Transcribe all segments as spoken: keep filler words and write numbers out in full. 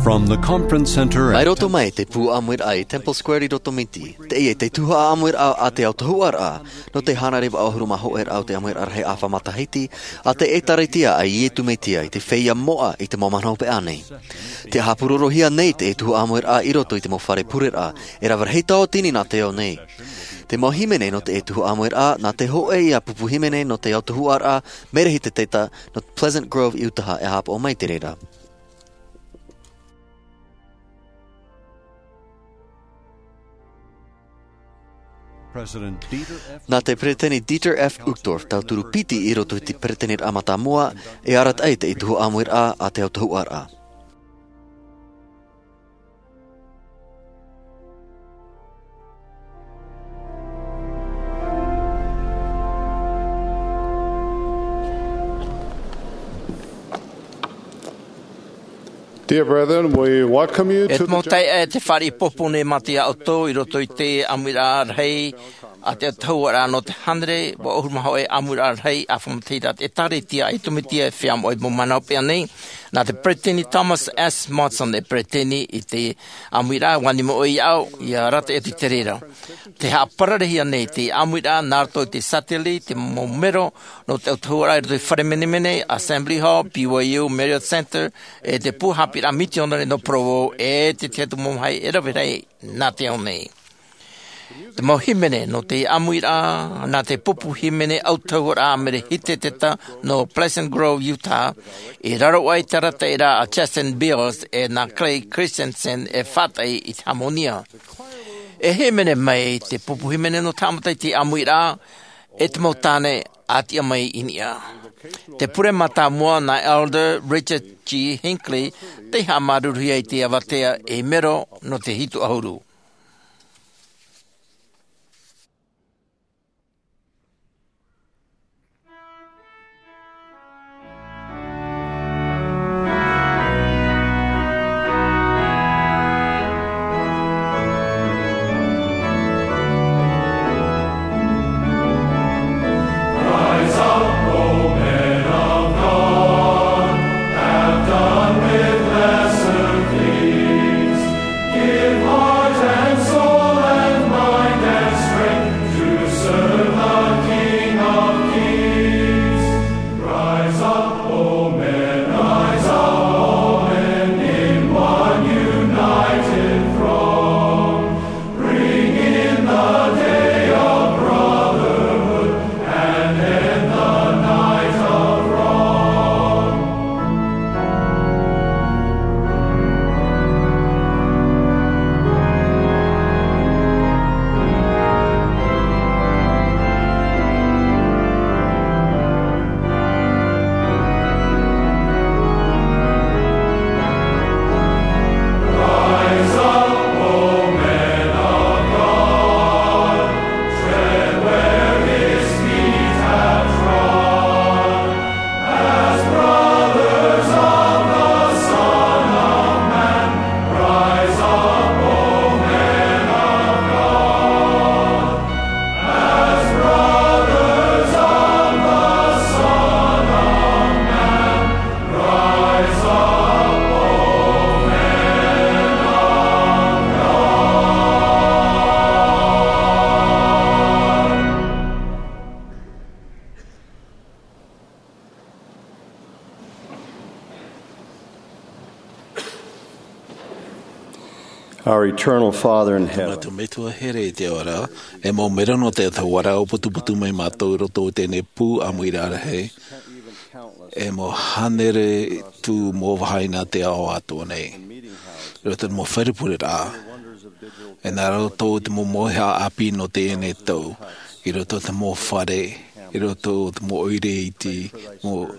From the conference center at Mai roto mai te pū ʻāmuiraʻa i Temple Square i Rotomiti, teie te tuhaʻa ʻāmuiraʻa a te autahuʻaraʻa, nō te hānere vaʻu ʻahuru mā hōʻē raʻa o te ʻāmuiraʻa rahi ʻāfa matahiti, a te ʻĒtārētia a Iesu Mesia i te feiā moʻa i te mau mahana hopeʻa nei. Tē haʻapūrorohia nei te tuhaʻa ʻāmuiraʻa i roto i te mau fare pureraʻa, e rave rahi tauatini nā te ao nei. Te mau hīmene nō te tuhaʻa ʻāmuiraʻa, nā te hōʻē ia pupu hīmene nō te autahuʻaraʻa, Merehiteta, nō Pleasant Grove, Utah, e haʻapaʻo mai i te reira. President Dieter F. Nā te Peresideni Dieter F. Uchtdorf, tauturu piti i roto i te Peresideniraʻa mātāmua, e arataʻi te tuhaʻa ʻāmuiraʻa a te autahuʻaraʻa. Dear brethren, we welcome you E to te mau the taeaʻe, tē fāriʻi ʻoutou nei mātou iā ʻoutou i roto i te ʻāmuiraʻa rahi a te autahuʻaraʻa nō te hānere vaʻu ʻahuru mā hōʻē ʻāmuiraʻa rahi ʻāfa matahiti a te ʻĒtārētia a Iesu Mesia i te feiā moʻa i te mau mahana hopeʻa nei. Nā te Peresideni Thomas S. Monson e peresideni i te ʻāmuiraʻa, ʻua nimo ʻoe iāʻu, ʻia arataʻi atu i te reira. Tē haʻapararehia nei te ʻāmuiraʻa nā roto i te satellite, te mau mero nō te autahuʻaraʻa i roto i te fare menemene, Assembly Hall, B Y U, Marriott Center, e te pū haʻapiʻiraʻa mitionare nō Provo, e te tahi atu mau mamahi e rave rahi nā te ao nei. Te mau hīmene nō te ʻāmuiraʻa, nā te pupu hīmene autahuʻaraʻa Merehiteta nō Pleasant Grove, Utah, i raro aʻe i te arataʻiraʻa a Justin Beals e nā Clay Christensen e faʻataʻi i te hāmōnia. E hīmene mai te pupu hīmene nō te haʻamata i te ʻāmuiraʻa, e te mau tāne a tiʻa mai i niʻa. Te pure mātāmua nā Elder Richard G. Hinckley, tei haʻamāuruuruhia i te avatea ei mero nō te hitu ʻahuru. Give heart and soul and mind and strength to serve the King of Kings. Rise up, O men, rise up, O men, in one united throng. Bring in the day of brotherhood and end the night of wrong. Our eternal Father in heaven. Mātou Metua here i te ao ra, e mau mero nō te autahuʻaraʻa, ʻua putuputu mai mātou i roto i teie nei pū ʻāmuiraʻa rahi. E mau hānere tū mau vāhi nā te ao atoʻa nei. I roto i te mau fare pureraʻa. E nā roto i te mau mauhaʻa ʻāpī nō teie nei tau. I roto i te mau fare, i roto i te mau ʻoire iti, mau,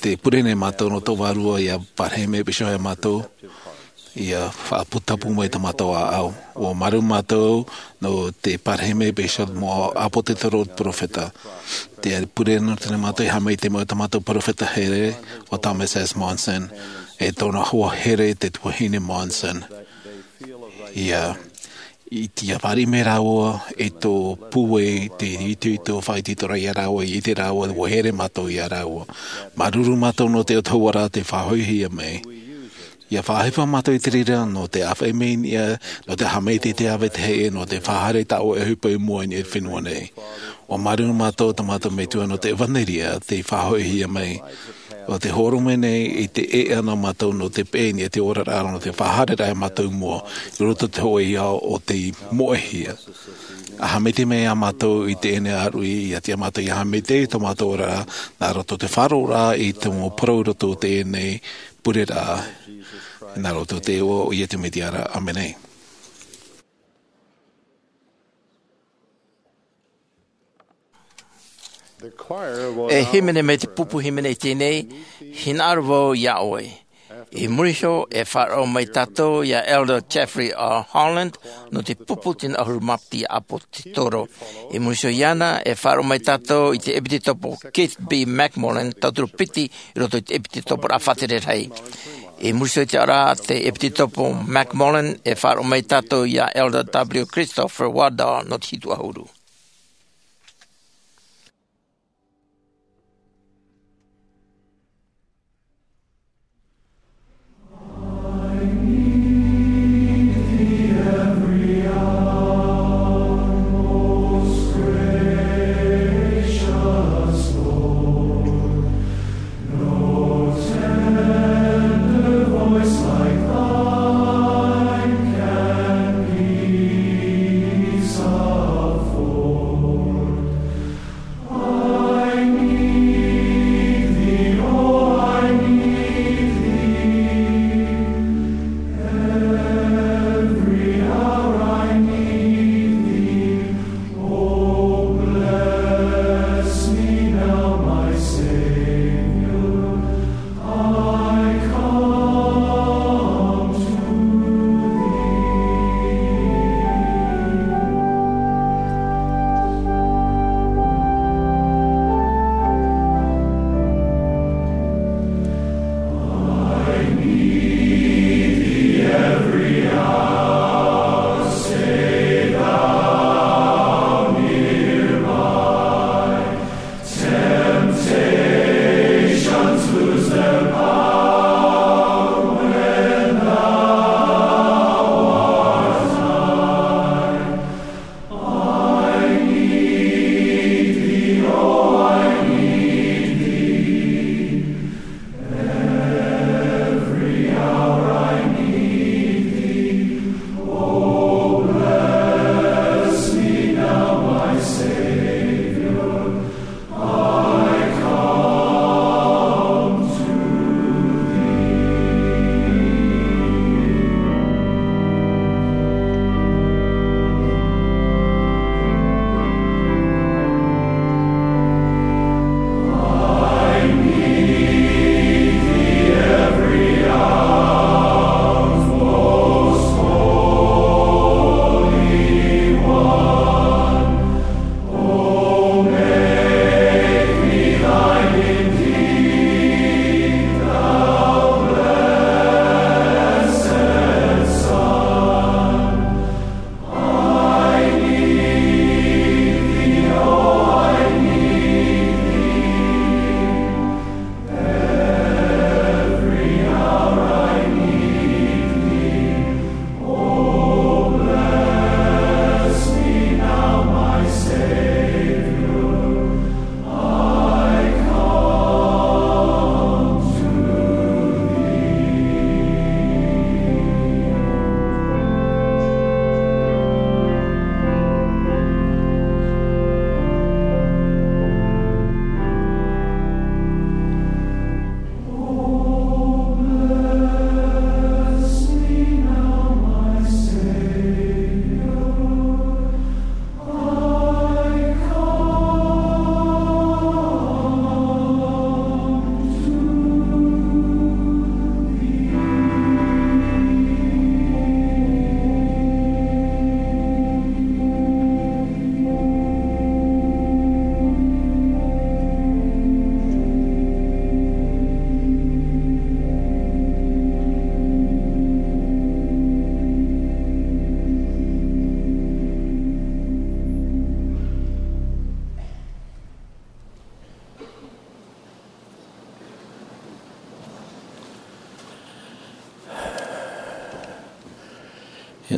tē pure nei mātou nō tō vārua ʻia pārahi mai e pīhaʻi iā mātou. ʻIa faʻaputapū mai tā mātou ʻāʻau. ʻUa māuruuru mātou nō te pārahi mai e pīhaʻi iā te mau ʻāpōsetolo, perofeta. Tē pure nei mātou e haʻamau i te mau tā mātou perofeta here, ʻo Thomas S. Monson, e tōna hoa here te tuahine Monson. ʻIa, i te fāriʻi mai rāua, e tō pūai, te itoito, faʻaitoitoraʻa iā rāua, i te rāua, ʻua here mātou iā rāua. Māuruuru mātou nō te autahuʻaraʻa tei faʻahoʻihia mai. ʻIa faʻahepo mātou i te reira nō te ʻāfaʻi mai niʻa, nō te haʻamaitaʻi i te ʻāvae tahi ʻē, nō te faʻahaere i tā ʻoe ʻohipa i mua i niʻa i te fenua nei. ʻUa māuruuru mātou i tō mātou Metua nō te ʻevanelia tei faʻahoʻihia mai. ʻO te hōroʻa mai nei i te ʻēʻa nā mātou nō te peʻe i niʻa i te oraraʻa nō te faʻahaereraʻa ia mātou i mua, i roto i te hōʻē ao o tei moʻehia. ʻA haʻamaitaʻi mai ia mātou i teie nei ʻāruʻi, ʻia tiʻa mātou ʻia haʻamaitaʻi i tō mātou oraraʻa, nā roto i te faʻaroʻoraʻa i te mau parau i roto i teie nei pureraʻa, nā roto i te iʻoa o Iesu Mesia ra. ʻĀmene. E hīmene mai te pupu hīmene i teie nei, hinaʻaro vau iā ʻoe. I muri iho, e faʻaroʻo mai tātou iā Elder Jeffrey R. Holland, nō te pupu tino ʻahuru mā piti ʻāpōsetolo. I muri iho iāna, e faʻaroʻo mai tātou i te ʻepitekopo Keith B. McMullen, tauturu piti i roto i te ʻepitekopo faʻatere rahi. I muri iho i te ʻaore ra te ʻepitekopo McMullen, e faʻaroʻo mai tātou iā Elder W. Christopher Waddall, nō te hitu ʻahuru.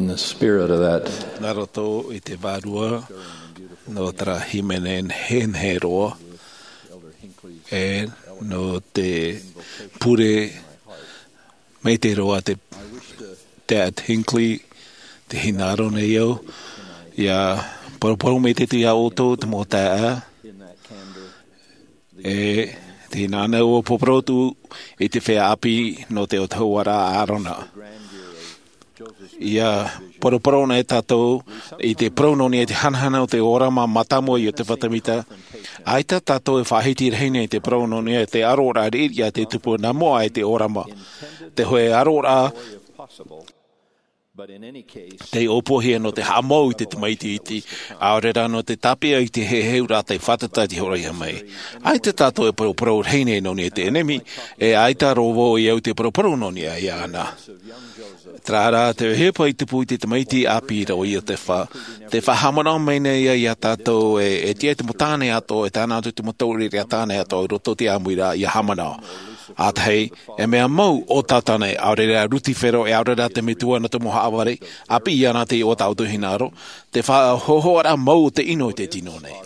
In the spirit of that, nā roto i te vārua nō terā hīmene nehenehe roa, e nō te pure maitaʻi roa te, te Hinckley, te hinaʻaro nei au, ʻia poroporo maitaʻi atu iā ʻoutou te mau taeaʻe, e te hinaʻaro ua poroporo atu i te feiā ʻāpī nō te autahuʻaraʻa a ʻĀrona. ʻIa poroporo nei tātou i te parau nō niʻa i te hanahana o te ʻōrama mātāmua i ʻOtefa Tēmita. ʻAita tātou e faʻahiti rahi nei i te parau nō niʻa i te ʻaroraʻa riʻiriʻa tei tupu nā mua aʻe i te ʻōrama. Te hōʻē ʻaroraʻa tei ʻōpuahia nō te haʻamou i te tamaiti iti, ʻaore rā nō te tāpeʻa i te heheuraʻa tei fātata i te hōroʻahia mai. ʻAita tātou e poroporo rahi nei nō niʻa i te ʻenemi, e ʻaita rō vau e au i te poroporo nō niʻa iāna. Terā rā te ʻohipa i tupu i te tamaiti ʻāpī ra o ʻOtefa, tē faʻahaʻamanaʻo mai nei ia iā tātou e, e tiʻa te mau tāne atoʻa, e tae noa atu te mau taureʻareʻa tāne atoʻa i roto i te ʻāmuiraʻa ʻia haʻamanaʻo. ʻĀtahi, e mea mau ʻo Tātane, ʻaore rā Rutifero, e ʻaore rā te metua nō te mau haʻavare, ʻāpī iāna te iʻoa tā ʻoutou hinaʻaro, te faʻahohoʻaraʻa mau o te ʻino i te tino nei.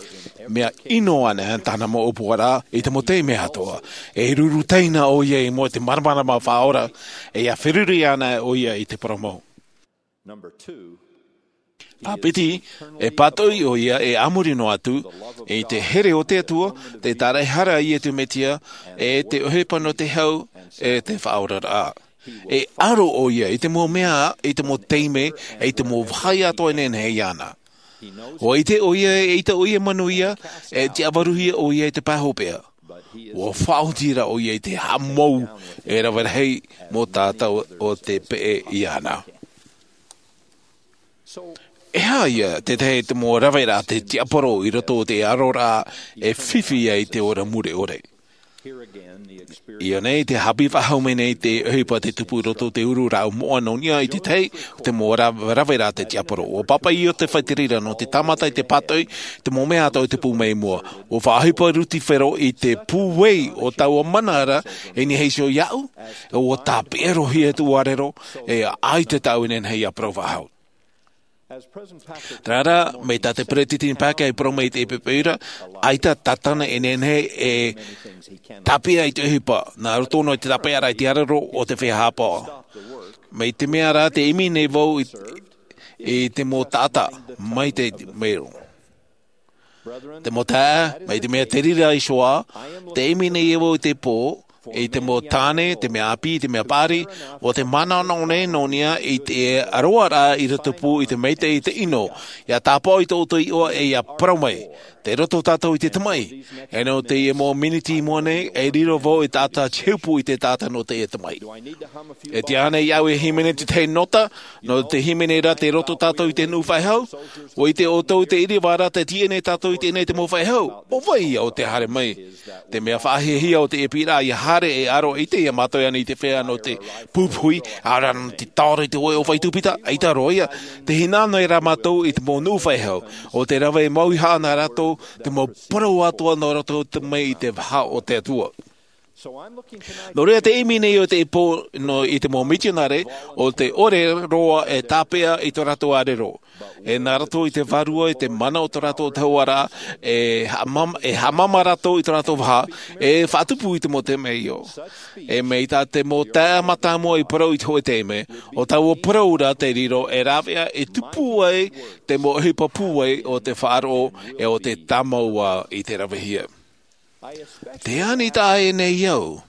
Mea ʻino ana tāna mau ʻōpuaraʻa i te mau taime atoʻa. E ruru taina ʻoia i mua i te māramarama faʻaora, e ʻia feruri ana ʻoia i te parau mau. Number two, ʻĀpiti, e pātoʻi ʻoia e a muri noa atu i te here o te Atua, te tāraʻehara a Iesu Mesia, e te ʻohipa nō te hau, e te faʻaoraraʻa. E aro ʻoia i te mau mea, i te mau taime, e i te mau vāhi atoʻa e nehenehe iāna. ʻUa ʻite ʻoia, e ʻaita ʻoia e manuia, e tiʻavaruhia ʻoia i te pae hopeʻa. ʻUa faʻaoti ra ʻoia i te haʻamou e rave rahi mau tātou o tē peʻe iāna. E aha ia te tahi te mau raveraʻa a te tiaporo i roto i te aroraʻa e fifi ai te ora mure ʻore? ʻIa nei te haʻapiʻi faʻahou mai nei te ʻohipa tei tupu i roto i te uru rāʻau moʻa nō niʻa i te tahi o te mau ra-, raveraʻa a te tiaporo. ʻUa pāpaʻi Iosefa i te reira nō te tāmata i te pātoʻi te mau mea atoʻa i tupu mai i mua. ʻUa faʻaʻohipa Rutifero i te pūai o taua mana ra, e nehenehe iho iāʻu, ʻua tāpeʻa roa hia te ʻuarero, e ʻaita tāʻu e nehenehe ʻia parau faʻahou. Terā rā, mai tā te Peretiteni Packer i parau mai i te ʻepeʻepeʻa ra, ʻaita Tātane e nehenehe e tāpeʻa i te ʻohipa, nā roto noa i te tāpeʻaraʻa i te arero o te feiā haʻapaʻo. Mai te mea rā, tē ʻimi nei vau i, i te mau taʻata, mai te mero. Te mau taeaʻe, mai te mea te reira iho ā, tē ʻimi nei vau i te pō, i te mau tāne, te mea ʻāpī, te mea paʻari, ʻo tē manaʻo nei nō niʻa i te aroaraʻa i rotopū i te maitaʻi i te ʻino, ʻia tāpaʻo i tō ʻoutou iʻoa e ʻia parau mai, tei roto tātou i te tamaʻi. E nō teie mau miniti i mua nei, e riro vau i te taʻata tiupu i te taʻata nō teie tamaʻi. E tiʻa ānei iāʻu e hīmene te tahi nota, nō te hīmene ra tei roto tātou i te nuʻu faʻehau? ʻUa ʻite ʻoutou te ʻīrava ra tē tiʻa nei tātou i teie nei te mau faʻehau. ʻO vai ia ʻo tē haere mai? Te mea faʻahiahia o te ʻepiʻiraʻa ʻia haere e aro i te, ʻia mātau ana i te feiā nō te puhipuhi, ʻaore rā nō te taoro i te hōʻē ʻōfaʻi tūpita, ʻaita roa ia, tē hinaʻaro nei rā mātou i te mau nuʻu faʻehau, ʻo tē rave mau iho ā nā rātou, te mau parau atoʻa nō roto mai i te vaha o te Atua. Nō reira te ʻimi nei o te pō nō i te mau mitionare, ʻo tē ʻore roa e tāpeʻa i tō rātou arero. E nā roto i te vārua, i te mana o tō rātou autahuʻaraʻa, e haʻamam-, e haʻamama rātou i tō rātou vaha, e faʻatupu i te mau temeio. E mai tā te mau taeaʻe mātāmua i parau i te hōʻē taime, ʻo taua parau ra tei riro e rāveʻa e tupu ai te mau ʻohipa pūai o te faʻaroʻo e o te tāmau i te ravehia. Tē ani taʻa ʻē nei au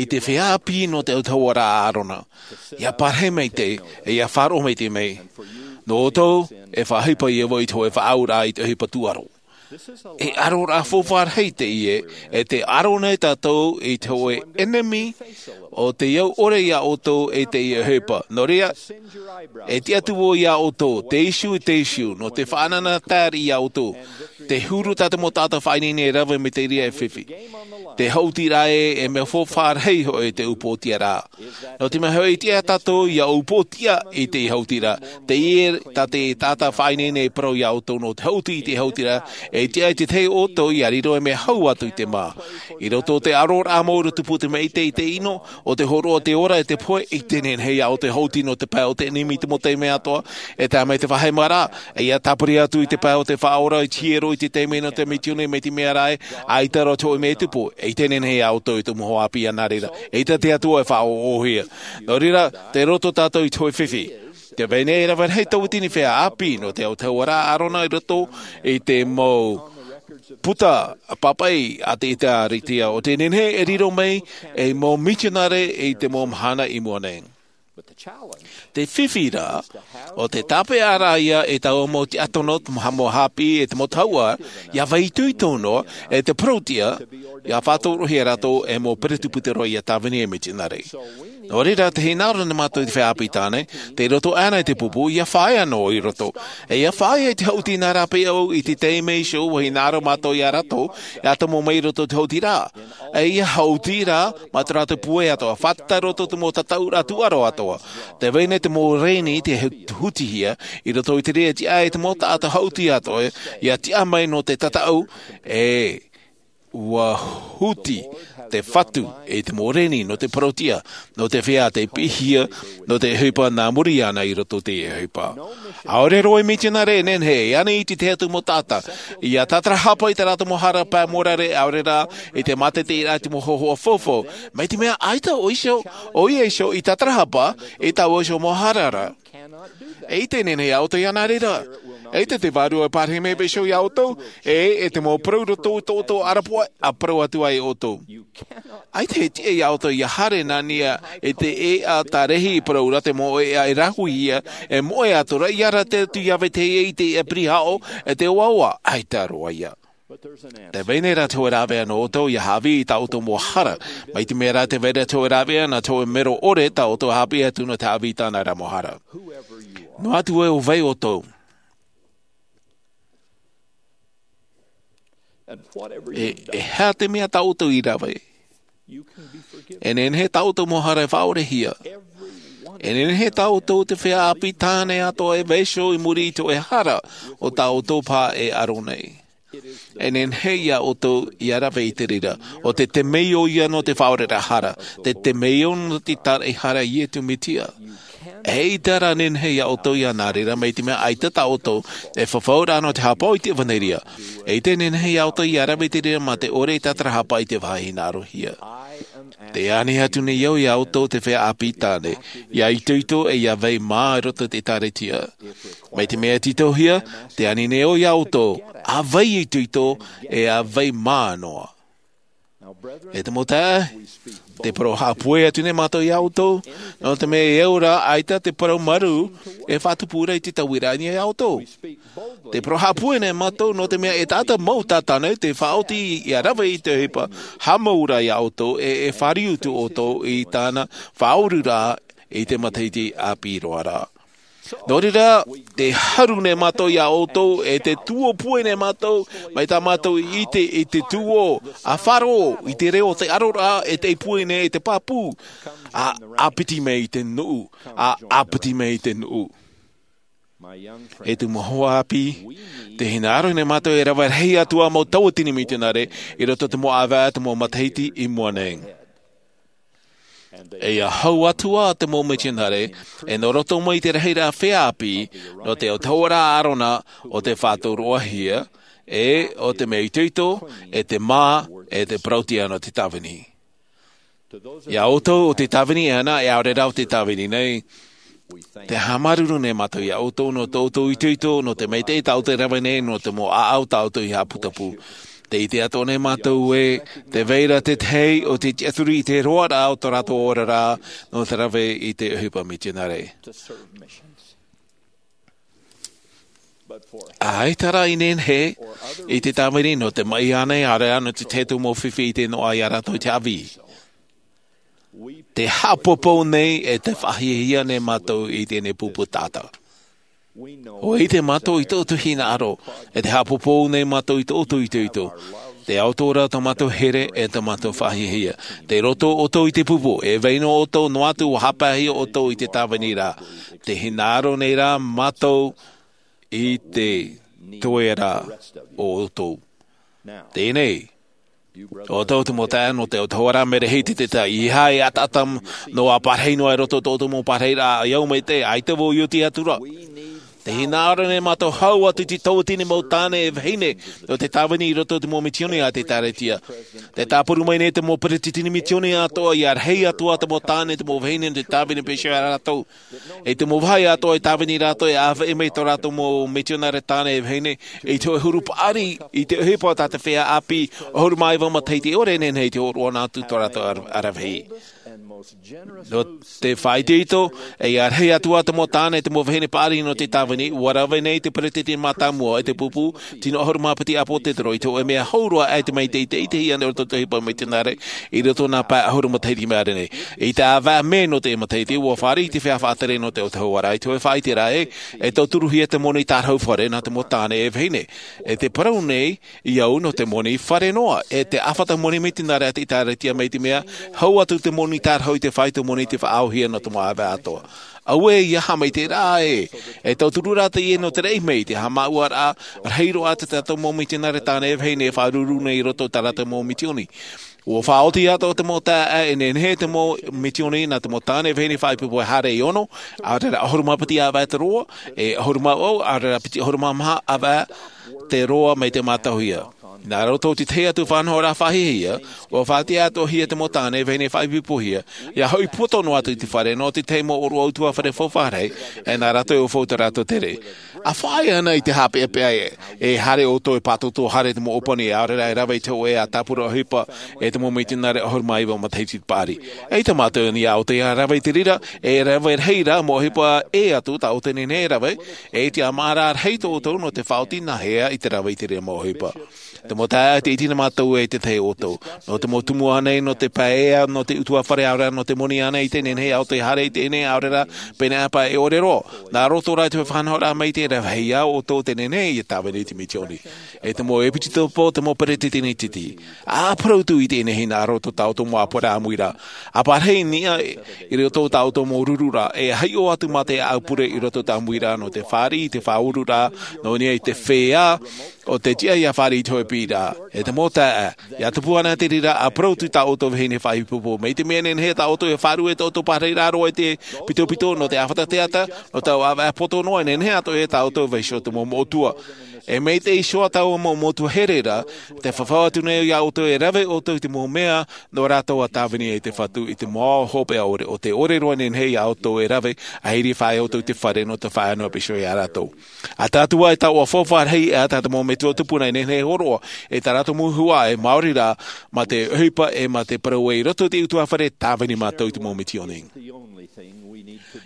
i te feiā ʻāpī nō te autahuʻaraʻa a ʻĀrona, ʻia pārahi maitaʻi, e ʻia faʻaroʻo maitaʻi mai. Nō ʻoutou, e faʻaʻohipa ïa vau i te hōʻē faʻaauraʻa i te ʻohipa tūʻaro. E aroraʻa faufaʻa rahi teie, e tē aro nei tātou i te hōʻē ʻenemi, ʻo tē au ʻore iā ʻoutou i teie ʻohipa. Nō reira, e tiʻa atu vau iā ʻoutou, teitei, teitei, nō te faʻanahoraʻa iā ʻoutou. Te huru tā te mau taʻata faʻaineine e rave mai te reira e fifi. Te haʻutiraʻa e mea faufaʻa rahi hoʻi te upoʻotiaraʻa. Nō te mea hoʻi, e tiʻa tātou ia upoʻotia i te haʻutiraʻa. Teie tā te taʻata faʻaineine e parau ia ʻoutou nō te haʻuti i te haʻutiraʻa, e tiʻa i te tahi o ʻoutou ia riro e mea hau atu i te mā. I roto o te ʻaroraʻa mau i roto i te maʻi, i te ʻino, ʻo te hōroʻa o te ora e te pohe, ʻeita e nehenehe ia ʻoutou e haʻuti nō te pae o te ʻenemi i te mau taime atoʻa, e tae mai te faʻaheimaraʻa, e ia tāpiri atu i te pae o te Faʻaora i te hiero i te taime nō te misiōni, mai te mea rā ē, ʻaita roa te hōʻē mea e tupu, ʻeita e nehenehe ia ʻoutou i te mau hoa ʻāpī nā reira, ʻeita te Atua e faʻaʻoʻohia. Nō reira, tei roto tātou i te hōʻē fifi. Tē vai nei e rave rahi tauatini feiā ʻāpī nō te autahuʻaraʻa a ʻĀrona i roto i te mau puta papaʻi a te ʻĒkālesia, ʻo tē nehenehe e riro mai ei mau mitionare i te mau mahana i mua nei. Te fifi rā, ʻo te tāpeʻaraʻa ia e taua mau tiʻa tono, te mau haʻapiʻi, e te mau tahuʻa, ia vai itoito noa, e te parauʻtiʻa, ia faʻatorohia rātou e mau peresideni roa ia tāvini ei mitionare. Nō reira, tē hinaʻaro nei mātou i te feiā ʻāpī tāne, tei roto aʻena i te pupu, ia fāʻia noa i roto. E ia fāʻia i te haʻuti nā rāpae au i te taime iho, ʻua hinaʻaro mātou ia rātou, e atomo mai i roto i te haʻutiraʻa. E ia haʻuti rā, mā tō rātou puai atoʻa, fātata i roto i te mau tataʻuraʻa tūʻaro atoʻa. Tē vai nei te mau reni tei hutihia, i roto i te reira tiʻa e te mau taʻata haʻuti atoʻa, ia tiʻa mai nō te tataʻu, e ʻua huti te Fatu i te mau reni nō te parauʻtiʻa, nō te feiā tei piʻihia, nō te ʻohipa nā muri iāna i roto i te ʻohipa. ʻAore roa e mitionare e nehenehe, e ani i te tahi atu mau taʻata, ia tātarahapa i tā rātou mau hara pae mōrare, ʻaore rā, i te mātaʻitaʻiraʻa i te mau hōhoʻa faufaʻa. Mai te mea ʻaita ʻo iho, ʻoia iho i tātarahapa, i taua iho mau hara ra. ʻEita e nehenehe ia ʻoutou ia nā reira. ʻEita te Vārua e pārahi mai vaiiho ia ʻoutou, e, e te mau parau roto i tō ʻoutou ʻarapoʻa, ʻa parau atu ai ʻoutou. ʻAita e tiʻa ia ʻoutou ia haere nā niʻa i te ʻēʻa tārahi i parau ra te mau ʻēʻa e rāhuihia, e moʻe atu ra, ia rave atu ia vetahi i te ʻēʻa pirihaʻo, e te oaoa, ʻaita roa ia. Tē vai nei rā te hōʻē rāveʻa nō ʻoutou ia haʻavī i tā ʻoutou mau hara. Mai te mea rā tē vai ra te hōʻē rāveʻa nā te hōʻē mero ʻore tā ʻoutou e haʻapiʻi atu nō te haʻavī i tāna ra mau hara. Noa atu ē ʻo vai ʻoutou. E, e aha te mea tā ʻoutou i rave. E nehenehe tā ʻoutou mau hara e faʻaorehia. E nehenehe tā ʻoutou te feiā ʻāpī tāne atoʻa e vaiiho i muri i te hōʻē hara o tā ʻoutou paha e aro nei. E nehenehe ia ʻoutou ia rave i te reira. ʻO te temeio ia nō te faʻaoreraʻa hara. Te temeio nō te tāraʻehara a Iesu Mesia. ʻEita rā nehenehe ia ʻoutou ia nā reira mai te mea ʻaita tā ʻoutou e fafau ra nō te haʻapaʻo i te ʻevanelia. ʻEita e nehenehe ia ʻoutou ia rave i te reira mā te ʻore e tātarahapa i te vāhi hinaʻarohia. Tē ani atu nei au ia ʻoutou te feiā ʻāpī tāne, ia itoito e ia vai mā i roto i te ʻĒkālesia. Mai te mea e tītauhia, tē ani nei au ia ʻoutou, ʻa vai itoito, e ʻa vai mā noa. E te mau taeaʻe, tē parau haʻapūai atu nei mātou ia ʻoutou, nō te mea e au rā ʻaita te parau marū, e faʻatupu ra i te tauiraʻa ia ʻoutou. Tē parau haʻapūai nei mātou, nō te mea e taʻata mau tātou nei tē faʻaoti ia rave i te ʻohipa, haʻamau ra ia ʻoutou, e, e fāriu atu ʻoutou i tāna faʻaoruraʻa i te matahiti ʻāpī roa ra. Nō reira, tē haru nei mātou ia ʻoutou, e tē tuōpūai nei mātou, mai tā mātou i ʻite i te tuō, ʻa faʻaroʻo i te reo o te ʻaroraʻa, e tē pūai nei i te pāpū, ʻa, ʻa piti mai i te nuʻu, ʻa, ʻa piti mai i te nuʻu. E te mau hoa ʻāpī, tē hinaʻaro nei mātou e rave rahi atu ā mau tauatini mitionare, i roto i te mau ʻāvaʻe, te mau matahiti i mua nei. E ia hau atu ā te mau mitionare, e nō roto mai i te rahiraʻa feiā ʻāpī, nō te autahuʻaraʻa a ʻĀrona, ʻo tē faʻatoroʻahia, e ʻo te mea itoito, e te mā, e te parauʻtiʻa nō te tāvini. Ia ʻoutou ʻo tē tāvini ana, e ʻaore rā ʻo tē tāvini nei, tē haʻamāuruuru nei mātou ia ʻoutou nō tō ʻoutou itoito, nō te maitaʻi tā ʻoutou e rave nei, nō te mau ʻāʻau tā ʻoutou i haʻaputapū. Tē ʻite atoʻa nei mātou ē, tē vai ra te tahi ʻo tē tiʻaturi i te roaraʻa o tō rātou oraraʻa, nō te rave i te ʻohipa mitionare. ʻAita rā i nehenehe, i te tāvini nō te maʻi ānei, ʻaore rā nō te tahi atu mau fifi i te noaʻa ia rātou i te haʻavī. Tē haʻapōpou nei e tē faʻahiahia nei mātou i teie pupu taʻata. ʻUa ʻite mātou i tō ʻoutou hinaʻaro, e tē haʻapōpou nei mātou i tō ʻoutou itoito. Te ao atoʻa rā tō mātou here e tō mātou faʻahiahia. Tei roto ʻoutou i te pupu, e vai noa ʻoutou noa atu ua hāpaʻihia ʻoutou i te tāvini ra. Te hinaʻaro nei rā mātou i te toe ra o ʻoutou. Teie nei, ʻoutou te mau taeaʻe nō te autahuʻaraʻa, mea rahi te taʻata, ʻeiaha e ʻataʻata noa, parahi noa i roto i tō ʻoutou mau parahiraʻa, ʻia au mai te, ʻaita vau i oti atu ra. Te hinaʻaro nei mātou hau atu i te tauatini mau tāne e vahine nō te tāvini i roto i te mau misioni a te ʻĒkālesia. Tē tāparu mai nei te mau peretiteni misioni atoʻa ʻia rahi atu ā te mau tāne, te mau vahine nō te tāvini pēsio ia rātou. I te mau vāhi atoʻa e tāvini rātou, e ʻāfaʻi mai tō rātou mau mitionare tāne e vahine i te hōʻē huru paʻari i te ʻohipa tā te feiā ʻāpī ʻahuru mā iva matahiti, e ʻore e nehenehe i te hōroʻa noa atu tō rātou ara-, aravihi. Nō te faʻaitoito, e ʻia rahi atu ā te mau tāne, te mau vahine paʻari nō te tāvini, ʻua rave nei te peretiteni mātāmua i te pupu, tino ʻahuru mā piti ʻāpōsetolo, i te hōʻē mea hau roa aʻe te maitaʻi i te ʻitehia nei i roto i te ʻohipa mitionare i roto i nā pae ʻahuru matahiti i maʻiri nei. I te ʻāvaʻe mē nō te matahiti, ʻua fāriʻi te feiā faʻatere nō te autahuʻaraʻa i te hōʻē faʻaʻiteraʻa ē, e tauturuhia te moni tārahu fare nā te mau tāne e vahine. E tē parau nei iāʻu nō te moni fare noa, e te ʻāfata moni mitionare a te ʻĒkālesia, mai te mea hau atu te moni tārahu i te fāito moni i te faʻaauhia nō te mau ʻāvaʻe atoʻa. Auē, ʻeiaha mai te reira ē, e tauturu rā teie nō te raʻi mai i te haʻamāuʻaraʻa rahi roa a tā tātou mau mitionare tāne e vahine e faʻaruru nei i roto i tā rātou mau misioni. ʻUa faʻaoti atoʻa te mau taeaʻe, e nehenehe te mau misioni nā te mau tāne e vahine faʻaipoipo e haere i ono, ʻaore rā ʻahuru mā piti ʻāvaʻe te roa, e ʻahuru mā vaʻu, ʻaore rā piti ʻahuru mā maha ʻāvaʻe te roa mai te mātauhia. Nā roto i te tahi atu faʻanahoraʻa faʻahiahia, ʻua faʻatiʻa atoʻahia te mau tāne e vahine faʻaipoipohia, ʻia hoʻi poto noa atu i te fare nō te tahi mau ʻōroʻa ʻutuāfare faufaʻa rahi, e nā rātou e ʻaufau tō rātou tere. ʻA faʻaea ana i te haʻapeʻapeʻa ē, e haere ʻoutou e pātōtō, haere te mau ʻōpani, ʻaore rā e rave i te hōʻē tāpura ʻohipa e te mau mitionare ʻahuru mā iva matahiti paʻari. ʻAita mātou i niʻa iā ʻoutou ʻia rave i te reira, e rave rahi rā mau ʻohipa ʻē atu tā ʻoutou e nehenehe e rave, e ʻite ā mā rā rahi tō ʻoutou nō te faʻaoti nā hea i te rave i te reira mau ʻohipa. Te mau taeaʻe, tē ʻite na mātou ē, tē tahi ʻoutou. Nō te mau tumu ānei, nō te pae ʻē ā, nō te ʻutuāfare, ʻaore rā nō te moni ānei, tē nehenehe iā ʻoutou e haere i teie nei, ʻaore rā, pēneiaʻe paʻi e ʻore roa. Nā roto rā i te faʻanahoraʻa maitaʻi, e rave ia ʻoutou tē nehenehe ʻia tāvini i te misioni. E te mau ʻepikopo, te mau peretiteni tītī, ʻa parau atu i teie nei hinaʻaro i tō tātou mau ʻāpoʻoraʻa ʻāmuiraʻa. ʻA parahi i niʻa i roto i tā ʻoutou mau rururaʻa, e hiʻo atu mā te ʻāʻau pure i roto i te ʻāmuiraʻa nō te fāriʻi, te faʻaururaʻa, nō niʻa i te feiā, ʻo te tiʻa ʻia fāriʻi i te hōʻē piʻiraʻa. E te mau taeaʻe, ʻia tupu ana te reira, ʻa parau atu i tā ʻoutou vahine faʻaipoipo, mai te mea e nehenehe tā ʻoutou e faʻarue i tō ʻoutou parahiraʻa roa i te pitopito, nō te ʻāfata teata, nō taua ʻāvaʻe poto noa, e nehenehe atoʻa tā ʻoutou e vaiiho i te mau moʻotua. E maitaʻi iho ā taua mau moʻotua here ra, tē fafau atu nei iā ʻoutou e rave ʻoutou i te mau mea nō rātou ʻa tāvini ai te Fatu i te mau ao hopeʻa ʻore, ʻo tē ʻore roa e nehenehe iā ʻoutou e rave, ʻa hiri faʻaea ʻoutou i te fare nō te faʻaea noa pēsio ia rātou. ʻA tātou ā, e taoʻa faufaʻa rahi, e ʻata te mau metua tupuna e nehenehe e hōroʻa, e tā rātou mau huaʻai, e maori rā, mā te ʻohipa, e mā te parau ē, i roto i te ʻutuāfare, tāvini mātou i te mau misioni.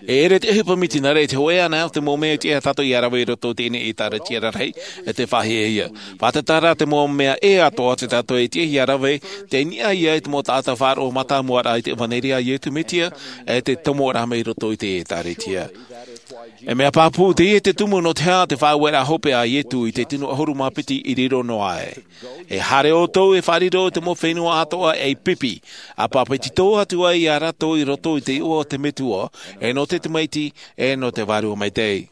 E ʻere te ʻohipa mitionare, e te hōʻē anaʻe o te mau mea e tiʻa ia tātou ʻia rave i roto i teie nei ʻĒtārētia rarahi, e te faʻahiahia. Fātata rā te mau mea ʻē atoʻa tō tātou e tiʻa ʻia rave, tei niʻa ia i te mau taʻata faʻaroʻo mātāmua ra i te ʻevanelia a Iesu Mesia, e te tomoraʻa mai i roto i te ʻĒtārētia. E mea pāpū teie te tumu nō te aha te faʻaueraʻa hopeʻa a Iesu i te tino ʻahuru mā piti i riro noa aʻe. E haere ʻoutou e faʻariro i te mau fenua atoʻa ei pipi, ʻa bāpetizo atu ai ia rātou i roto i te iʻoa o te Metua, e nō te Tamaiti, e nō te Vārua Maitaʻi.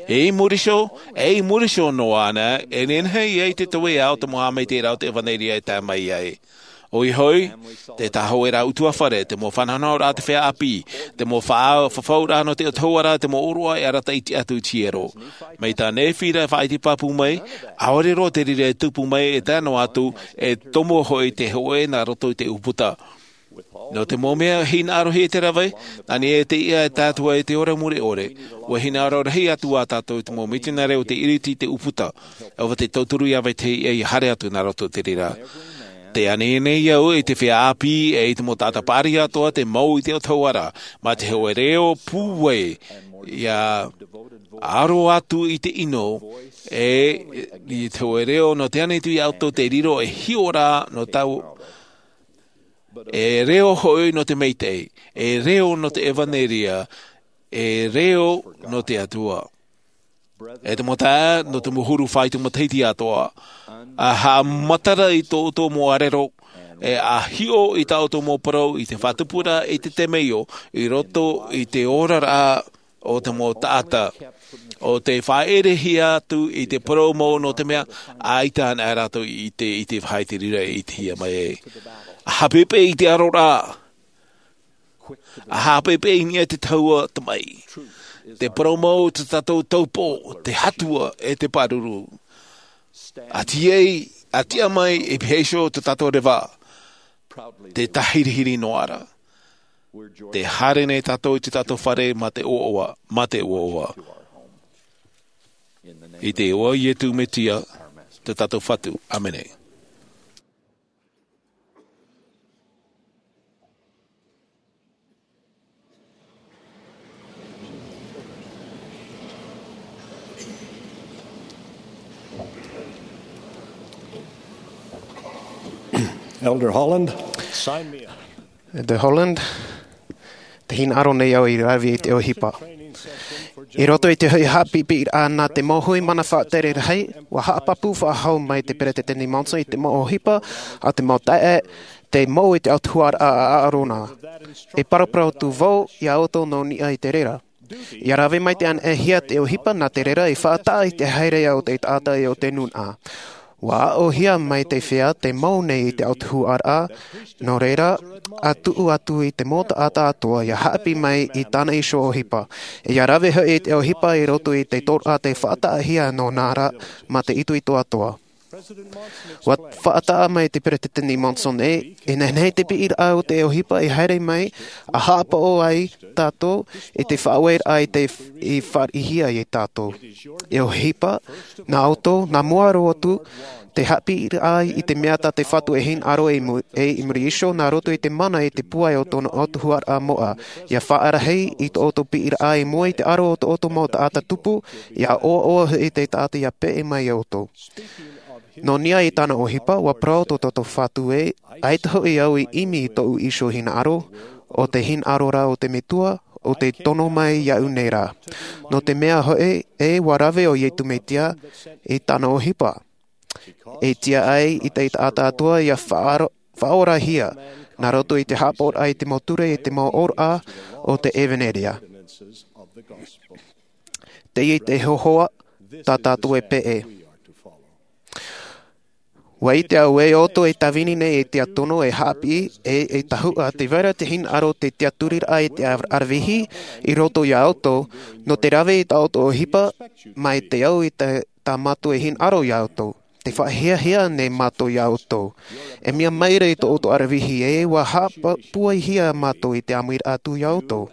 E i muri iho, e i muri iho noa anaʻe, e nehenehe ia i te toe ā o te mau haʻamaitaʻiraʻa o te ʻevanelia e tae mai ai. ʻOia hoʻi, te tahoʻaraʻa ʻutuāfare, te mau faʻanahoraʻa a te feiā ʻāpī, te mau faʻa-, fafauraʻa nō te autahuʻaraʻa, te mau ʻōroʻa e arataʻi atu i te hiero. Mai tā Nēfira e faʻaʻite pāpū mai, ʻaore roa te reira e tupu mai e tae noa atu, e tomo hoʻi te hōʻē nā roto i te ʻūputa. Nō te mau mea hinaʻarohia e te rave, nā niʻa i te iʻa e tae atu ai i te ora mure ʻore, ʻua hinaʻaro rahi atu ā tātou i te mau mitionare o tē ʻiriti i te ʻūputa, ʻo tē tauturu iā vetahi ʻia haere atu nā roto i te reira. Tē ani nei au i te feiā ʻāpī, e i te mau taʻata paʻari atoʻa, tē mau i te autahuʻaraʻa, mā te hōʻē reo pūai, ʻia aro atu i te ʻino, e i te hōʻē reo nō te ani atu iā ʻoutou te riro ei hiʻoraʻa nō tāua, e reo hoʻi nō te maitaʻi, e reo nō te ʻevanelia, e reo nō te Atua. E te mau taeaʻe, nō te mau huru faʻaitoito matahiti atoʻa, a haʻamatara i tō ʻoutou mau ʻarero, e a hiʻo i tā ʻoutou mau parau i te faʻatupuraʻa i te temeio i roto i te oraraʻa o te mau taʻata. ʻO te faʻaʻerehia atu i te parau mau, nō te mea ʻaita ana rātou i te, i te faʻaʻite rira e ʻitehia mai ai. A haʻapeʻepeʻe i te aro ra, a haʻapeʻepeʻe i niʻa i te tahua tamaʻi. Te parau mau o tō tātou taupō, te Atua e te pāruru. A tiʻa, a tiʻa mai e piha iho tō tātou reva, te tāhirihiri noa ra. Tē haere nei tātou i tō tātou fare mā te ʻoaʻoa, mā te ʻoaʻoa. I te iʻoa o Iesu Mesia, tō tātou Fatu. ʻĀmene. Elder Holland, sign me up. Elder Holland, tē hinaʻaro nei au i rave i te ʻohipa. I roto i te hoʻi haʻapiʻipiʻiraʻa nā te mau hui mana faʻatere rahi, ʻua haʻapāpū faʻahou mai te Peresideni Monson i te mau ʻohipa a te mau taeaʻe, te mau i te autahuʻaraʻa a ʻĀrona. E paraparau atu vau iā ʻoutou nō niʻa i te reira. ʻIa rave maitaʻi anaʻe hia te ʻohipa nā te reira i faʻataʻa i te haereʻa o te taʻata e o te nūnaʻa. ʻUa aʻohia mai te feiā tē mau nei i te autahuʻaraʻa, nō reira, ʻa tuʻu atu i te mau taʻata atoʻa ʻia haʻapiʻi mai i tāna iho ʻohipa. ʻIa rave hoʻi i te ʻohipa i roto i te tōroʻa tē faʻataʻahia nō nā ra mā te itoito atoʻa. ʻUa faʻataʻa mai te Peresideni Monson ē, e nehenehe te piʻiraʻa o te ʻohipa e haere mai, ʻa haʻapaʻo ai tātou i te faʻaueraʻa i te, i fāriʻihia iā tātou. E ʻohipa, nā ʻoutou, nā mua roa atu, te haʻapiʻiraʻa i te mea tā te Fatu e hinaʻaro i mu-, e i muri iho, nā roto i te mana i te pūai o tōna autahuʻaraʻa moʻa, ʻia faʻarahi i tō ʻoutou piʻiraʻa i mua i te aro o tō ʻoutou mau taʻata tupu, ʻia ʻoaʻoa hoʻi te taʻata ʻia peʻe mai iā ʻoutou. Nō niʻa i tāna ʻohipa, ʻua parau tō tātou Fatu ē, ʻaita hoʻi au i ʻimi i tōʻu iho hinaʻaro, ʻo te hinaʻaro ra o te Metua, ʻo tē tono mai iāʻu nei ra. Nō te mea hoʻi, ē ʻua rave ʻo Iesu Mesia i tāna ʻohipa. E tiʻa ai i te taʻata atoʻa ʻia faʻaro-, faʻaorahia, nā roto i te haʻapaʻoraʻa i te mau ture, i te mau ʻōroʻa o te ʻevaneria. Teie te hōhoʻa tā tātou e peʻe. ʻUa ʻite au ē ʻoutou e tāvini nei e tiʻaturi e haʻapiʻi, e, e tahuʻa tē vai ra te hinaʻaro te tiʻaturiraʻa i te ara-, aravihi i roto iā ʻoutou, nō te rave i tā ʻoutou ʻohipa, mai te au i te, tā mātou e hinaʻaro iā ʻoutou. Tē faʻahiahia nei mātou iā ʻoutou. E mea maira i tō ʻoutou aravihi ē, ʻua haʻapūaihia mātou i te ʻāmuiraʻa atu iā ʻoutou.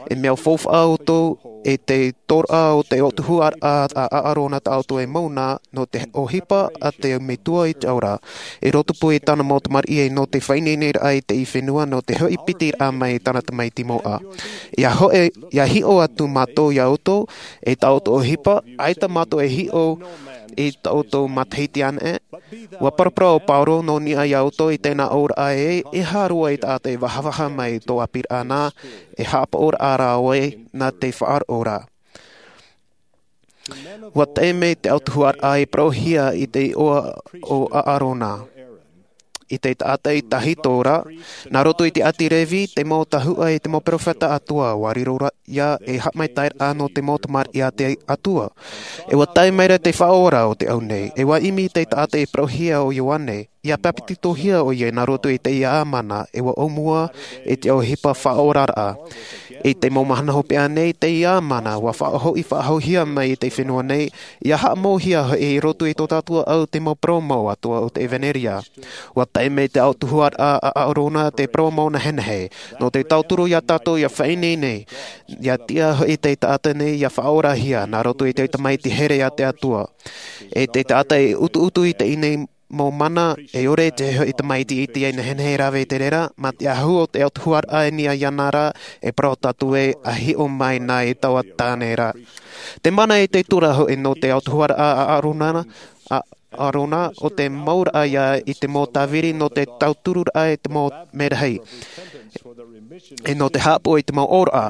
E mea faufaʻa ʻoutou, e te tōroʻa o te autahuʻaraʻa a, a ʻĀrona tā ʻoutou e mau na, nō te ʻohipa a te Metua i te ao ra. I rotopū i tāna mau tamariʻi e nō te faʻaineineraʻa i teie fenua nō te hoʻi piti raʻa mai i tāna tamaiti moʻa. ʻIa hoʻi, ʻia hiʻo atu mātou iā ʻoutou, e tā ʻoutou ʻohipa, ʻaita mātou e hiʻo i tā ʻoutou matahiti anaʻe. ʻUa paraparau ʻo Pauro nō niʻa iā ʻoutou i tēnā auraʻa ē, e aha roa i taʻata e vahavaha mai i tō ʻāpīraʻa na, e haʻapaʻoraʻa rā ʻoe, nā te faʻaroʻo ra. ʻUa tae mai te autahuʻaraʻa i parauhia i te iʻoa o ʻĀrona, i te taʻata i tahito ra, nā roto i te ʻāti Revi, te mau tahuʻa e te mau perofeta atoʻa, ʻua riro ra ia e haʻamaitaʻiraʻa nō te mau tamariʻi a te Atua. E ʻua tae mai ra te Faʻaora o te au nei, e ʻua ʻimi te taʻata i parauhia ʻo Ioane, ʻia papetitohia ʻoia nā roto i te ʻāmana, e ʻua ʻōmua i te ʻohipa faʻaoraraʻa. I te mau mahana hopeʻa nei, te ʻāmana, ʻua faʻahoʻi faʻahouhia mai i te fenua nei, ʻia haʻamauhia hoʻi i roto i tō tātou ʻāʻau te mau parau mau atoʻa o te ʻEvaneria. ʻUa tae mai te autahuʻaraʻa a ʻĀrona te parau mau nehenehe, nō te tauturu iā tātou ʻia faʻaineine, ʻia tiʻa hoʻi te taʻata nei ʻia faʻaorahia, nā roto i te tamaiti here a te Atua. E te taʻata e utuutu i teie nei mau mana, e ʻore te hoʻi tamaiti iti e nehenehe e rave i te reira, mā te ahu o te autahuʻaraʻa e niʻa iāna ra, e parau tātou ē, ʻa hiʻo mai na i taua tāne ra. Te mana i te tura hoʻi nō te autahuʻaraʻa a ʻĀrona, a ʻĀrona, ʻo te mauraʻa ia i te mau tāviri nō te tautururaʻa i te mau merahi. E nō te haʻapaʻo i te mau auraʻa.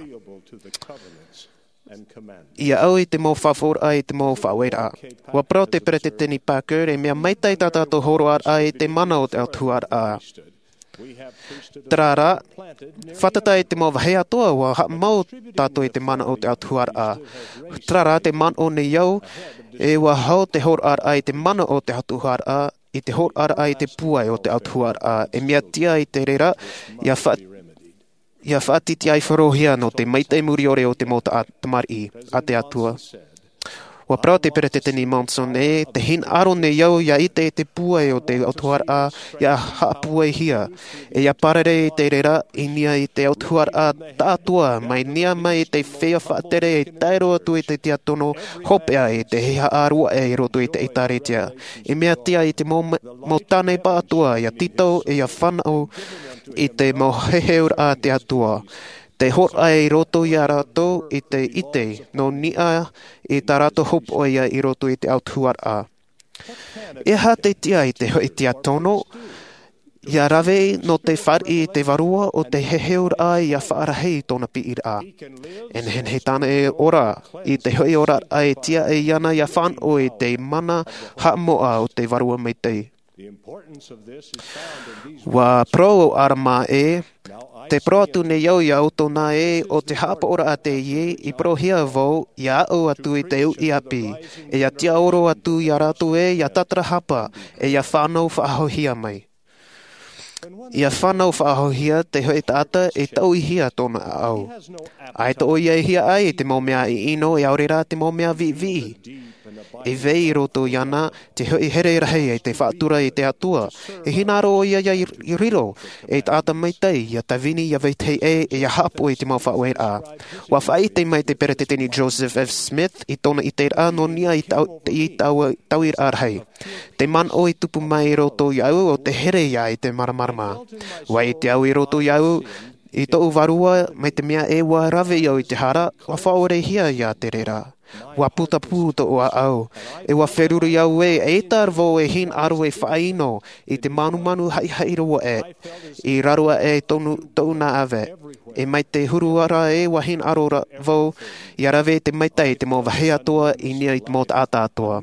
ia au i te mau faʻaʻoraʻa i te mau faʻaueraʻa. Ua parau te peresideni Packer, e mea maitaʻi tā tātou hōroʻaraʻa i te mana o te autahuʻaraʻa. Terā rā, fātata i te mau vāhi atoʻa ua haʻamau tātou i te mana o te autahuʻaraʻa. Terā rā te manaʻo nei au, e ua hau te hōroʻaraʻa i te mana o te autahuʻaraʻa, i te hōroʻaraʻa i te pūai o te autahuʻaraʻa. E mea tiʻa i te reira, ia fa ia faʻatitiʻaifarohia nō te maitaʻi muriʻore o te mau taʻa tamariʻi a te Atua. Ua parau te peresideni Monson, e te hinaʻaro nei au ia ʻite i te pūai o te autahuʻaraʻa, ia haʻapūaihia, e ia parare i te reira i niʻa i te autahuʻaraʻa taʻatoʻa mai niʻa mai i te feiā faʻatere e tae roa atu i te tiakono hopeʻa i te hehea ʻāruaʻe i roto i te ʻēkālesia. E mea tiʻa i te mau, mau tāne pāʻatoʻa ia tītau e ia fānau i te mau heheuraʻa a te Atua. Te hōroʻa i roto ia rātou i te ʻite nō niʻa i tā rātou hopoiʻa i roto i te autahuʻaraʻa. E aha te tiʻa i te hoʻi tiakono ia rave nō te fāriʻi i te vārua o te heheuraʻa ia faʻarahi i tōna piʻiraʻa? E nehenehe tāna e ora i te hoʻi oraraʻa e tiʻa ai iāna ia fānau i te mana haʻamoʻa o te vārua maitaʻi. Ua parau ʻo Alama ē, te parau atu nei au ia ʻoutou nā ē, ʻo te haʻapaʻoraʻa teie i parauhia vau ia aʻu atu i te uʻi ʻāpī, e ia tiʻaoro atu ia rātou ē ia tātarahapa, e ia fānau faʻahouhia mai. Ia fānau faʻahouhia te hoʻi taʻata e tauihia tōna ʻaʻau. ʻAita ʻoia e hiaʻai i te mau mea ʻino, e ʻaore rā te mau mea viʻiviʻi. E vai i roto iāna te hoʻi here rahi i te faʻatura i te Atua. E hinaʻaro ʻoia ia riro ei taʻata maitaʻi, ia tāvini, ia vetahi ʻē, e ia haʻapaʻo i te mau faʻaueraʻa. Ua faʻaʻite mai te peresideni Joseph F. Smith i tōna ʻiteraʻa nō niʻa i tau, i tau, tauiraʻa rahi. Te manaʻo i tupu mai i roto iāʻu ʻo te here ia i te māramarama. Ua ʻite au i roto iāʻu i tōʻu vārua, mai te mea ē ua rave au i te hara, ua faʻaorehia ia te reira. Ua putapū tōʻu ʻaʻau, e ua feruri au ē, ʻaita vau e hinaʻaro e faʻaʻino i te manumanu haʻihaʻi roa ē, i raro aʻe tōʻu nā ʻāvae. E mai te huru ra ē ua hinaʻaro ra vau ia rave te maitaʻi i te mau vāhi atoʻa i niʻa i te mau taʻata atoʻa.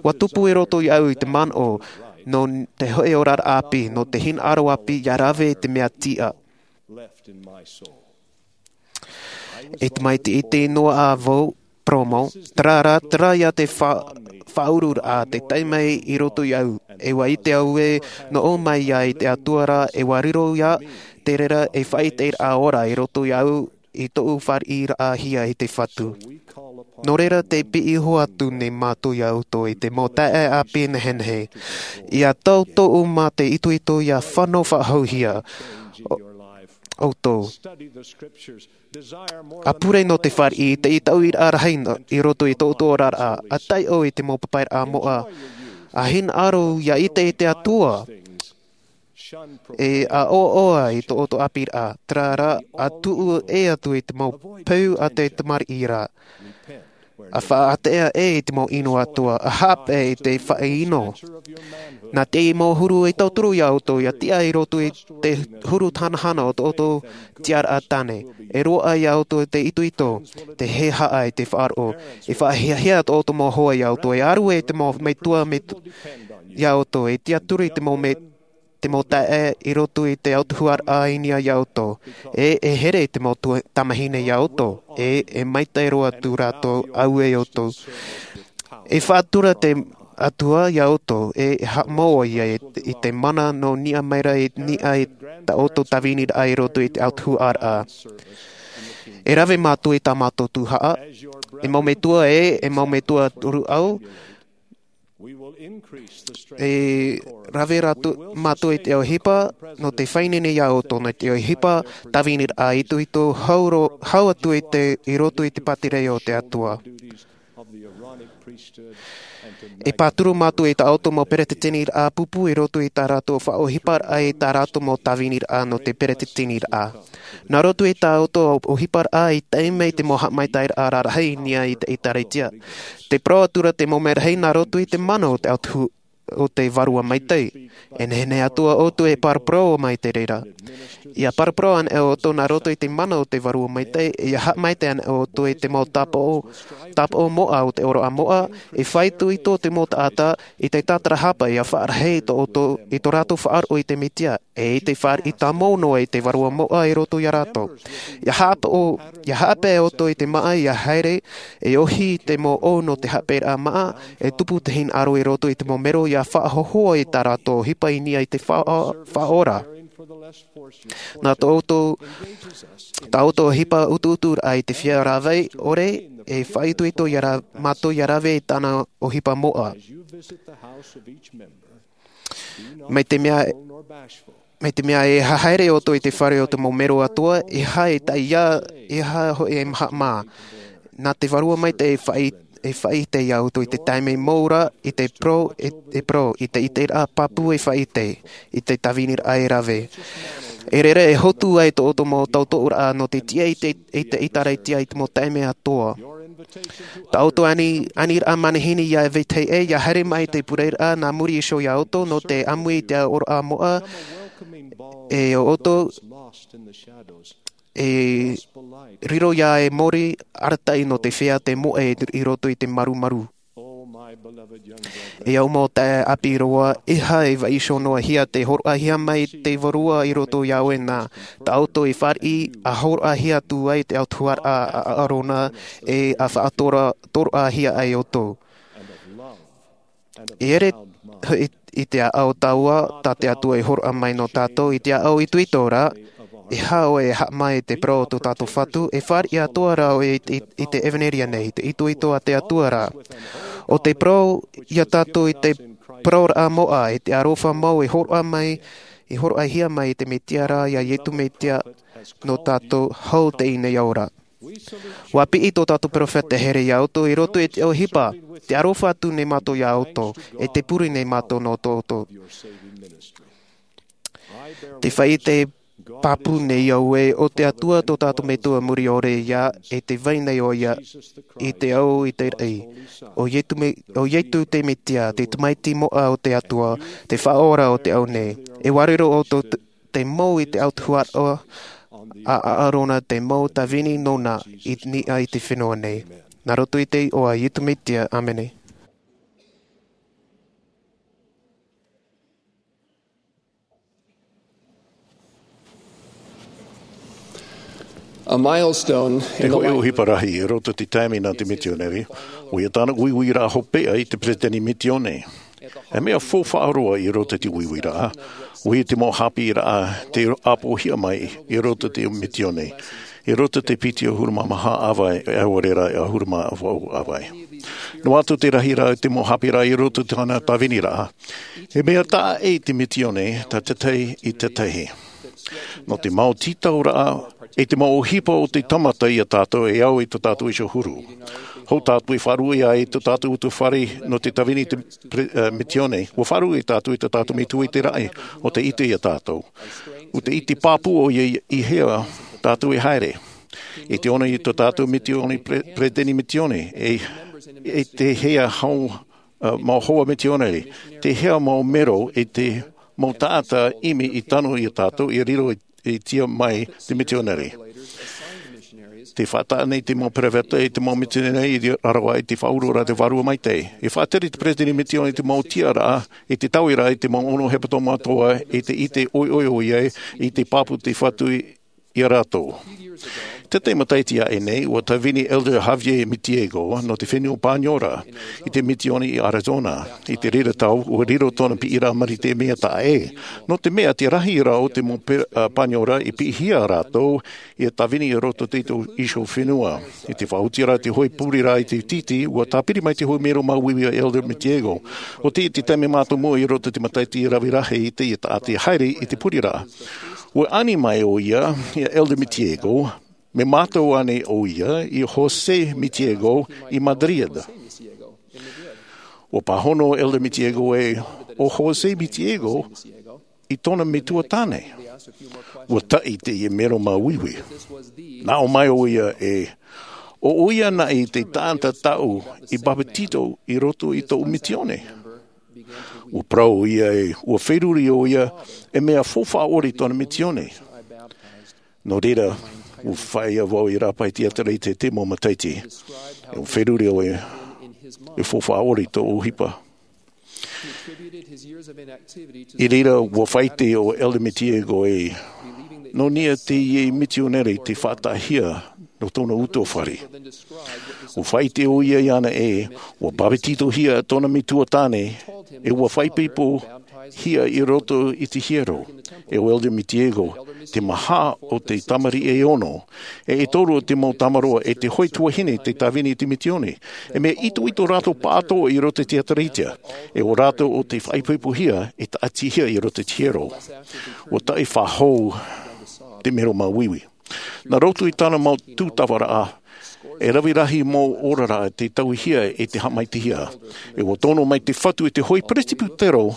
Ua tupu i roto iāʻu i te manaʻo nō te hoʻi oraraʻa ʻāpī, nō te hinaʻaro ʻāpī ia rave i te mea tiʻa. E tamaiti iti noa ā vau, Promo, terā rā, terā ia te fa-, faʻaururaʻa te tae mai i roto iāʻu. E ua ʻite au ē, nō ʻō mai ia i te Atua ra, e ua riro ia te reira ei faʻaʻiteraʻa ora i roto iāʻu i tōʻu fāriʻiraʻahia i te Fatu. Nō reira tē piʻi iho atu nei mātou ia ʻoutou i te mau taeaʻe ʻāpī nehenehe. Ia tau tōʻu mā te itoito ia fānau faʻahouhia ʻo-, ʻoutou. ʻA pure nō te fāriʻi i te tauiraʻa rahi i roto i tō ʻoutou oraraʻa, ʻa taiʻo i te mau papairaʻa moʻa, ʻa hinaʻaro ia ʻite i te Atua, e ʻa ʻoaʻoa i tō ʻoutou ʻāpīraʻa, terā rā, ʻa tuʻu ʻē atu i te mau peu a te tamariʻi ra, ʻa faʻaʻātea ʻē i te mau ʻino atoʻa, ʻa haʻapaʻo i te faʻaʻino. Nā te mau huru e tauturu ia ʻoutou, ia tiʻa i roto i te huru hanahana o tō ʻoutou tiʻaraʻa tāne. E roaʻa ia ʻoutou te itoito, te hehea i te faʻaroʻo. E faʻahiahia tō ʻoutou mau hoa ia ʻoutou, e ʻaru ē te mau metua, metu-, ia ʻoutou, e tiʻaturi te mau me-, te mau taeaʻe i roto i te autahuʻaraʻa i niʻa ia ʻoutou. E, e here te mau tua-, tamahine ia ʻoutou. E, e maitaʻi roa atu rātou, auē ʻoutou. E faʻatura te Atua ia ʻoutou, e, e haʻamau ʻoia i, i te mana nō niʻa mai ra i niʻa i tā ʻoutou tāviniraʻa i roto i te autahuʻaraʻa. E rave mātou i tā mātou tuhaʻa, e mau metua ē, e mau metua rūʻau, e rave rātou, mātou i te ʻohipa, nō te faʻaineine ia ʻoutou, nō te ʻohipa, tāviniraʻa itoito, hau ro-, hau atu i te, i roto i te pātireia o te Atua. E pāturu mātou i tā ʻoutou mau peretiteniraʻa pūpū i roto i tā rātou faʻaʻohiparaʻa, i tā rātou mau tāviniraʻa nō te peretiteniraʻa. Nā roto i tā ʻoutou ʻohiparaʻa i tae mai te mau haʻamaitaʻiraʻa rarahi i niʻa i te ʻĒtārētia. Te parau atura te mau mea rahi nā roto i te mana o te autahu-, o te Vārua Maitaʻi. E nehenehe atoʻa ʻoutou e paraparau mai te reira. ʻIa paraparau anaʻe ʻoutou nā roto i te mana o te Vārua Maitaʻi, ʻia haʻamaitaʻi anaʻe ʻoutou i te mau tāpaʻo, tāpaʻo moʻa o te ʻōroʻa moʻa, e faʻaitoito te mau taʻata, i te tātarahapa ʻia faʻarahi tō ʻoutou, i tō rātou faʻaroʻo i te Mesia, e i te fāriʻi tāmau noa i te Vārua moʻa i roto ia rātou. ʻIa haʻapaʻo, ʻia haʻapaʻo ʻoutou i te māʻa ʻia haere, e ʻohi te mau ʻō nō te haʻapaʻoraʻa māʻa, e tupu te hinaʻaro i roto i te mau mero ʻia faʻahohoʻa i tā rātou ʻohipa i niʻa i te faʻa-, faʻaora. Nā tō ʻoutou, tā ʻoutou ʻohipa utuuturaʻa i te feiā rāveʻa ʻore, e faʻaitoito ia rā-, mātou ʻia rave i tāna ʻohipa moʻa. Mai te mea, mai te mea e haere ʻoutou i te fare o te mau mero atoʻa, e aha e taiā, e aha hoʻi e maha mā. Nā te Vārua Maitaʻi e faʻi-, e faʻaʻite ia ʻoutou i te taime mau ra, i te parau, e, e parau, i te ʻiteraʻa pāpū e faʻaʻite, i te tāviniraʻa e rave. E reira e hotu ai tō ʻoutou mau tautooraʻa nō te tiʻa i te, i te ʻĒtārētia i te mau taime atoʻa. Tā ʻoutou ani, aniraʻa manihini ʻia vetahi ʻē, ʻia haere mai te pureraʻa nā muri iho ia ʻoutou nō te ʻāmui i te ʻōroʻa moʻa, e ʻo ʻoutou, e riro ia e mōrī arataʻi nō te feiā te moʻe i roto i te marumaru. E au mau taeaʻe ʻāpī roa, e aha e vaiiho noa hia te hōroʻahia mai te Vārua i roto ia ʻoe nā, tā ʻoutou e fāriʻi ʻa hōroʻahia atu ai te autahuʻaraʻa a, a ʻĀrona, e ʻa faʻatora-, toroʻahia ai ʻoutou. E ʻere i, i te ʻāʻau tāua, tā te Atua e hōroʻa mai nō tātou, i te ʻāʻau itoito ra, e aha ʻoe e haʻamā i te parau o tō tātou Fatu, e fāriʻi atoʻa ra ʻoe i, i, i te ʻevanelia nei, i te itoito a te Atua ra. ʻO te parau ia tātou i te parauraʻa moʻa, i te aroha mau e hōroʻa mai, e hōroʻahia mai i te Mesia ra, ia Iesu Mesia nō tātou hau teie nei ao ra. ʻUa piʻi tō tātou peropheta here ia ʻoutou i roto i te ʻohipa, tē aroha atu nei mātou ia ʻoutou, e tē pure nei mātou nō tō ʻoutou. Tē faʻaʻite pāpū nei au ē, ʻo te Atua tō tātou Metua muri ʻore ia, e tē vai nei ʻoia i te ao i te raʻi. ʻO Iesu Me-, ʻo Iesu te Mesia, te Tamaiti moʻa o te Atua, te Faʻaora o te ao nei. E ʻua riro ʻoutou te, te mau i te autahuʻaraʻa a, a ʻĀrona, te mau tāvini nōna i niʻa i te fenua nei. Nā roto i te iʻoa o Iesu Mesia, ʻāmene. A milestone in the life. Te hōʻē ʻohipa rahi i roto i te taime nā te mitionare, ʻoia tāna uiuiraʻa hopeʻa i te peretiteni mitione. E mea faufaʻa roa i roto i te uiuiraʻa, ʻoia te mau haʻapiʻiraʻa tei ʻāpoʻohia mai i roto i te mitione, i roto i te piti ʻahuru mā maha ʻāvae, e ʻaore ra e ʻahuru mā vaʻu ʻāvae. Noa atu te rahiraʻa i te mau haʻapiʻiraʻa i roto i tāna tāviniraʻa, e mea taʻa ʻē te mitione, tā tētahi i tētahi. Nō te mau tītauraʻa, e te mau ʻohipa o te tāmata ia tātou e au i tō tātou iho huru. Hou tātou e faʻaruʻe ai i tō tātou utuafare nō te tāvini i te pre-, eh, mitione, ʻua faʻaruʻe tātou i tō tātou Metua i te raʻi, ʻo tē ʻite ia tātou. ʻO tē ʻite pāpū ʻoia i, i hea tātou e haere. I te ono i tō tātou mitione pre-, peretiteni mitione, e, e te hea hau, uh, mau hoa mitionare, te hea mau mero e te mau taʻata ʻimi i tano ia tātou i riro i, i tia mai te mitionare. Tē faʻataʻa nei te mau peropheta e te mau mitionare i raro aʻe i te faʻaururaʻa a te Vārua Maitaʻi. E faʻatere te peretiteni mitione i te mau tiʻaraʻa, i te tauiraʻa i te mau ono hepetoma atoʻa, i te ʻite ʻoiʻoi ʻoia, i te pāpū te Fatu i ia rātou. Tētahi matahiti aʻe nei, ʻua tāvini Elder Javier Mitiego nō te fenua Paniora i te mitione i Arizona. I te reira tau, ʻua riro tōna piʻiraʻa marite mea taʻa ʻē. Nō te mea, te rahiraʻa o te mau pe-, a, Paniora i piʻihia rātou, ʻia tāvini i roto i te iho fenua. I te faʻaotiraʻa te hōʻē pureraʻa i te tītī, ʻua tāpiri mai te hōʻē mero māuiui a Elder Mitiego. ʻO te, te taime mātāmua i roto i te matahiti rave rahi i teie taʻata e haere i te pureraʻa. ʻUa ani mai ʻoia, ia Elder Mitiego, mea mātau ānei ʻoia, i José Mitiego i Madrid. ʻUa pāhono Elder Mitiego ē, ʻo José Mitiego i tōna metua tāne. ʻUa taʻi teie mero māuiui. Nā ʻō mai ʻoia ē, ʻo ʻoia naʻe te taʻata tāʻu i bāpetizo i roto i tōʻu mitione. Ua parau ʻoia ē, ua feruri ʻoia e mea faufaʻa ʻore i tōna misiōni. Nō reira, ua faʻaea vau i rāpae tiatarite te mau mataiti, ua feruri ʻoia e faufaʻa ʻore i tōʻu ʻohipa. I reira, ua faʻaʻite ʻo Elder Mitiego ē, nō niʻa teie misiōnere te faʻataʻahia nō tōna utuafare. Ua faʻaʻite ʻoia iāna ē, ua bāpetizohia tōna metua tāne, e ua faʻaipoipohia i roto i te hiero. E ʻo Elder Mitiego, te maha o te tamariʻi e ono, e e toru o te mau tamaroa, e te hoʻi tuahine tei tāvini i te misiōni. E mea itoito rātou pāʻatoʻa i roto i te tiatarite, e ʻo rātou ʻo tei faʻaipoipohia e taʻatihia i roto i te hiero. Ua taʻi faʻahou te mero māuiui. Nā roto i tāna mau tūtavaraʻa, e rave rahi mau oraraʻa tei tauihia e te haʻamaitaʻihia. E ua tono mai te Fatu i te hoʻi peresibutero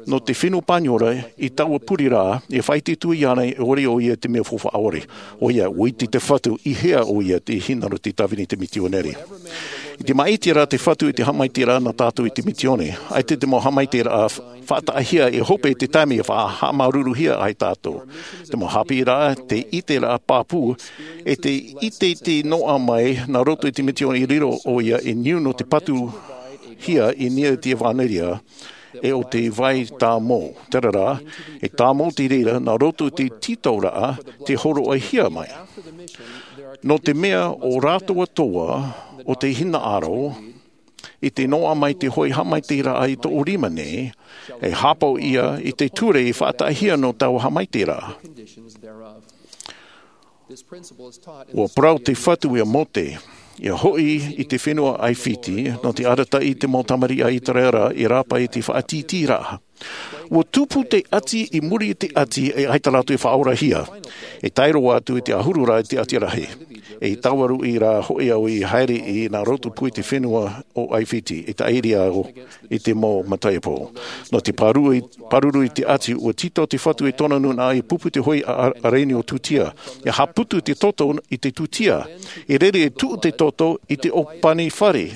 nō te fenua Paniora i taua pureraʻa, e faʻaʻite atu iāna e ʻore ʻoia i te mea faufaʻa ʻore. ʻOia, ua ʻite te Fatu i hea ʻoia tei hinaʻaro tei tāvini i te misiōni. I te māʻitiraʻa te Fatu i te haʻamaitaʻiraʻa nā tātou i te misiōni, ʻaita te mau haʻamaitaʻiraʻa faʻataʻahia e hope i te taime e faʻahaʻamāuruuruhia ai tātou. Te mau haʻapiʻiraʻa, te ʻiteraʻa pāpū, e te ʻiteʻite noaʻa mai nā roto i te misiōni i riro ʻoia i niu nō te patuhia i niʻa i te ʻevanelia, e ʻo te vai tāmau. Terā rā, e tāmau te reira nā roto i te tītauraʻa tei hōroʻahia mai. Nō te mea ʻo rātou atoʻa, ʻo tei hinaʻaro i te noaʻa mai te hoʻi haʻamaitaʻiraʻa i tōʻu rima nei, e hāpaʻo ïa i te ture i faʻataʻahia nō taua haʻamaitaʻiraʻa. Ua parau te Fatu ia Mōte, ia hoʻi i te fenua ʻAifiti, nō te arataʻi i te mau tamariʻi a ʻĪteraʻera i rāpae i te faʻatītīraʻa. Ua tupu te ʻati i muri i te ʻati e ʻaita rātou e faʻaorahia. E tae roa atu i te ʻahuru rā i te ʻati rahi. E taua ruʻi rā hoʻi au i haere i nā roto pū i te fenua o ʻAifiti, e tāʻiri au i te mau mataiapo. Nō te pāruru i, pāruru i te ʻati, ua tītau te Fatu i tōna nūnaʻa i pupu te hoʻi a, a, ʻaraini o tūtia. E haʻaputu te toto i te tūtia. E rere e tuʻu te toto i te ʻōpani fare.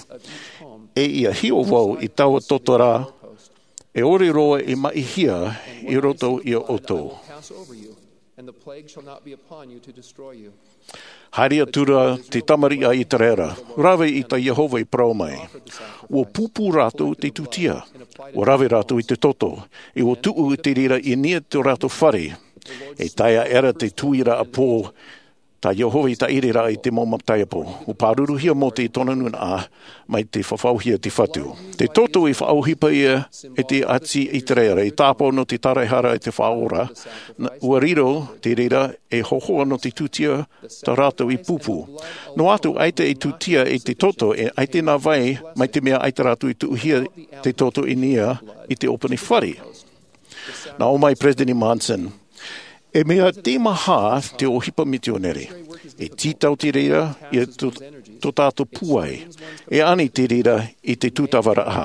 E ia hiʻo vau i taua toto rā, e ʻore roa e maʻihia i roto ia ʻoutou. Haere atu ra te tamariʻi a ʻĪteraʻera, rave i tā Iehova i parau mai. Ua pūpū rātou te tūtia, ua rave rātou i te toto, e ua tuʻu i te reira i niʻa i tō rātou fare. E tae aʻe ra te tuiraʻa pō, tā Iehova i tāʻiri ra i te mau mataiapo. Ua pāruruhia Mōte i tōna nūnaʻa, mai te fafauhia te Fatu. Te toto i faʻaʻohipa ïa e te ʻati ʻĪteraʻera, i tāpaʻo nō te taraehara i te Faʻaora, nā, ua riro te reira e hōhoʻa nō te tūtia tā rātou i pupu. Noa atu ʻaita e tūtia i te toto, e ʻaita nā vai, mai te mea ʻaita rātou i tuʻuhia te toto i niʻa i te ʻōpani fare. Nā ʻō mai Peresideni Monson, e mea teimaha te ʻohipa mitionare. E tītau te reira i tō, tō tātou pūai. E ani te reira i te tūtavaraʻa.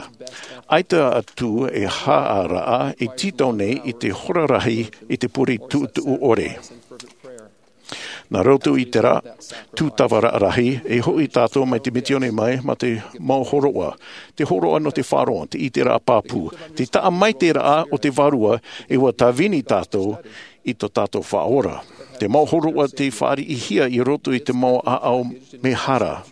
ʻAita atu e haʻaraʻa e tītau nei i te hora rahi i te pure tuʻutuʻu ʻore. Nā roto i terā tūtavaraʻa rahi, e hoʻi tātou mai te mitione mai, mā te mau hōroʻa, te hōroʻa nō te faʻaroʻo, te ʻiteraʻa pāpū, te taʻa maitaʻiraʻa o te Vārua, e ua tāvini tātou i tō tātou Faʻaora. Te mau hōroʻa tei fāriʻihia i roto i te mau ʻāʻau mehara.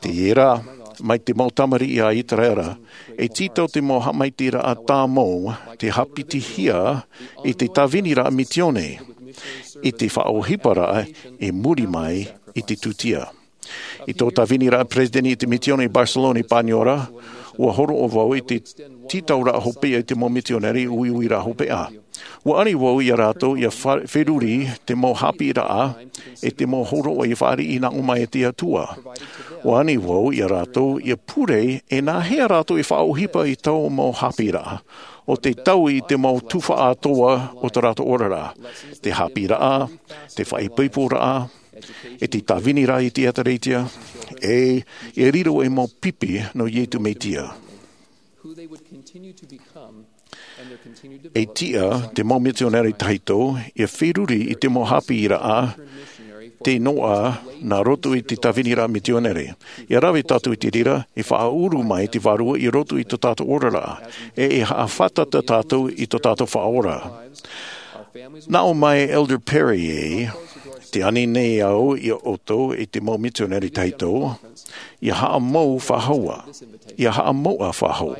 Teie rā, mai te mau tamariʻi a ʻĪteraʻera, e tītau te mau haʻamaitaʻiraʻa tāmau, tei haʻapitihia i te tāviniraʻa mitione, i te faʻaʻohiparaʻa i muri mai i te tūtia. I tō tāviniraʻa peresideni i te mitione i Barcelona i Paniora, ua hōroʻa vau i te tītauraʻa hopeʻa i te mau mitionare uiuiraʻa hopeʻa. Ua ani vau ia rātou ia fa-, feruri te mau haʻapiʻiraʻa, e te mau hōroʻa i fāriʻi nā ʻō mai e te Atua. Ua ani vau ia rātou ia pure e nā hea rātou e faʻaʻohipa i taua mau haʻapiʻiraʻa, ʻo te taui i te mau tuhaʻa atoʻa o tō rātou oraraʻa, te haʻapiʻiraʻa, te faʻaipoiporaʻa, e te tāviniraʻa i te ʻĒtārētia, e, e riro ei mau pipi nō Iesu Mesia. E tiʻa te mau mitionare tahito ia feruri i te mau haʻapiʻiraʻa te noa nā roto i te tāviniraʻa mitionare. ʻIa rave tātou i te reira, e faʻaʻuru mai te Vārua i roto i tō tātou oraraʻa, e e haʻafātata tātou i tō tātou Faʻaora. Nā ʻō mai Elder Perry ē, tē ani nei au iā ʻoutou i te mau mitionare tahito, ʻia haʻamou faʻahou, ʻia haʻamou faʻahou,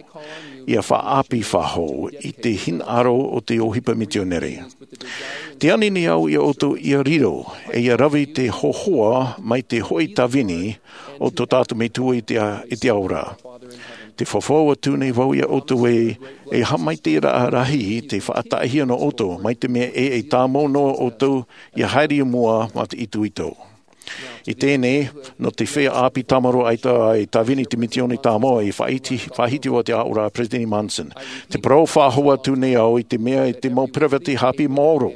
ʻia faʻaʻāpī faʻahou i te hinaʻaro o te ʻohipa mitionare. Tē ani nei au iā ʻoutou ʻia riro, e ʻia rave i te hōhoʻa mai te hoʻi tāvini o tō tātou Metua i te, i te ao ra. Tē fafau atu nei vau iā ʻoutou ē, e haʻamaitaʻiraʻa rahi te faʻataʻahia nō ʻoutou, mai te mea ē e tāmau noa ʻoutou ʻia haere i mua mā te itoito. I teie nei, nō te feiā ʻāpī tāmāroa ʻaita e tāvini i te mitioni tāmau, i faʻahiti, faʻahiti vau te aʻoraʻa a Peresideni Monson. Tē parau faʻahou atu nei au i te mea i te mau peresideni haʻapiʻi maoro.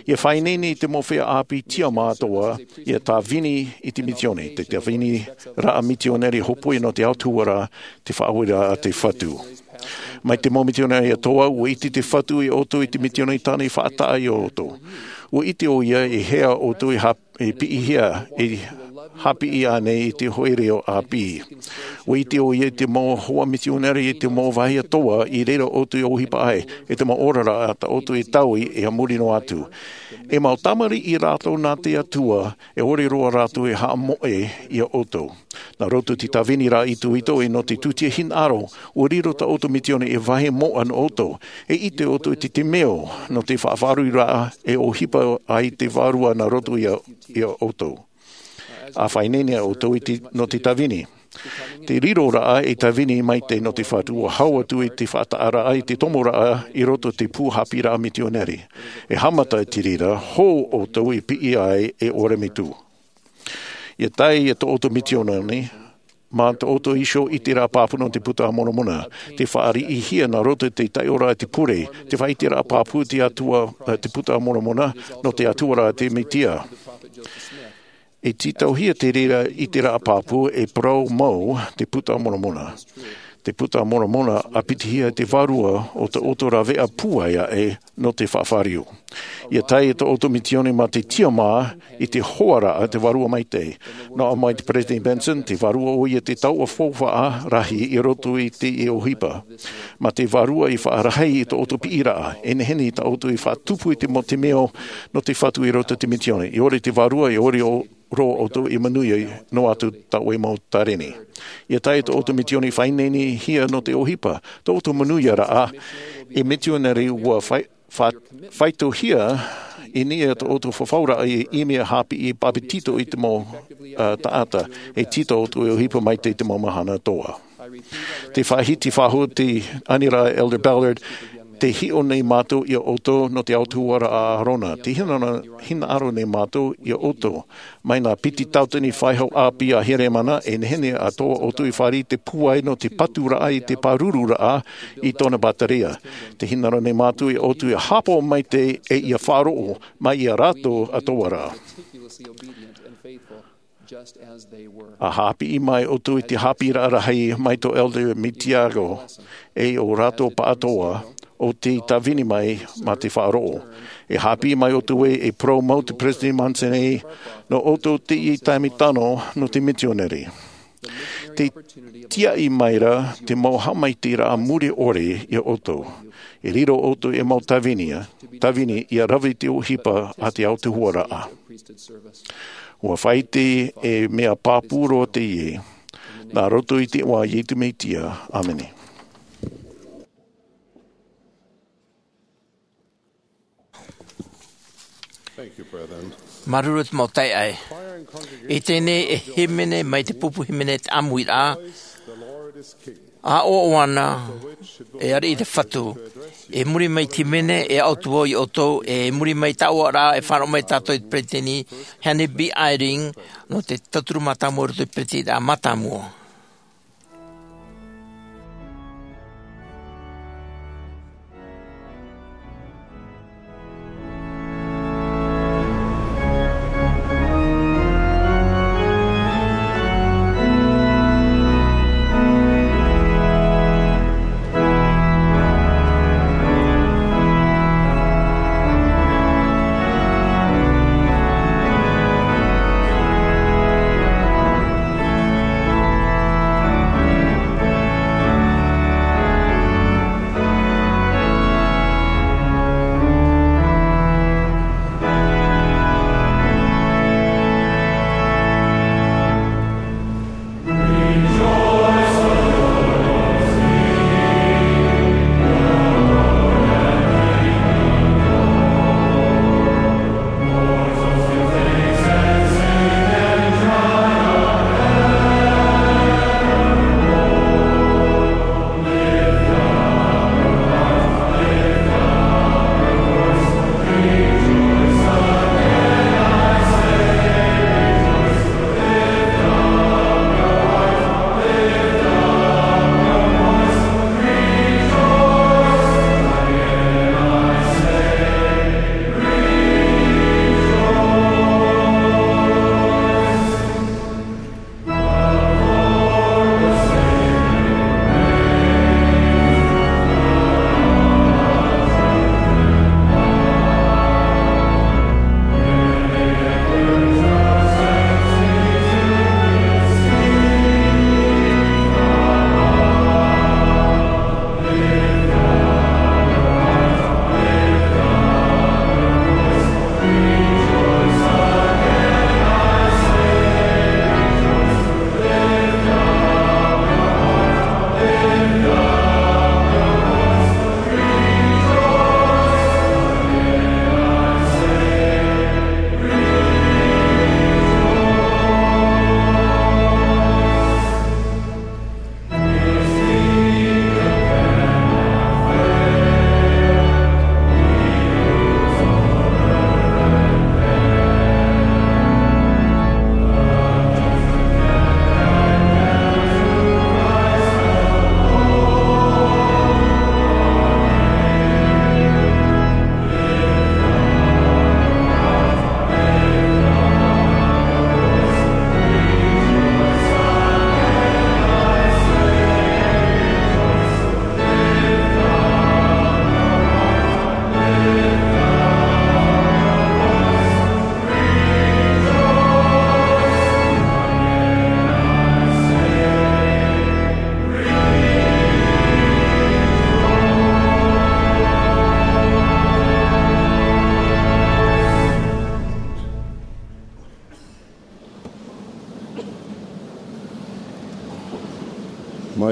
ʻIa faʻaineine i te mau feiā ʻāpī tiʻamā atoʻa, ʻia tāvini i te mitioni, te tāviniraʻa mitionare hōpoi nō te autahuʻaraʻa, te faʻaueraʻa a te Fatu. Mai te mau mitionare atoʻa, ʻua ʻite te Fatu iā ʻoutou i te mitioni tāna i faʻataʻa iā ʻoutou. ʻUa ʻite ʻoia e hea ʻoutou e hap-, e piʻihia, e haʻapiʻi ānei i te hoʻi reo ʻāpī. ʻUa ʻite ʻoia i te mau hoa mitionare i te mau vāhi atoʻa i reira ʻoutou e ʻohipa ai, e te mau oraraʻa tā ʻoutou e taui e a muri noa atu. E mau tamariʻi rātou nā te Atua, e ʻore roa rātou e haʻamoʻe iā ʻoutou. Nā roto i te tāviniraʻa itoito e nō te tūtia hinaʻaro, ʻua riro tā ʻoutou mitioni ei vāhi moʻa nō ʻoutou. E ʻite ʻoutou i te, te mea nō te faʻaroʻoraʻa e ʻohipa ai te Vārua nā roto iā, iā ʻoutou. ʻA faʻaineine ʻoutou i te, nō te tāvini. Te riroraʻa e tāvini maitaʻi nō te Fatu ʻua hau atu i te faʻataʻaraʻa i te tomoraʻa i roto i te pū haʻapiʻiraʻa mitionare. E haʻamata i te reira, hou ʻoutou i piʻi ai e ʻore metua. ʻIa tae i tō ʻoutou mitioni, mā tō ʻoutou iho ʻiteraʻa pāpū nō te Puta a Moromona, te fāriʻihia nā roto i te taiʻoraʻa a te pure, te faʻaʻiteraʻa pāpū te Atua, eh, te Puta a Moromona, nō te Atua rā te Mesia. E tītauhia te reira ʻiteraʻa pāpū e parau mau te Puta a Moromona. Te Puta a Moromona ʻa pitihia te Vārua o tō ʻoutou rāveʻa pūai aʻe nō te faʻafāriu. ʻIa tae i tō ʻoutou mitioni mā te tiʻamā i te hoaraʻa te Vārua Maitaʻi. Nō ʻō mai te Peresideni Benson, te Vārua ʻoia te taoʻa faufaʻa rahi i roto i te ʻohipa. Mā te Vārua i faʻarahi i tō ʻoutou piʻiraʻa, e nehenehe tā ʻoutou i faʻatupu i te mau, te mea nō te Fatu i roto i te mitioni. ʻIa ʻore te Vārua, ʻia ʻore ʻo roa ʻoutou i manuia noa atu tā ʻoe mau tāreni. ʻIa tae tō ʻoutou mitioni faʻaineinehia nō te ʻohipa, tō ʻoutou manuiaraʻa ei mitionare ʻua fai-, fa-, faitohia i niʻa i tō ʻoutou fafauraʻa i, i mea haʻapiʻi papetito i te mau, uh, taʻata, e tītau ʻoutou e ʻohipa mai te, te mau mahana atoʻa. Te faʻahiti faʻahou te aniraʻa Elder Ballard, tē hiʻo nei mātou iā ʻoutou nō te autahuʻaraʻa a ʻĀrona. Tē hinaʻaro, hinaʻaro nei mātou iā ʻoutou. Mai nā piti tauatini faʻehau ʻāpī a Heremana, e nehenehe atoʻa ʻoutou i fāriʻi te pūai nō te paturaʻa i te pārururaʻa i tōna bātarea. Tē hinaʻaro nei mātou iā ʻoutou ʻia haʻapaʻo maitaʻi e ʻia faʻaroʻo mai iā rātou atoʻa rā. ʻA haʻapiʻi mai ʻoutou i te haʻapiʻiraʻa rahi mai tō Elder Mitiago, e ʻo rātou pāʻatoʻa, ʻo tei tāvini mai mā te faʻaroʻo. E haʻapiʻi mai ʻoutou ē, e parau mau te Peresideni Monson ē, nō ʻoutou teie taime tano nō te mitionare. Tē tiaʻi mai ra te mau haʻamaitaʻiraʻa mure ʻore iā ʻoutou. E riro ʻoutou ei mau tāvini, tāvini ʻia rave i te ʻohipa a te autahuʻaraʻa. ʻUa faʻaʻite e mea pāpū roa teie, nā roto i te iʻoa o Iesu Mesia. ʻĀmene. Thank you, brethren. Māuruuru te mau taeaʻe. I teie nei e hīmene mai te pupu hīmene te ʻāmuiraʻa. ʻA ʻoaʻoa ana, e ariʻi te Fatu. I muri mai te hīmene, e aʻo atu vau iā ʻoutou, i muri mai i te ʻoaʻoa ra, e fānaʻo mai tātou i te peretiteni, Henry B. Eyring, nō te tauturu mātāmua i roto i te peretiteni mātāmua.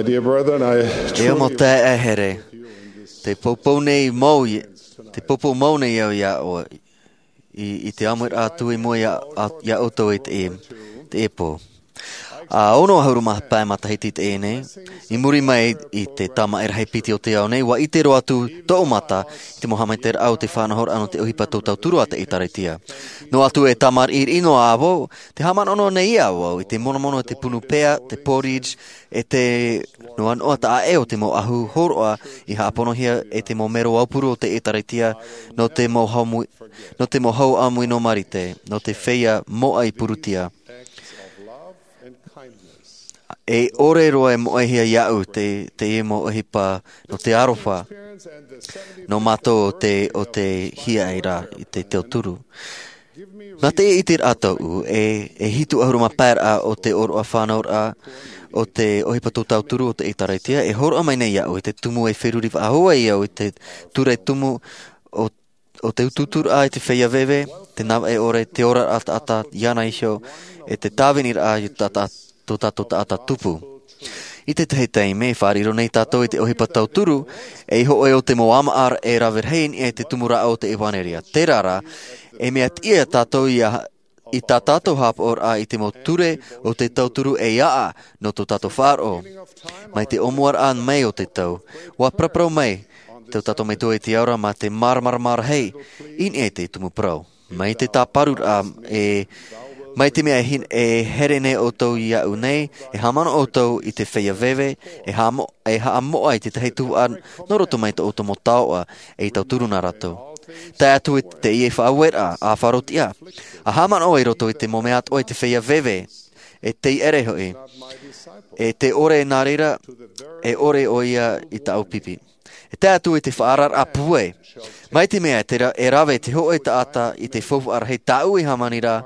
E ʻo mau taeaʻe here, te poupou nei mau i, te poupou mau nei au iā ʻoe, i, i te ʻāmuiraʻa atu i mua iā, a, iā ʻoutou i te, te pō. ʻA ono ʻahuru mā pae matahiti i teie nei, i muri mai i te tamaʻi rahi piti o te ao nei, ʻua ʻite roa atu tōʻu mata i te mau haʻamaitaʻiraʻa o te faʻanahoraʻa nō te ʻohipa tauturu a te ʻĒtārētia. Noa atu e tamariʻiriʻi noa vau, tē haʻamanaʻo nei au i te monomono, te punu pea, te porridge, e te noanoa taʻa ʻē o te mau ʻahu hōroʻa i haʻaponohia e te mau mero aupuru o te ʻĒtārētia nō te mau hau ʻāmui, nō te mau hau ʻāmui nō Marite, nō te feiā moʻa i Purutia. E ʻore roa e moʻehia iāʻu te, te mau ʻohipa nō te aroha nō mātou o te, o te hiaʻai ra i te tauturu. Nā te ʻiteraʻa tōʻu, e, e hitu ʻahuru mā pae raʻa o te ʻōroʻa fānauraʻa o te ʻohipa tauturu o te ʻĒtārētia, e hōroʻa mai nei iāʻu i te tumu e feruri faʻahou ai au i te ture tumu o, o te utuuturaʻa i te feiā veve, te navaʻi ʻore, te oraraʻa taʻata iāna iho, e te tāviniraʻa i tā, tā, tō tātou taʻata tupu. I te tahi taime, e fāriʻi roa nei tātou i te ʻohipa tauturu, e i hōʻē o te mau ʻāmaʻa e rave rahi i niʻa i te tumu rāʻau o te ʻevanelia. Terā rā, e mea tiʻa tātou ia, i tā tātou haʻapaʻoraʻa i te mau ture o te tauturu e ʻaʻa nō tō tātou faʻaroʻo. Mai te ʻōmuaraʻa mai o te tau, ʻua paraparau mai tō tātou Metua i te Ao ra mā te māramarama rahi i niʻa i te tumu parau. Mai te tāparuraʻa, e, mai te mea e hin-, e here nei ʻoutou iāʻu nei, e haʻamanaʻo ʻoutou i te feiā veve, e haʻamo-, e haʻamoʻa i te tahi tuhaʻa nō roto mai tō ʻoutou mau taoʻa, e i tauturu na rātou. Tae atu i teie faʻaueraʻa, ʻa faʻaroʻo tiʻa, ʻa haʻamanaʻo i roto i te mau mea atoʻa i te feiā veve, e tei ʻere hoʻi, e tē ʻore nā reira, e ʻore ʻoia i tāʻu pipi. E tae atu i te faʻaararaʻa pūai. Mai te mea e te ra-, e rave te hōʻē taʻata i te faufaʻa rahi tāʻu i hāmani ra,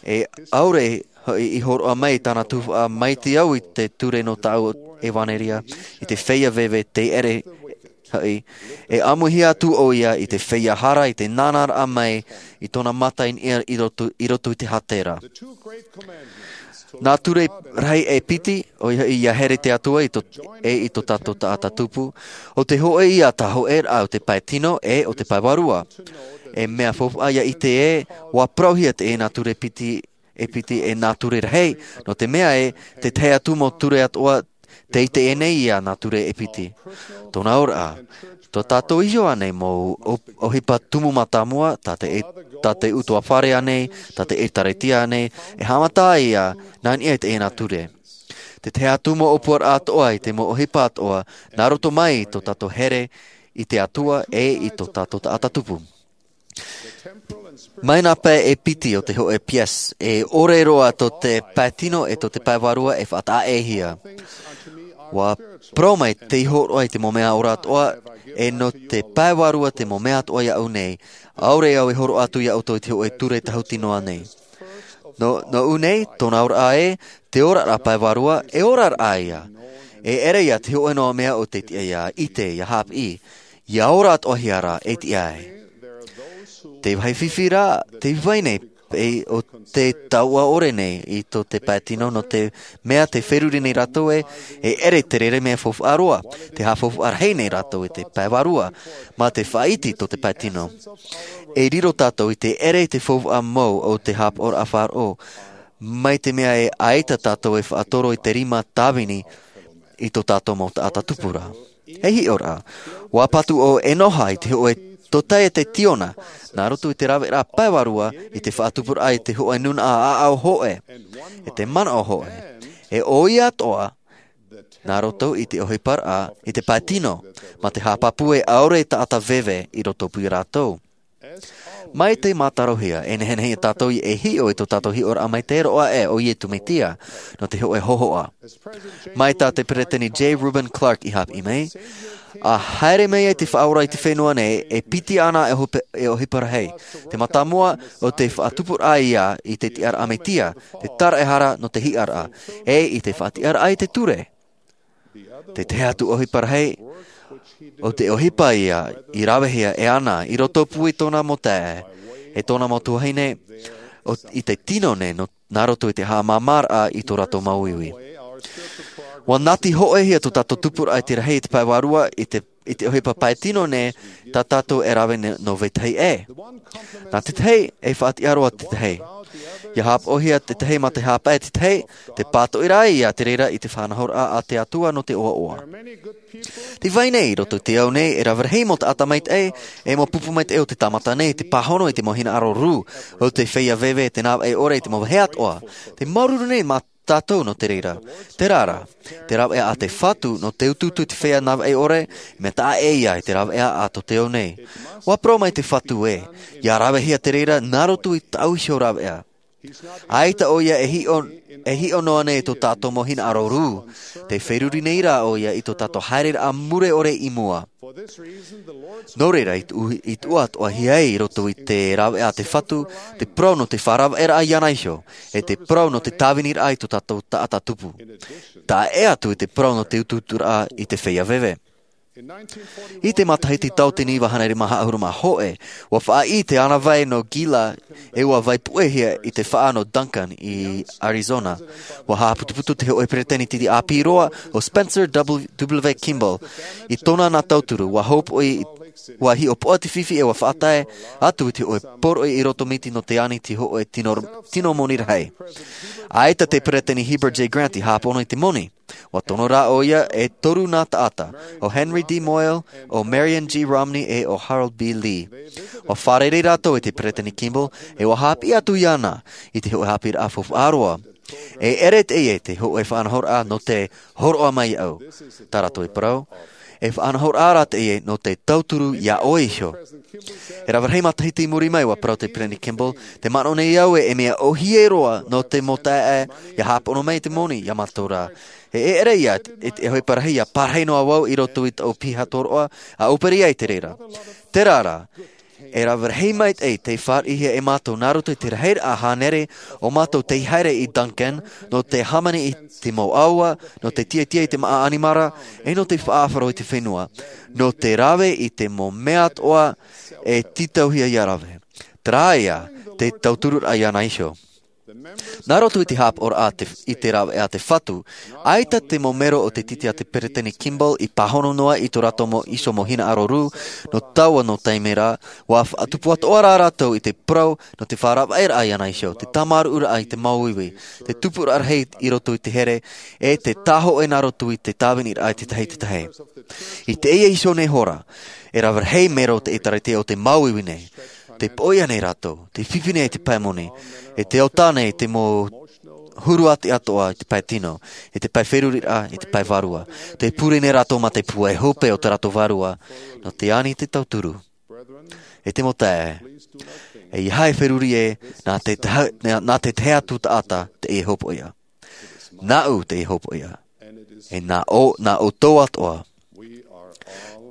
e ʻaore hoʻi i hōroʻa mai tāna tuhaʻa mai te au i te ture nō tāʻu ʻevanelia, i te feiā veve tei ʻere hoʻi, e ʻāmuihia atu ʻoia i te feiā hara, i te nānāraʻa mai i tōna mata i niʻa i roto, i roto i te hātera. Nā ture rahi e piti, ʻoia hoʻi ia here te Atua i tō, e i tō tātou taʻata tupu, ʻo te hōʻē ia tā hōʻēraʻa o te pae tino e o te pae vārua. E mea faufaʻa ia ʻite ē, ʻua parauhia teie nā ture piti, e piti e nā ture rahi, nō te mea ē, te tahi atu mau ture atoʻa, tei ʻite nei ia nā ture e piti. Tōna auraʻa, tō tātou iho ānei mau ʻo-, ʻohipa tumu mātāmua, tā te e-, tā te ʻutuāfare ānei, tā te ʻĒtārētia ānei, e haʻamata ia nā niʻa i teie nā ture. Te tahi atu mau ʻōpuaraʻa atoʻa i te mau ʻohipa atoʻa, nā roto mai i tō tātou here i te Atua e i tō tātou taʻata tupu. Mai nā pae e piti o te hōʻē piece, e ʻore roa tō te pae tino e tō te pae vārua e faʻataʻaʻehia. ʻUa parau mai tei hōroʻa i te mau mea ora atoʻa, e nō te pae vārua te mau mea atoʻa iāʻu nei, ʻaore au e hōroʻa atu iā ʻoutou i te hōʻē ture tāhuti noa nei. Nō, nōʻu nei, tōna auraʻa ē, te oraraʻa pae vārua, e oraraʻa ia. E ʻere ia te hōʻē noa mea ʻo tei tiʻa ia ʻite, ia haʻapiʻi, ia ora atoʻahia rā, e tiʻa ai. Te vāhi fifi rā, te vai nei, e, ʻo te taoʻa ʻore nei i tō te pae tino, nō te mea tē feruri nei rātou ē, e ʻere te reira mea faufaʻa roa, tē haʻafaufaʻa rahi nei rātou i te pae vārua, mā te faʻaiti tō te pae tino. E riro tātou i te ʻere i te faufaʻa mau o te haʻapaʻoraʻa faʻaroʻo, mai te mea ē ʻaita tātou e faʻatoro i te rima tāvini i tō tātou mau taʻata tupu ra. E hiʻo rā, ʻua patu ʻo Enoha i te hōʻē tōtaiete tiona, nā roto i te raveraʻa pae vārua i te faʻatupuraʻa i te hōʻē nūnaʻa ʻāʻau hōʻē, e te manaʻo hōʻē, e ʻo ia atoʻa, nā roto i te ʻohiparaʻa i te pae tino, mā te haʻapāpū ē ʻaore taʻata veve i roto pū ia rātou. Mai te mātarohia, e nehenehe ia tātou e hiʻo i tō tātou hiʻoraʻa mai te roaʻa ʻē o Iesu Mesia, nō te hōʻē hōhoʻa. Mai tā te Peresideni J. Reuben Clark i haʻapiʻi mai, ʻa haere mai ai te Faʻaora i te fenua nei, e piti ana e ʻohipa-, e ʻohipa rahi. Te mātāmua ʻo te faʻatupuraʻa ia i te tiʻaraʻa Mesia, te taraehara nō te hiʻoraʻa, e i te faʻatiʻaraʻa i te ture. Te tahi atu ʻohipa rahi, ʻo te ʻohipa ia i ravehia e ana, i roto pū i tōna mau taeaʻe, e tōna mau tuahine, ʻo, i te tino nei nō, nā roto i te haʻamāmāraʻa i tō rātou mau iwi. Ua nati hoʻi hia tō tātou tupuraʻa i te rahi i te pae vārua i te, i te ʻohipa pae tino nei, tā tātou e rave nō vetahi ʻē. Nā tetahi e faʻatiʻa roa tetahi. Ia hāpaʻo hia tetahi mā te hāpaʻo tetahi, te pātoʻi rā ia te reira i te faʻanahoraʻa a te Atua nō te ʻoaʻoa. Te vai nei i roto i te ao nei e rave rahi mau taʻata maitaʻi, e mau pupu maitaʻi o te tāmata nei te pāhono i te mau hinaʻaro rū, o te feiā veve te navaʻi ʻore i te mau vāhi atoʻa. Te māuruuru nei mā tātou nō te reira. Te rara, te rāveʻa a te Fatu nō te utuutu i te feiā navaʻi ʻore, mea taʻa ʻē ia i te rāveʻa a tō te ao nei. Ua parau mai te Fatu ē, ia rave hia te reira nā roto i tāʻu iho rāveʻa. ʻAita ʻo ia e hiʻo, e hiʻo noa nei tō tātou mau hinaʻaro rū, te feruri nei rā ʻo ia i tō tātou haereraʻa mure ʻore i mua. Nō reira i tuʻu, i tuʻu atoʻa hia ai i roto i te rāveʻa a te Fatu, te parau nō te faʻaravaʻeraʻa iāna iho, e te parau nō te tāviniraʻa i tō tātou taʻata tupu. Taʻa ʻē atu i te parau nō te utuuturaʻa i te feiā veve. I te matahiti tauatini iva hānere mā haʻahuru mā hōʻē, ua faʻaʻī te ʻānāvai nō Gila, e ua vai puʻe hia i te faʻa nō Duncan i Arizona. Ua haʻaputuputu te hōʻē peresideni ʻāpī roa ʻo Spencer W. W. Kimball. I tōna nā tauturu, ua hōpoʻi, ua hiʻopoʻa te fifi e ua faʻatae atu i te hōʻē poroʻi i roto miti nō te ani te hōʻē tino, tino moni rahi. ʻAita te peresideni Heber J. Grant i hāpono i te moni. Ua tono rā ʻo ia e toru nā taʻata, ʻo Henry D. Moyle, ʻo Marion G. Romney, e ʻo Harold B. Lee. Ua fārerei rātou i te peresideni Kimball, e ua haʻapiʻi atu iāna i te hōʻē haʻapiʻiraʻa faufaʻa roa. E ʻere teie te hōʻē faʻanahoraʻa nō te hōroʻa mai iāʻu. Tā rātou e parau, e faʻanahoraʻa rā teie nō te tauturu iā ʻoe iho. E rave rahi matahiti i muri mai, ua parau te peresideni Kimball, tē manaʻo nei au ē, e mea ʻōhie roa nō te mau taeaʻe, ia hāpono mai te moni iā mātou rā. E ʻere ia, e te ʻohipa rahi, ia pārahi noa vau i roto i tōʻu piha tōroʻa, ʻa ʻōpere ai te reira. Terā rā, e rave rahi maitaʻi tei fāriʻihia e mātou nā roto i te rahiraʻa hānere, ʻo mātou tei haere i Duncan, nō te hāmani i te mau ʻāua, nō te tiatia i te māʻa ʻanimara, e nō te faʻaʻāfaro i te fenua, nō te rave i te mau mea atoʻa e tītauhia ia rave. Terā ia, te tautururaʻa iāna iho. Nā roto i te hāpaʻoraʻa te, i te rāveʻa a te Fatu, ʻaita te mau mero o te tīti a te peresideni Kimball i pāhono noa i tō rātou mau iho mau hinaʻaro rū, nō taua nō taime rā, ua faʻatupu atoʻa rā rātou i te parau nō te faʻaravaʻeraʻa iāna iho, te tāmāruʻuraʻa i te māuiui, te tupuraʻa rahi i roto i te here, e te tāhōʻē nā roto i te tāviniraʻa i te tahi i te tahi. I teie iho nei hora, e rave rahi mero o te ʻĒtārētia o te māuiui nei, te poʻia nei rātou, te fifi nei i te pae moni, e te ʻota nei te mau huru ʻāti atoʻa i te pae tino, i te pae feruriraʻa, i te pae vārua. Te pure nei rātou mā te pūai hope o tā rātou vārua, nō te ani te tauturu. E te mau taeaʻe, ʻeiaha e feruri ē, nā te taha, nā, nā te tahi atu taʻata teie hōpoiʻa. Nāʻu teie hōpoiʻa. E nā ʻō, nā ʻoutou atoʻa.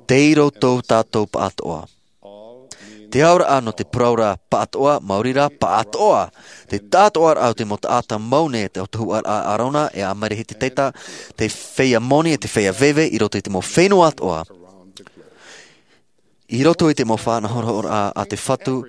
Tei roto tō tātou pāʻatoʻa. Te auraʻa nō te parauraʻa pāʻatoʻa, maori rā, pāʻatoʻa. Te tāʻātoʻaraʻa o te mau taʻata mau nei, te autahuʻaraʻa a ʻĀrona, e a Mereheti Teta, te feiā moni, e te feiā veve, i roto i te mau fenua atoʻa. I roto i te mau faʻanahoraʻa a te Fatu,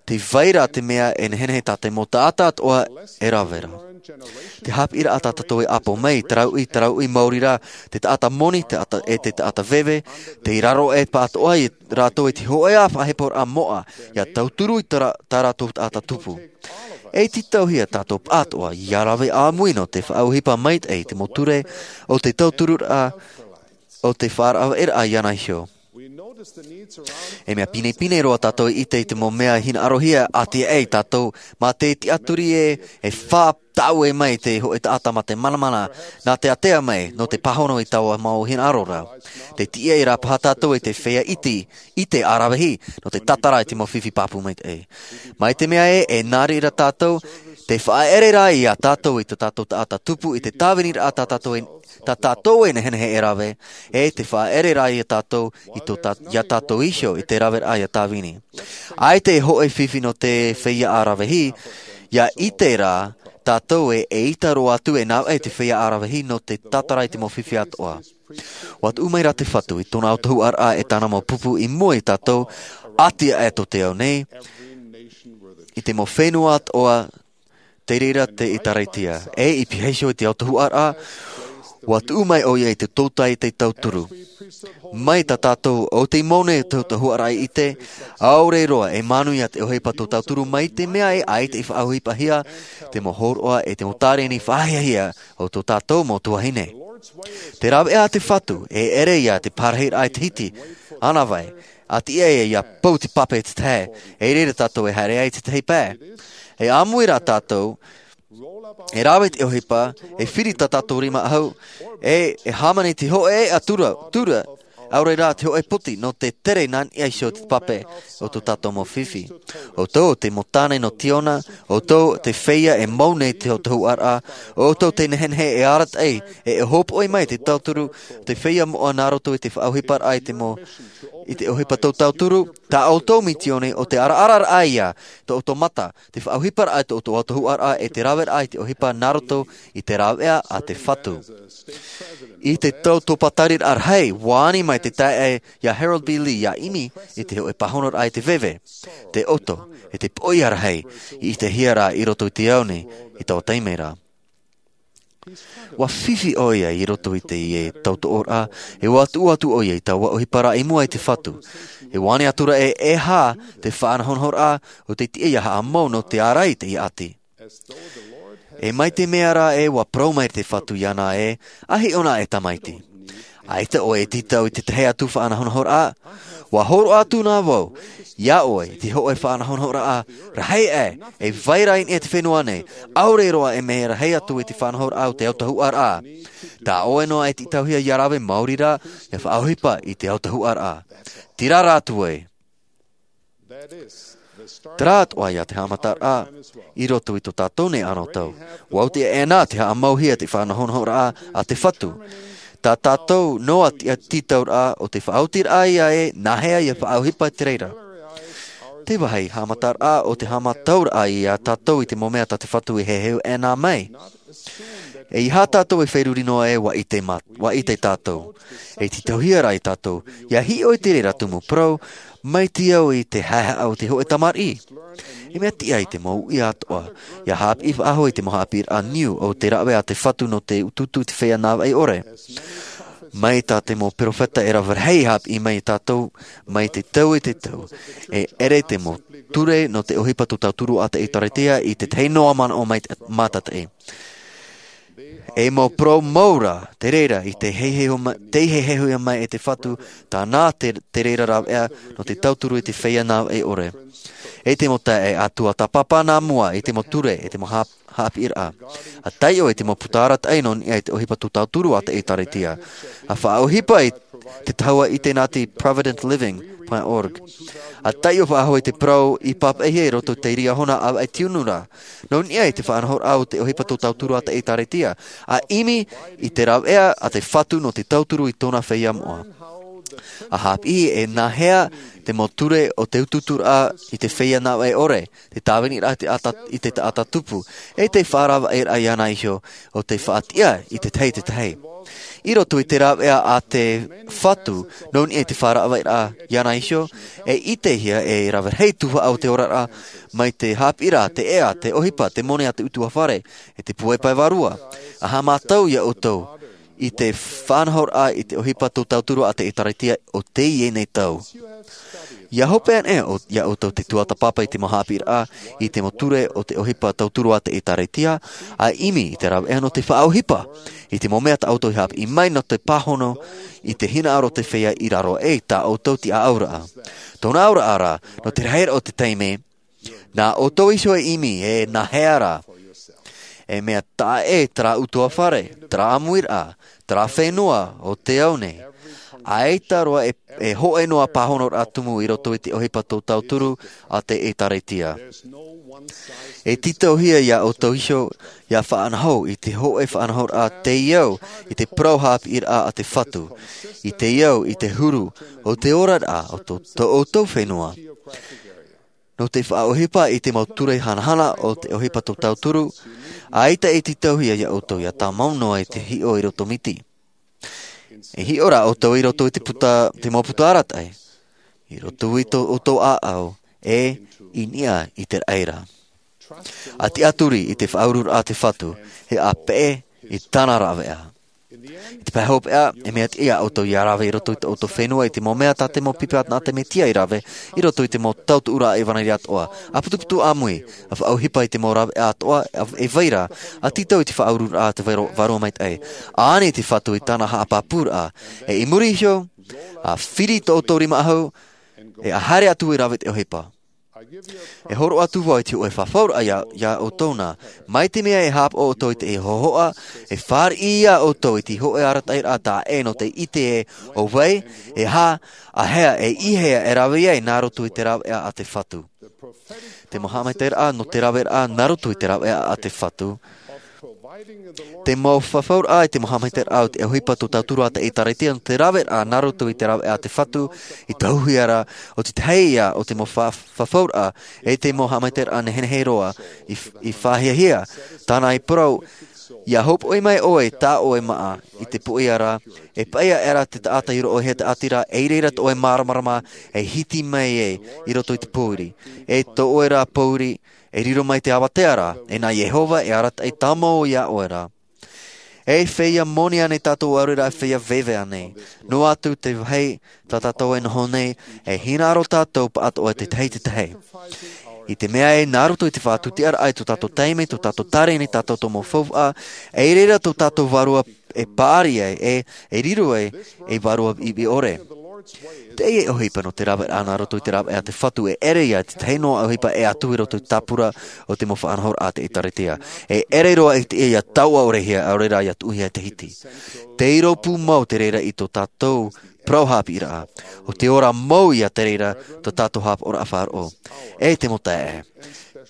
tē vai ra te mea e nehenehe tā te mau taʻata atoʻa e rave ra. Te haʻapiʻiraʻa tā tātou e ʻapo mai, te rauʻi, te rauʻi maori rā, te taʻata moni, te taʻata, e te taʻata veve, tei raro e pāʻatoʻa ia rātou i te hōʻē faʻaheporaʻa moʻa, ia tauturu i tā rā-, tā rātou taʻata tupu. E tītauhia tātou pāʻatoʻa, ia rave ʻāmui nō te faʻaʻohipa maitaʻi i te mau ture, o te tautururaʻa, o te faʻaravaʻeraʻa iāna iho. E mea pinepine roa tātou i ʻite i te mau mea hinaʻarohia ʻātiaʻe ia tātou, mā te tiʻaturi ē, e fā taʻu e mai te hōʻē taʻata mā te manamana, nā te ātea mai, nō te pāhono i taua mau hinaʻaro ra. Te tiʻa i rā paha tātou i te feiā iti, i te ʻaravihi, nō te tātara i te mau fifi pāpū maitaʻi. Mai te mea ē, e nā reira tātou, te faʻaʻere rā ia tātou i tō tātou taʻata tupu i te tāviniraʻa tā tātou e tā tātou e nehenehe e rave, e te faʻaʻere rā ia tātou i tō tā-, ia tātou iho i te raveraʻa ia tāvini. ʻAita e hōʻē fifi nō te feiā ʻaravihi, ia ʻite rā tātou ē, eʻita roa atu e navaʻi te feiā ʻaravihi nō te tātara i te mau fifi atoʻa. ʻUa tuʻu mai rā te Fatu i tōna autahuʻaraʻa e tāna mau pupu i mua ia tātou, ʻātiaʻe tō te ao nei, i te mau fenua atoʻa, tei reira te ʻĒtārētia. E i pihaʻi iho i te autahuʻaraʻa, Ua tuʻu mai ʻoia i te tōtaiete tauturu. Mai tā tātou ʻo tei mau nei te tahuʻaraʻa i ʻite, ʻaore roa e manuia te ʻohipa tō tauturu mai te mea e ʻaita i faʻaʻohipahia te mau hōroʻa e te mau tāreni faʻahiahia o tō tātou mau tuahine. Te rāveʻa a te Fatu, e ʻere ia te parahiraʻa i te hiti, ʻānāvai, a tiʻa ia, ia pou te pape te tahi, e reira tātou e haere ai te tahi pae. E ʻāmui rā tātou, e rave te ʻohipa, e firi tā tātou rima ʻahu, e, e hāmani te hōʻē ʻatura, tura, ʻaore rā te hōʻē poti, nō te tere nā niʻa iho te pape o tō tātou mau fifi. ʻOutou te mau tāne nō Tiona, ʻoutou te feiā e mau nei te tahuʻaraʻa, ʻoutou te nehenehe e arataʻi, e, e hōpoʻi mai te tauturu, te feiā moʻa nā roto i te faʻaʻohiparaʻa i te mau, i te ʻohipa tō tauturu, tā ʻoutou misioni ʻo te araararaʻa ia, tō ʻoutou mata, te faʻaʻohiparaʻa i tō ʻoutou tahuʻaraʻa e te raveraʻa i te ʻohipa nā roto i te rāveʻa a te Fatu. I te tau tōpātariraʻa rahi, ua ani mai te taeaʻe ia Harold B. Lee ia ʻimi i te hōʻē pāhonoraʻa i te veve, te ʻoto, e te poʻia rahi, i ʻitehia rā i roto i te ao nei, i taua taime ra. Ua fifi ʻoia i roto i teie tautoʻoraʻa, e ua tuʻu atu ʻoia i taua ʻohiparaʻa i mua i te Fatu. E ani atu ra ē, e aha te faʻanahonahoraʻa ʻo tei tiʻa ia haʻamau nō te ārai i teie ʻati. E mai te mea rā ē, ua parau mai te Fatu iāna ē, ʻa hiʻo na e tamaiti. ʻAita ʻoe e tītau i te tahi atu faʻanahonahoraʻa. Ua hōroʻa atu na vau, iā ʻoe, te hōʻē faʻanahonahoraʻa, rahi aʻe, e vai ra i niʻa i te fenua nei, ʻaore roa e mea rahi atu i te faʻanahoraʻa o te autahuʻaraʻa. Tā ʻoe noa e tītauhia ia rave maori rā, ia faʻaʻohipa i te autahuʻaraʻa. Terā rā atu ē. Terā atoʻa ia te haʻamataraʻa, i roto i tō tātou nei anotau. Ua oti aʻena te haʻamauhia te faʻanahonahoraʻa a te Fatu. Tā tātou noa tītauraʻa ʻo te faʻaotiraʻa ia ē, nāhea ia faʻaʻohipa i te reira. Te vāhi haʻamataraʻa ʻo te haʻamatauraʻa iā tātou i te mau mea tā te Fatu e heheu aʻena mai. E ʻeiaha tātou e feruri noa ē, ua ʻite mā-, ua ʻite tātou. E tītauhia rā iā tātou, ia hiʻo i te reira tumu parau, mai te au i te haʻehaʻa o te hōʻē tamariʻi. E mea tiʻa i te mau uʻi atoʻa, ia haʻapiʻi faʻahou i te mau haʻapiʻiraʻa niu o te rāveʻa a te Fatu nō te utuutu i te feiā nāvaʻi ʻore. Mai tā te mau perofeta e rave rahi haʻapiʻi mai iā tātou, mai te tau i te tau. E ʻere te mau ture nō te ʻohipa tō tauturu a te ʻĒkālesia i te tahi noa manaʻo mai te, mātataʻi. E mau parau mau rā, te reira, i te hehehu ma-, te hehehuhia mai e te Fatu, tāna te, te reira rāveʻa, nō te tauturu i te feiā nāvaʻi ʻore. E te mau taeaʻe, ʻa tuatāpapa nā mua, i te mau ture, i te mau hā-, haʻapiʻiraʻa. ʻA taiʻo i te mau puta arataʻi nō niʻa i te ʻohipa tō tauturu a te ʻĒkālesia. ʻA faʻaʻohipa i te tahua ʻite nā te provident living dot org. ʻA taiʻo faʻahou i te parau i pāpaʻihia i roto i te Riahona ʻAvaʻe Tiunu ra. Nō niʻa i te faʻanahoraʻa o te ʻohipa tō tauturu a te ʻĒkālesia. ʻA ʻimi i te rāveʻa a te Fatu nō te tauturu i tōna feiā moʻa. ʻA haʻapiʻi e nāhea te mau ture o te utuuturaʻa i te feiā nāvaʻi ʻore, te tāviniraʻa i te ata-, i te taʻata tupu, e te faʻaravaʻiraʻa iāna iho o te faʻatiʻa i te tahi i te tahi. I roto i te rāveʻa a te Fatu, nō niʻa i te faʻaravaʻiraʻa iāna iho, e ʻitehia e rave rahi tuhaʻa o te oraraʻa, mai te haʻapiʻiraʻa, te ʻea, te ʻohipa, te moni a te ʻutuāfare, e te puai pae vārua. ʻA haʻamātau iā ʻoutou, i te faʻanahoraʻa i te ʻohipa tō tauturu a te ʻĒkālesia o teie nei tau. ʻIa hope anaʻe ʻo, iā ʻoutou te tuatāpapa i te mau haʻapiʻiraʻa, i te mau ture o te ʻohipa tauturu a te ʻĒkālesia, ʻa ʻimi i te rāveʻa nō te faʻaʻohipa, i te mau mea tā ʻoutou i haʻapiʻi mai nō te pāhono, i te hinaʻaro o te feiā i raro aʻe i tā ʻoutou tiʻaʻauraʻa. Tōna auraʻa ra, nō te rahiraʻa o te taime, nā ʻoutou iho e ʻimi, e nāhea rā. E mea taʻa ʻē terā ʻutuāfare, terā ʻāmuiraʻa, terā fenua o te ao nei. ʻAita roa e, e hōʻē noa pāhonoraʻa tumu i roto i te ʻohipa tō tauturu a te ʻĒkālesia. E tītauhia iā ʻoutou iho, ʻia faʻanaho i te hōʻē faʻanahoraʻa tei au, i te parau haʻapiʻiraʻa a te Fatu. I te au, i te huru, o te oraraʻa, o tō, tō ʻoutou fenua. Nō te faʻaʻohipa i te mau ture hanahana o te ʻohipa tō tauturu, ʻaita e tītauhia iā ʻoutou ʻia tāmau noa i te hiʻo i roto miti. E hiʻo rā ʻoutou i roto i te puta, te mau puta arataʻi. I roto i tō ʻoutou ʻāʻau, e i niʻa i te raʻi ra. ʻA tiʻaturi i te faʻaururaʻa a te Fatu, e ʻa peʻe i tāna rāveʻa. I te pae hopeʻa, e mea tiʻa ia ʻoutou ia rave i roto i tō ʻoutou fenua i te mau mea tā te mau pipi a te Mesia i rave i roto i te mau tautuʻuraʻa ʻevanelia atoʻa. ʻA putuputu ʻāmui, ʻa faʻaʻohipa i te mau raveʻa atoʻa e vai ra, ʻa tītau i te faʻaururaʻa a te Vārua, Vārua Maitaʻi. ʻA ani te Fatu i tāna haʻapāpūraʻa, e i muri iho, ʻa firi tō ʻoutou rima ʻahu, e ʻa haere atu e rave i te ʻohipa. E hōroʻa atu vau i te hōʻē fafauraʻa ia, ia ʻoutou na. Mai te mea e haʻapaʻo ʻoutou i te hōhoʻa, e fāriʻi ia ʻoutou i te hōʻē arataʻiraʻa taʻa ʻē nō te ʻite ē, ʻo vai, e aha, ʻa hea, e i hea e rave ai nā roto i te raveʻa a te Fatu. Te mau haʻamaitaʻiraʻa nō te raveraʻa nā roto i te raveʻa a te Fatu. Te mau fafauraʻa i te mau haʻamaitaʻiraʻa o te ʻohipa tō tātou Atua i te ʻĒkālesia nō te raveraʻa nā roto i te raveʻa a te Fatu, i te huaʻai ra, ʻo te tahi ia o te mau fa-, fafauraʻa, e te mau haʻamaitaʻiraʻa nehenehe roa, i, i faʻahiahia, tāna i parau, ia hopoʻi mai ʻoe, tā ʻoe māʻa, i te poʻia ra, e paʻia aʻera te taʻata i roʻohia te ʻātira, e i reira tō ʻoe māramarama, e hiti mai ai, i roto i te pōiri, e tō ʻoe ra pōiri, e riro mai te avatea ra, e nā Iehova e arataʻi tāmau ia ʻoe ra. E feiā moni ānei tātou ʻaore rā feiā veve ānei? Noa atu te vāhi tā tātou e noho nei, e hinaʻaro tātou pāʻatoʻa te tahi i te tahi. I te mea ē, nā roto i te faʻatūtiaraʻa i tō tātou taime, tō tātou tāreni, tātou mau faufaʻa, e i reira tō tātou vārua e paʻari ai, e, e riro ai, ei vārua ivi ʻore. Teie ʻohipa nō te raveraʻa nā roto i te raveʻa a te Fatu e ʻere ia i te tahi noa ʻohipa e ʻatu i roto i te tāpura o te mau faʻanahoraʻa a te ʻĒkālesia. E ʻere roa i te ia taua ʻorehia, ʻaore rā ia tuʻuhia te hiti. Tei rōpū mau te reira i tō tātou parau haʻapiʻiraʻa. ʻO te ora mau ia te reira tō tātou haʻapaʻoraʻa faʻaroʻo. E te mau taeaʻe.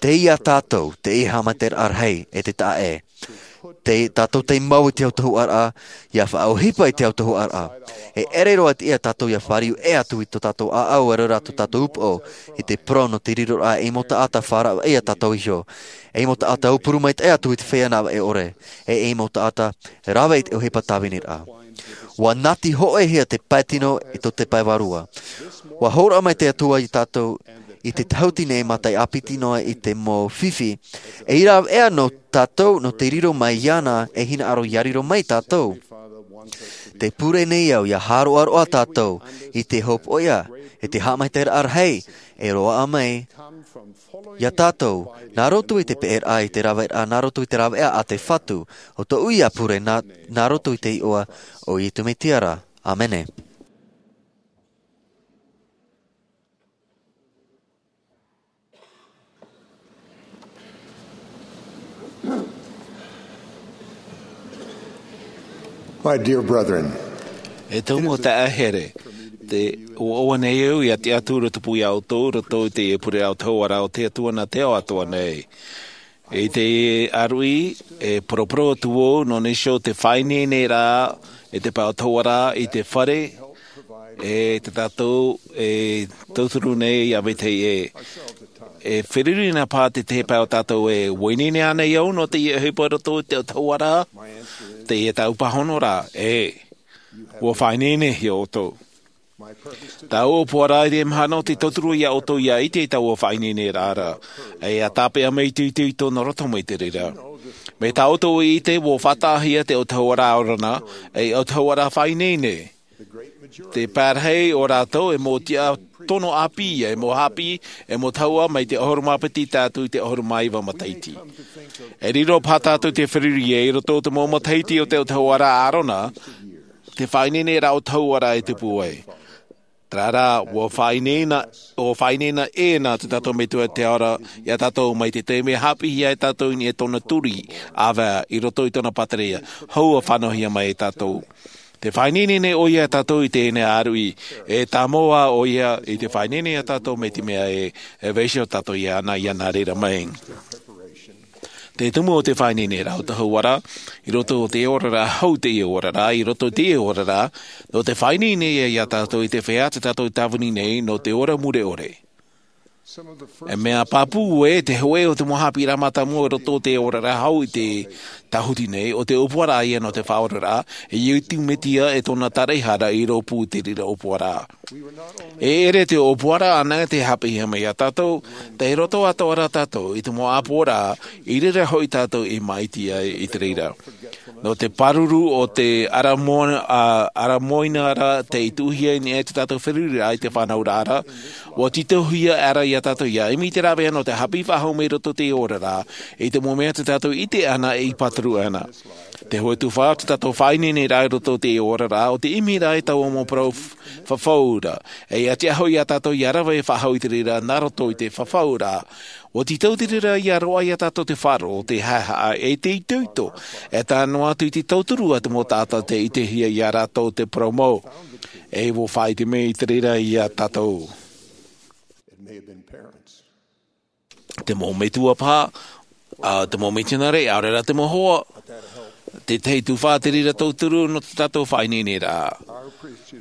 Tei ia tātou, teie haʻamaitaʻiraʻa rahi, e te taeaʻe. Tei tātou tei mau i te autahuʻaraʻa, ia faʻaʻohipa i te autahuʻaraʻa. E ʻere roa i te ia tātou ia fāriu ʻē atu i tō tātou ʻāʻau, ʻaore rā tō tātou upoʻo, i te parau nō te riroraʻa ei mau taʻata faʻaravaʻi ia tātou iho. Ei mau taʻata aupuru maitaʻi atu i te feiā navaʻi ʻore. E ei mau taʻata rave i te ʻohipa tāviniraʻa. ʻUa nati hōʻēhia te pae tino i tō te pae vārua. ʻUa hōroʻa mai te Atua ia tātou i te tahuti nei mātaʻi ʻāpiti noa i te mau fifi. E ʻia rave ʻē nō tātou, nō te riro mai iāna, e hinaʻaro ia riro mai tātou. Tē pure nei au ia hāroʻaroʻa tātou i te hopoiʻa, i te haʻamaitaʻiraʻa rahi, e roaʻa mai ia tātou, nā roto i te peʻeraʻa, i te raveraʻa, nā roto i te raveʻa a te Fatu, ʻo tōʻu ia pure nā, nā roto i te iʻoa o Iesu Mesia ra. ʻĀmene. My dear brethren, e tō mau taeaʻe here, tē ʻoaʻoa nei au ia tiʻa atu i te pū ia ʻoutou, i roto i te pure autahuʻaraʻa o te Atua nā te ao atoʻa nei. I te ʻāruʻi, e poroporo atu vau, nō niʻa i te faʻaineineraʻa, i te pae autahuʻaraʻa, i te fare, e te tātou, e tauturu nei ia vetahi ē. E feruri na paʻi te tahi pae o tātou ē, ʻua ineine ānei au nō teie ʻohipa i roto i te autahuʻaraʻa, teie tāʻu pāhonoraʻa, ē. ʻUa faʻaineinehia ʻoutou. Tāʻu ʻōpuaraʻa i te mahana ʻo te tauturu ia ʻoutou ia ʻite i taua faʻaineineraʻa ra. E ʻia tāpeʻa mai te ʻite i tōna roto mai te reira. Mai tā ʻoutou i ʻite, ʻua faʻataʻahia te autahuʻaraʻa ʻaore na, ei autahuʻaraʻa faʻaineine. Te pārahi o rātou e mau tiʻa tono ʻāpī, e mau haʻapiʻi, e mau tahua mai te ʻahuru mā piti tae atu i te ʻahuru mā iva matahiti. E riro paʻi tātou i te feruri ē, i roto i te mau matahiti o te autahuʻaraʻa ʻaore na, te faʻaineineraʻa autahuʻaraʻa e tupu ai. Terā rā, ʻua faʻaineina, ʻua faʻaineina ʻē na te tātou Metua i te ao ra, ia tātou mai te taime e haʻapiʻihia e tātou i niʻa i tōna turi, ʻāvae, i roto i tōna pātireia, hou ʻua fānauhia mai e tātou. Tē faʻaineine nei ʻoia ia tātou i teie nei ʻāruʻi, e tāmau ā ʻoia i te faʻaineine ia tātou mai te mea ē, e vaiiho tātou iāna, ia nā reira mai. Te tumu o te faʻaineineraʻa autahuʻaraʻa, i roto i te oraraʻa hou i teie oraraʻa, i roto i teie oraraʻa, nō te faʻaineine ia tātou i te feiā tā tātou e tāvini nei, nō te ora mure ʻore. E mea pāpū ē, te hōʻē o te mau haʻapiʻiraʻa mātāmua i roto i te oraraʻa hou i te tāhuti nei, ʻo te ʻōpuaraʻa ia nō te faʻaoraraʻa, e Iesu Mesia e tōna taraehara i rōpū i te reira ʻōpuaraʻa. E ʻere te ʻōpuaraʻa anaʻe tei haʻapiʻihia mai ia tātou, tei roto atoʻa ra tātou i te mau ʻāpoʻoraʻa, i reira hoʻi tātou e māʻiti ai i te reira. Nō te pāruru o te aramoina ra tei tuʻuhia nei e te tātou feruriraʻa i te fānauraʻa ra, ua tītauhia ra iā tātou ia ʻimi i te rāveʻa nō te hāpiʻi faʻahou mai roto i te oraraʻa i te mau mea tā tātou ʻite ana e i pāturu ana. Te hoʻe tufa o te tātou faʻaineineraʻa i roto i te oraraʻa o te ʻimi ra i taua mau parau fafau ra, e ia tiʻa hoʻi iā tātou ia rave faʻahou i te reira nā roto i te fafau ra. Ua tītau te reira ia roaʻa iā tātou te faʻaroʻo, te haʻehaʻa e te itoito, e tae noa atu i te tauturu a te mau taʻata tei ʻitehia iā rātou te parau mau. E ua faʻaʻite mai i te reira iā tātou. Te mau metua paha, te mau mitionare, ʻaore rā te mau hoa. Te tahi tufa te reira tauturu nō te tātou faʻaineineraʻa.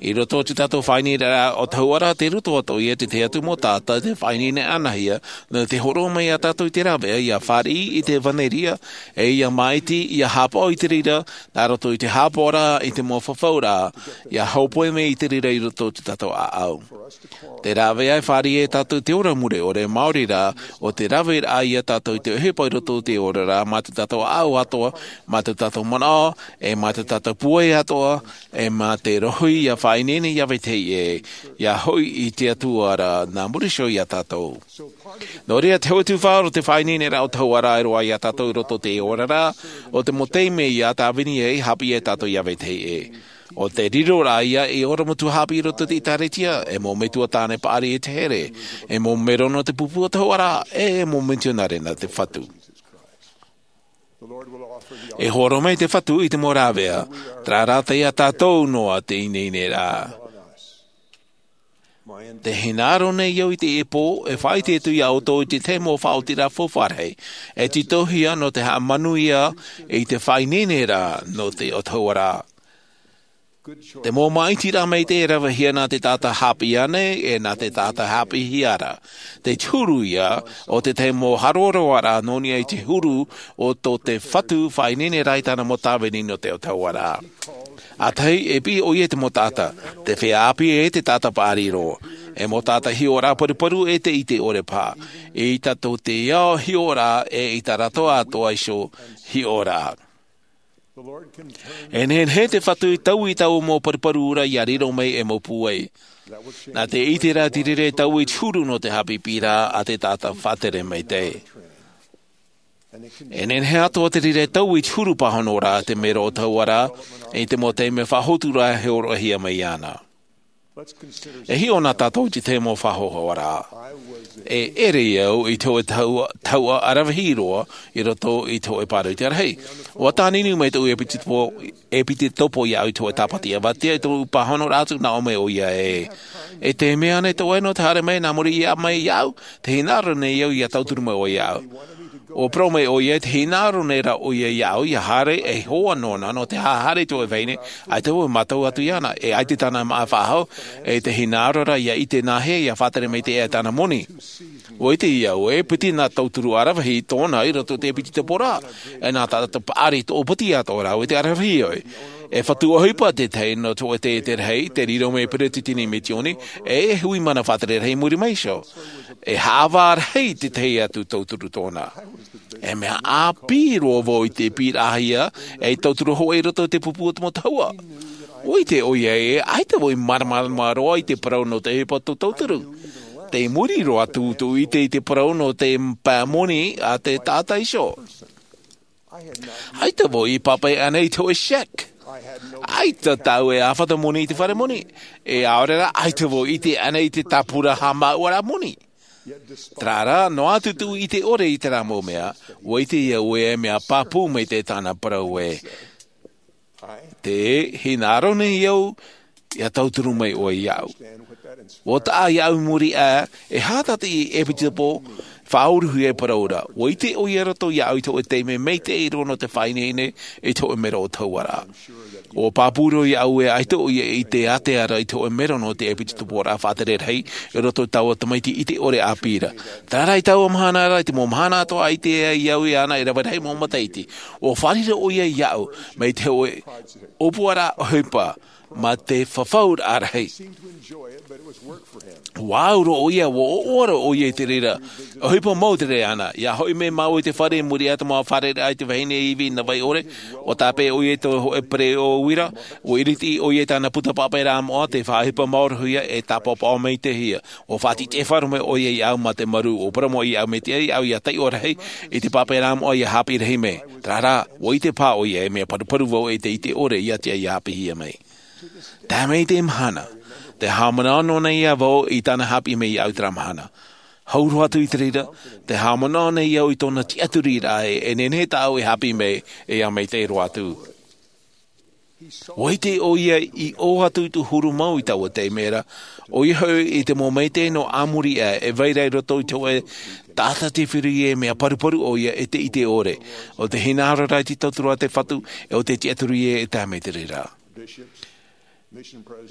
I roto i te tātou faʻaineineraʻa o te hauʻa ra, te roto atu ia te tahi atu mau taʻata te faʻaineine anahia nō te hōroʻa mai iā tātou i te rāveʻa ia fāriʻi i te ʻevanelia, e ia māʻiti ia hāpaʻo i te reira nā roto i te hāpaʻoraʻa i te mau fafauraʻa, ia hōpoi mai i te reira i roto i te tātou ʻāʻau. Te rāveʻa e fāriʻi e tātou te ora mure ʻore maori rā o te raveraʻa iā tātou i te ʻohipa i roto i te oraraʻa mā te tātou ʻāʻau atoʻa, mā te tātou manaʻo, e mā te tātou pūai atoʻa, e mā te rohi ia faʻaineine iā vetahi ʻē, ia hoʻi i te atua ra nā muri iho iā tātou. Nō reira te hoʻe tufa o te faʻaineineraʻa o te hauʻa ra e roaʻa iā tātou i roto i te oraraʻa o te mau taime ia tāvini ai hāpiʻi e tātou iā vetahi ʻē. O te riro rā ia e ora mau tuahāpiʻi i roto i te ʻēkālesia, e mau metua tāne paʻari e te here, e mau mero nō te pupu o te hauʻa ra, e mau mitionare nā te fatu. E hōroʻa mai te fatu i te mau rāveʻa, terā rā tei iā tātou noa te ineineraʻa. Te hinaʻaro nei au i te ʻēpō e faʻaʻite atu iā ʻoutou i te tahi mau faʻaotiraʻa faufaʻa rahi e tītauhia nō te haʻamanuia i te faʻaineineraʻa nō te ʻotoʻa ra. Te mau māʻitiraʻa maitaʻi e ravehia nā te taʻata hāpiʻi ānei e nā te taʻata hāpiʻihia ra. Te huru ia o te tahi mau haroharoaraʻa nō niʻa i te huru o tō te fatu faʻaineine ra i tāna mau tāvini nō te ʻotoʻa ra. ʻĀtahi e piʻi ʻoia i te mau taʻata, te feiā ʻāpī e te taʻata paʻari roa, e mau taʻata hiʻoraʻa paruparu e te ʻite ʻore paha, i tā tātou te ao hiʻoraʻa e i tā rātou atoʻa iho hiʻoraʻa. E nehenehe te fatu i taui i taua mau paruparu ra ia riro mai e mau pūai. Nā te ʻite ra te reira e taui i te huru nō te haʻapiʻiraʻa a te taʻata faʻatere maitaʻi. E nehenehe atoʻa te reira e taui i te huru pāhono ra te mero ʻotoʻa ra, i te mau taime faʻahotu ra e hōroʻahia mai ana. E hiʻo na tātou i te tahi mau faʻahohoʻaraʻa. E ʻere au i te hōʻē tahuʻa, tahuʻa ʻaravihi roa i roto i te hōʻē pāroita rahi. ʻUa tāninu mai tōʻu ʻepitopo, ʻepitopo iāʻu i te hōʻē tāpati avatea i tōʻu pāhonoraʻa atu, nā ʻō mai ʻoia ē, e te mea nei tō ʻoe nō te haere mai nā muri iho mai iāʻu? Te hinaʻaro nei au ia tauturu mai ʻoe iāʻu. ʻUa parau mai ʻoia, te hinaʻaro nei rā ʻoia iāʻu ia haere ei hoa nōna nō te haʻahaere i te hōʻē vahine, ʻaita vau e mātau atu iāna, e ʻaita tāna māʻa faʻahou, e te hinaʻaro rā ia ʻite nāhea ia faʻatere maitaʻi e tāna moni. ʻUa ʻite au ē, piti nā tauturu ʻaravihi tōna i roto i te ʻepitopo ra, e nā tātou paʻari tō piti atoʻa rā, ʻua ʻite ʻaravihi ʻoe. E fatu ʻohipa te tahi nō te hōʻē taiete rahi, te riro mai peretiteni misioni, e hui mana faʻatere rahi i muri mai iho. E haʻavā rahi te tahi atu tauturu tōna. E mea ʻāpī roa vau i te pīraʻahia, e tauturu hoʻi i roto i te pupu o te mau tahuʻa. ʻUa ʻite ʻoia ē, ʻaita vau i māramarama roa i te parau nō te ʻohipa tō tauturu. Tei muri roa atu tōʻu ʻite i te parau nō te pae moni a te taʻata iho. ʻAita vau i pāpaʻi ānei i te hōʻē cheque? ʻAita tāʻu e ʻāfata moni i te fare moni. E ʻaore rā, ʻaita vau i ʻite ānei i te tāpura haʻamāuʻaraʻa moni. Terā rā, noa atu tōʻu ʻite ʻore i terā mau mea, ʻua ʻite au ē e mea pāpū maitaʻi tāna parau ē. Te hinaʻaro nei au ia tauturu mai ʻoe iāʻu. ʻUa taʻa iāʻu i muri aʻe, e aha te ʻepitopo faʻauruhia e parau ra. ʻUa ʻite ʻoia i roto iāʻu i te hōʻē taime maitaʻi roa nō te faʻaineine i te hōʻē mero ʻotoʻa ra. ʻUa pāpū roa iāʻu ē ʻaita ʻoia i ʻite ātea ra i te hōʻē mero nō te ʻepitoporaʻa faʻatere rahi i roto i taua tamaiti ʻite ʻore ʻāpī ra. Terā rā, i taua mahana ra, i te mau mahana atoʻa ʻaita e ʻite ai au iāna e rave rahi mau matahiti, ʻua fārerei ʻoia iāʻu mai te hōʻē ʻōpuaraʻa ʻohipa. ma te fafauraʻa rahi. Ua au roa ʻo ia, ua ʻoaʻoa roa ʻo ia i te reira. ʻOhipa mau te reira ana ia hoʻi mai māua i te fare i muri iho i te mau fare raʻa i te vahine ivi nā vai ʻore. Ua tāpeʻa ʻo ia i te hoʻe pereʻoʻo uira. Ua iriti ʻo ia i tāna puta papaʻiraʻa moʻa te faʻaʻohipa māuruhia e tāpaopaohia mai te hia. Ua faʻaʻite faʻaroʻo mai ʻo ia iāʻu ma te maru ua parau mai iāʻu mai te au ia taiʻo rahi i te papaʻiraʻa moʻa ia hāpiʻi rahi mai. Tarara ua ʻite paha ʻo ia e mea paruparu vau e te ʻite ʻore ia te ia hāpiʻihia mai. Tae mai i te mahana te haʻamanaʻo nei ia vau i tāna hāpiʻi mai iāʻu i te rā mahana. Hau roa atu i te reira te haʻamanaʻo nei au i tōna tiʻaturiraʻa e nehenehe tāʻau e hāpiʻi mai e ia mai te roa atu. Ua ʻite ʻo ia i ʻō atu i te huru mau i taua taime ra ʻo ia hoʻi i te mau maitaʻi nō ʻamuri ʻā e vai ra i roto i te hoʻe taʻata te fifi e mea paruparu ʻo ia e te ʻite ʻore o te hinaʻaro ra i te tauturu a te fatu e o te tiʻaturi e tae mai te reira.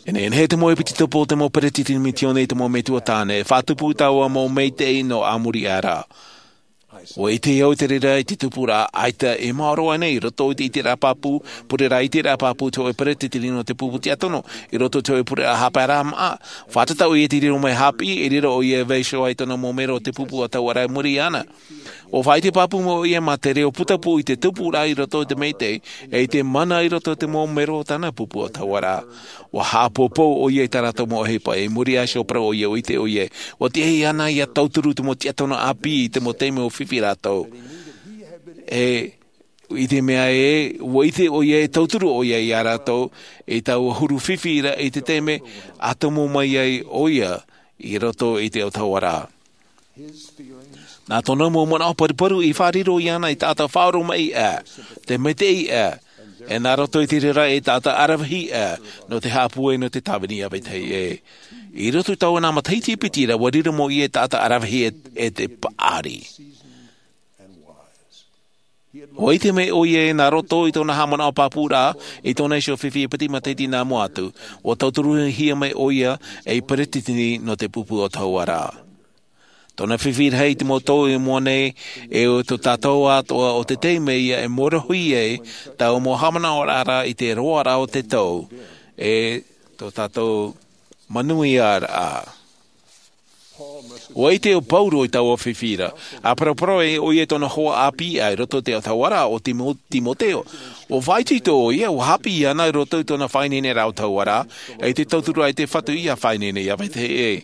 E nehenehe te mau ʻepitopo o te mau peretiteni misiona i te mau metua tāne e faʻatupu i taua mau maitaʻi nō ʻamuri ʻā ra. Ua ʻite au i te reira i te tupuraʻa ʻaita e maoro ana i roto i te ʻiteraʻa pāpū pureraʻa ʻiteraʻa pāpū te hoʻe peretiteni nō te pupu tiʻatono i roto i te hoʻe pureraʻa haʻapaeraʻa maʻa. Fātata ʻo ia i te riro mai hāpiʻi e riro ʻo ia e vaiiho ai tōna mau mero o te pupu ʻatauaraʻa i muri iho ana. Ua faʻaʻite pāpū mai ʻo ia ma te reo putapū i te tupuraʻa i roto i te maitaʻi e i te mana i roto i te mau mero o tāna pupu ʻatauaraʻa. Ua haʻapōpou ʻo ia i tā rātou mau ʻohipa i muri iho i te parau ʻo ia ua ʻite ʻo ia ua tiʻa iāna ia tauturu te mau tiʻatono ʻāpī i te mau taime ua fifi rātou. E i te mea ē ua ʻite ʻo ia e tauturu ʻo ia iā rātou i taua huru fifi ra i te taime a tomo mai ai ʻo ia i roto i te ʻatauaraʻa. Nā tōna mau manaʻo paruparu i faʻariro iāna i taʻata faʻaoromaʻi ʻā te maitaʻi ʻā e nā roto i te reira e taʻata aravihi ʻā nō te haʻapūai nō te tāvini a vetahi ʻē. I roto i taua nā matahiti piti ra ua riro mau ia e taʻata aravihi e te paʻari. Ua ʻite mai ʻo ia e nā roto i tōna haʻamanaʻo pāpūraʻa i tōna iho fifi e piti matahiti nā mua atu ua tauturuhia mai ʻo ia ei peretiteni nō te pupu ʻatauaraʻa. Tōna fifi rahi i te mau tau i mua nei e o tō tātou atoʻa o te taime ia e morohi ai taua mau haʻamanaʻoraʻa i te roaraʻa o te tau e tō tātou manuiaraʻa. Ua ʻite ʻo pauro i taua fifi ra a paraparau ai ʻo ia i tōna hoa ʻāpī ʻā i roto i te ʻatauaraʻa o timoteo. Ua faʻaitoito ʻo ia ua hāpiʻi ana i roto i tōna faʻaineineraʻa ʻatauaraʻa e i te tauturu a te fatu ia faʻaineine ia vetahi ʻē.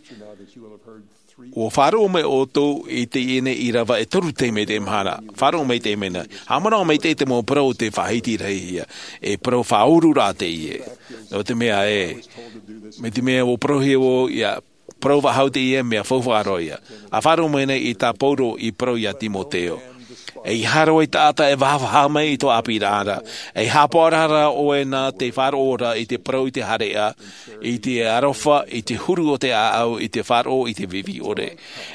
Ua faʻaroʻo mai ʻoutou i teie nei i rava e toru taime i te mahana. Faʻaroʻo mai i te mea nei haʻamanaʻo mai te mau parau o te faʻahiti rahi ia e parau faʻaururaʻa teie. Nō te mea ē mai te mea ua parauhia vau ia parau faʻahou teie mea faufaʻa roa ia. A faʻaroʻo mai nei i tā pauro i parau iā timoteo. E i haro ai taʻata e vahaʻa mai i tō ʻāpīraʻa ra e haʻapaʻo rā ʻoe nā te faʻaroʻo ra i te parau i te hareʻa i te aroha i te huru o te ʻāʻau i te faʻaroʻo i te vivi ʻore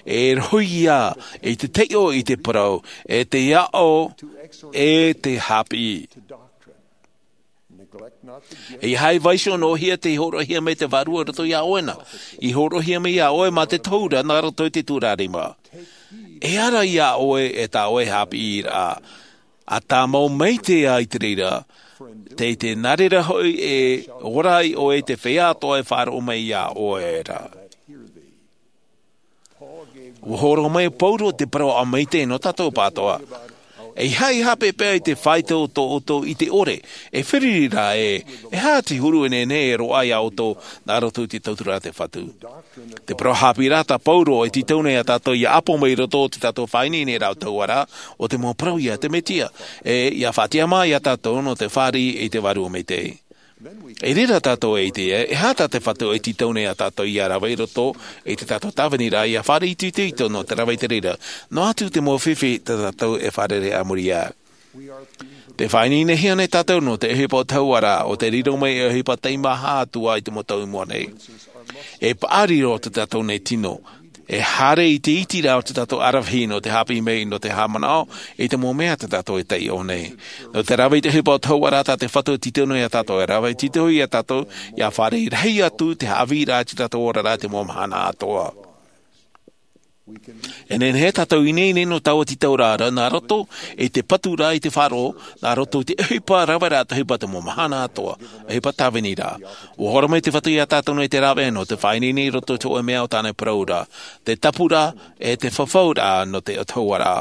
e rohi ia i te taiʻo i te parau e te aʻo e te hāpiʻi. E ia hai vaiiho noa hia te horoʻahia mai te vārua roto iā ʻoe na i horoʻahia mai iā ʻoe mā te tohu ra nā roto i te tūrarima. E ara iā ʻoe e tā ʻoe hāpiʻiraʻa a tāmau mai te ai te reira tei te nā reira hoʻi e ora ai ʻoe i te feiā atoʻa e faʻaroʻo mai iā ʻoe ra. Ua horo mai pauro te parau a maite nō tātou pātoa. E ia haʻapeʻapeʻa i te faito o tō ʻoutou i te ʻore e feriri rā ē e hā te huru e nehenehe e roaʻa iā ʻoutou nā roto i te tauturu a te fatu. Te parau hāpiʻi rā tā pauro e tītau nei iā tātou ia ʻapo mai i roto o te tātou faʻaineineraʻa ʻatauaraʻa o te mau parau iā te mesia e ia faʻatiʻa mā iā tātou nō te fāriʻi i te vārua maitaʻi. I reira tātou e ʻite e hā tā te fatu e tītau nei iā tātou ia rave i roto i te tātou tāviniraʻa ia fāriʻi itoito nō te rave i te reira noa atu te mau fifi tā tātou e fārerei a muri iho. Te faʻaineinehia nei tātou nō te ʻohipa ʻatauaraʻa o te riro mai e ʻohipa taimaha atu ā i te mau tau i mua nei. E paʻari roa tō tātou nei tino e haere i te iti rā o tō tātou aravihi nō te hāpiʻi mai nō te haʻamanaʻo i te mau mea tā tātou e taiʻo nei. Nō te rave i te ʻohipa ʻatauaraʻa tā te fatu e tītau nei iā tātou e rave tītau iā tātou ia fāriʻi rahi atu te haʻavīraʻa i tō tātou oraraʻa i te mau mahana atoʻa. E nehenehe tātou e ineine nō taua tītauraʻa nā roto i te patu rā i te faʻaroʻo, nā roto i te ʻohipa rave rā, te ʻohipa te mau mahana atoʻa, ʻohipa tāvini rā. Ua horo mai te Fatu iā tātou nei te rave nō te faʻaineine i roto i te hōʻē mea o tāna parau ra, te tapu rā, e te fafau rā nō te ʻOtua rā.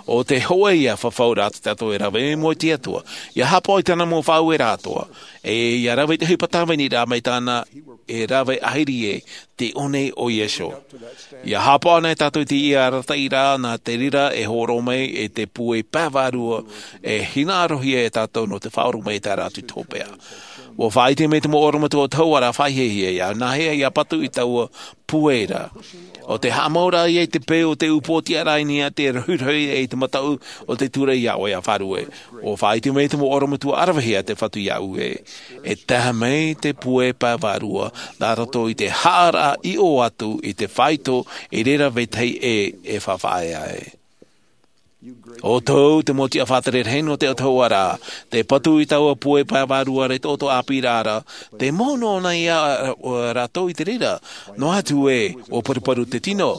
ʻO te hōʻē ia fafau rā tā tātou e rave mai i te Atua, ʻia haʻapaʻo i tāna mau faʻaueraʻa atoʻa, e ʻia rave i te ʻohipa tāvini rā mai tāna e rave ʻahiri ē, te ʻō nei o Iesū. ʻIa haʻapaʻo nei tātou i te arataʻiraʻa nā te reira e hōroʻa mai i te pūai pae vārua, e hinaʻarohia e tātou nō te faʻaoromaʻi i te taʻata atu i te hopeʻa. Ua faʻaʻite mai te mau ʻorometua o te ʻOtua rā, faʻahiahia, ʻia nāhea ʻia patu i taua pūai ra. ʻO te haʻamau rā ïa i te peu o te upoʻotiʻa rā i niʻa i te rohirohi e i te mataʻu o te ture iā ʻoe, ʻia faʻaruʻe. Ua faʻaʻite mai te mau ʻorometua ʻaravehia te Fatu iāʻu ē, e tae mai te pūai pae vārua, nā roto i te haʻaraʻa i ʻō atu i te faito, i reira vetahi ē e faʻaea ai. ʻO tō te mau tiʻa faʻatere rahi nō te ʻOtua rā, te patu i taua pūai pae vārua ra i tō ʻoe ʻāpīraʻa ra, te mau noa nei ā rātou i te reira, noa atu ē, ʻua paruparu te tino.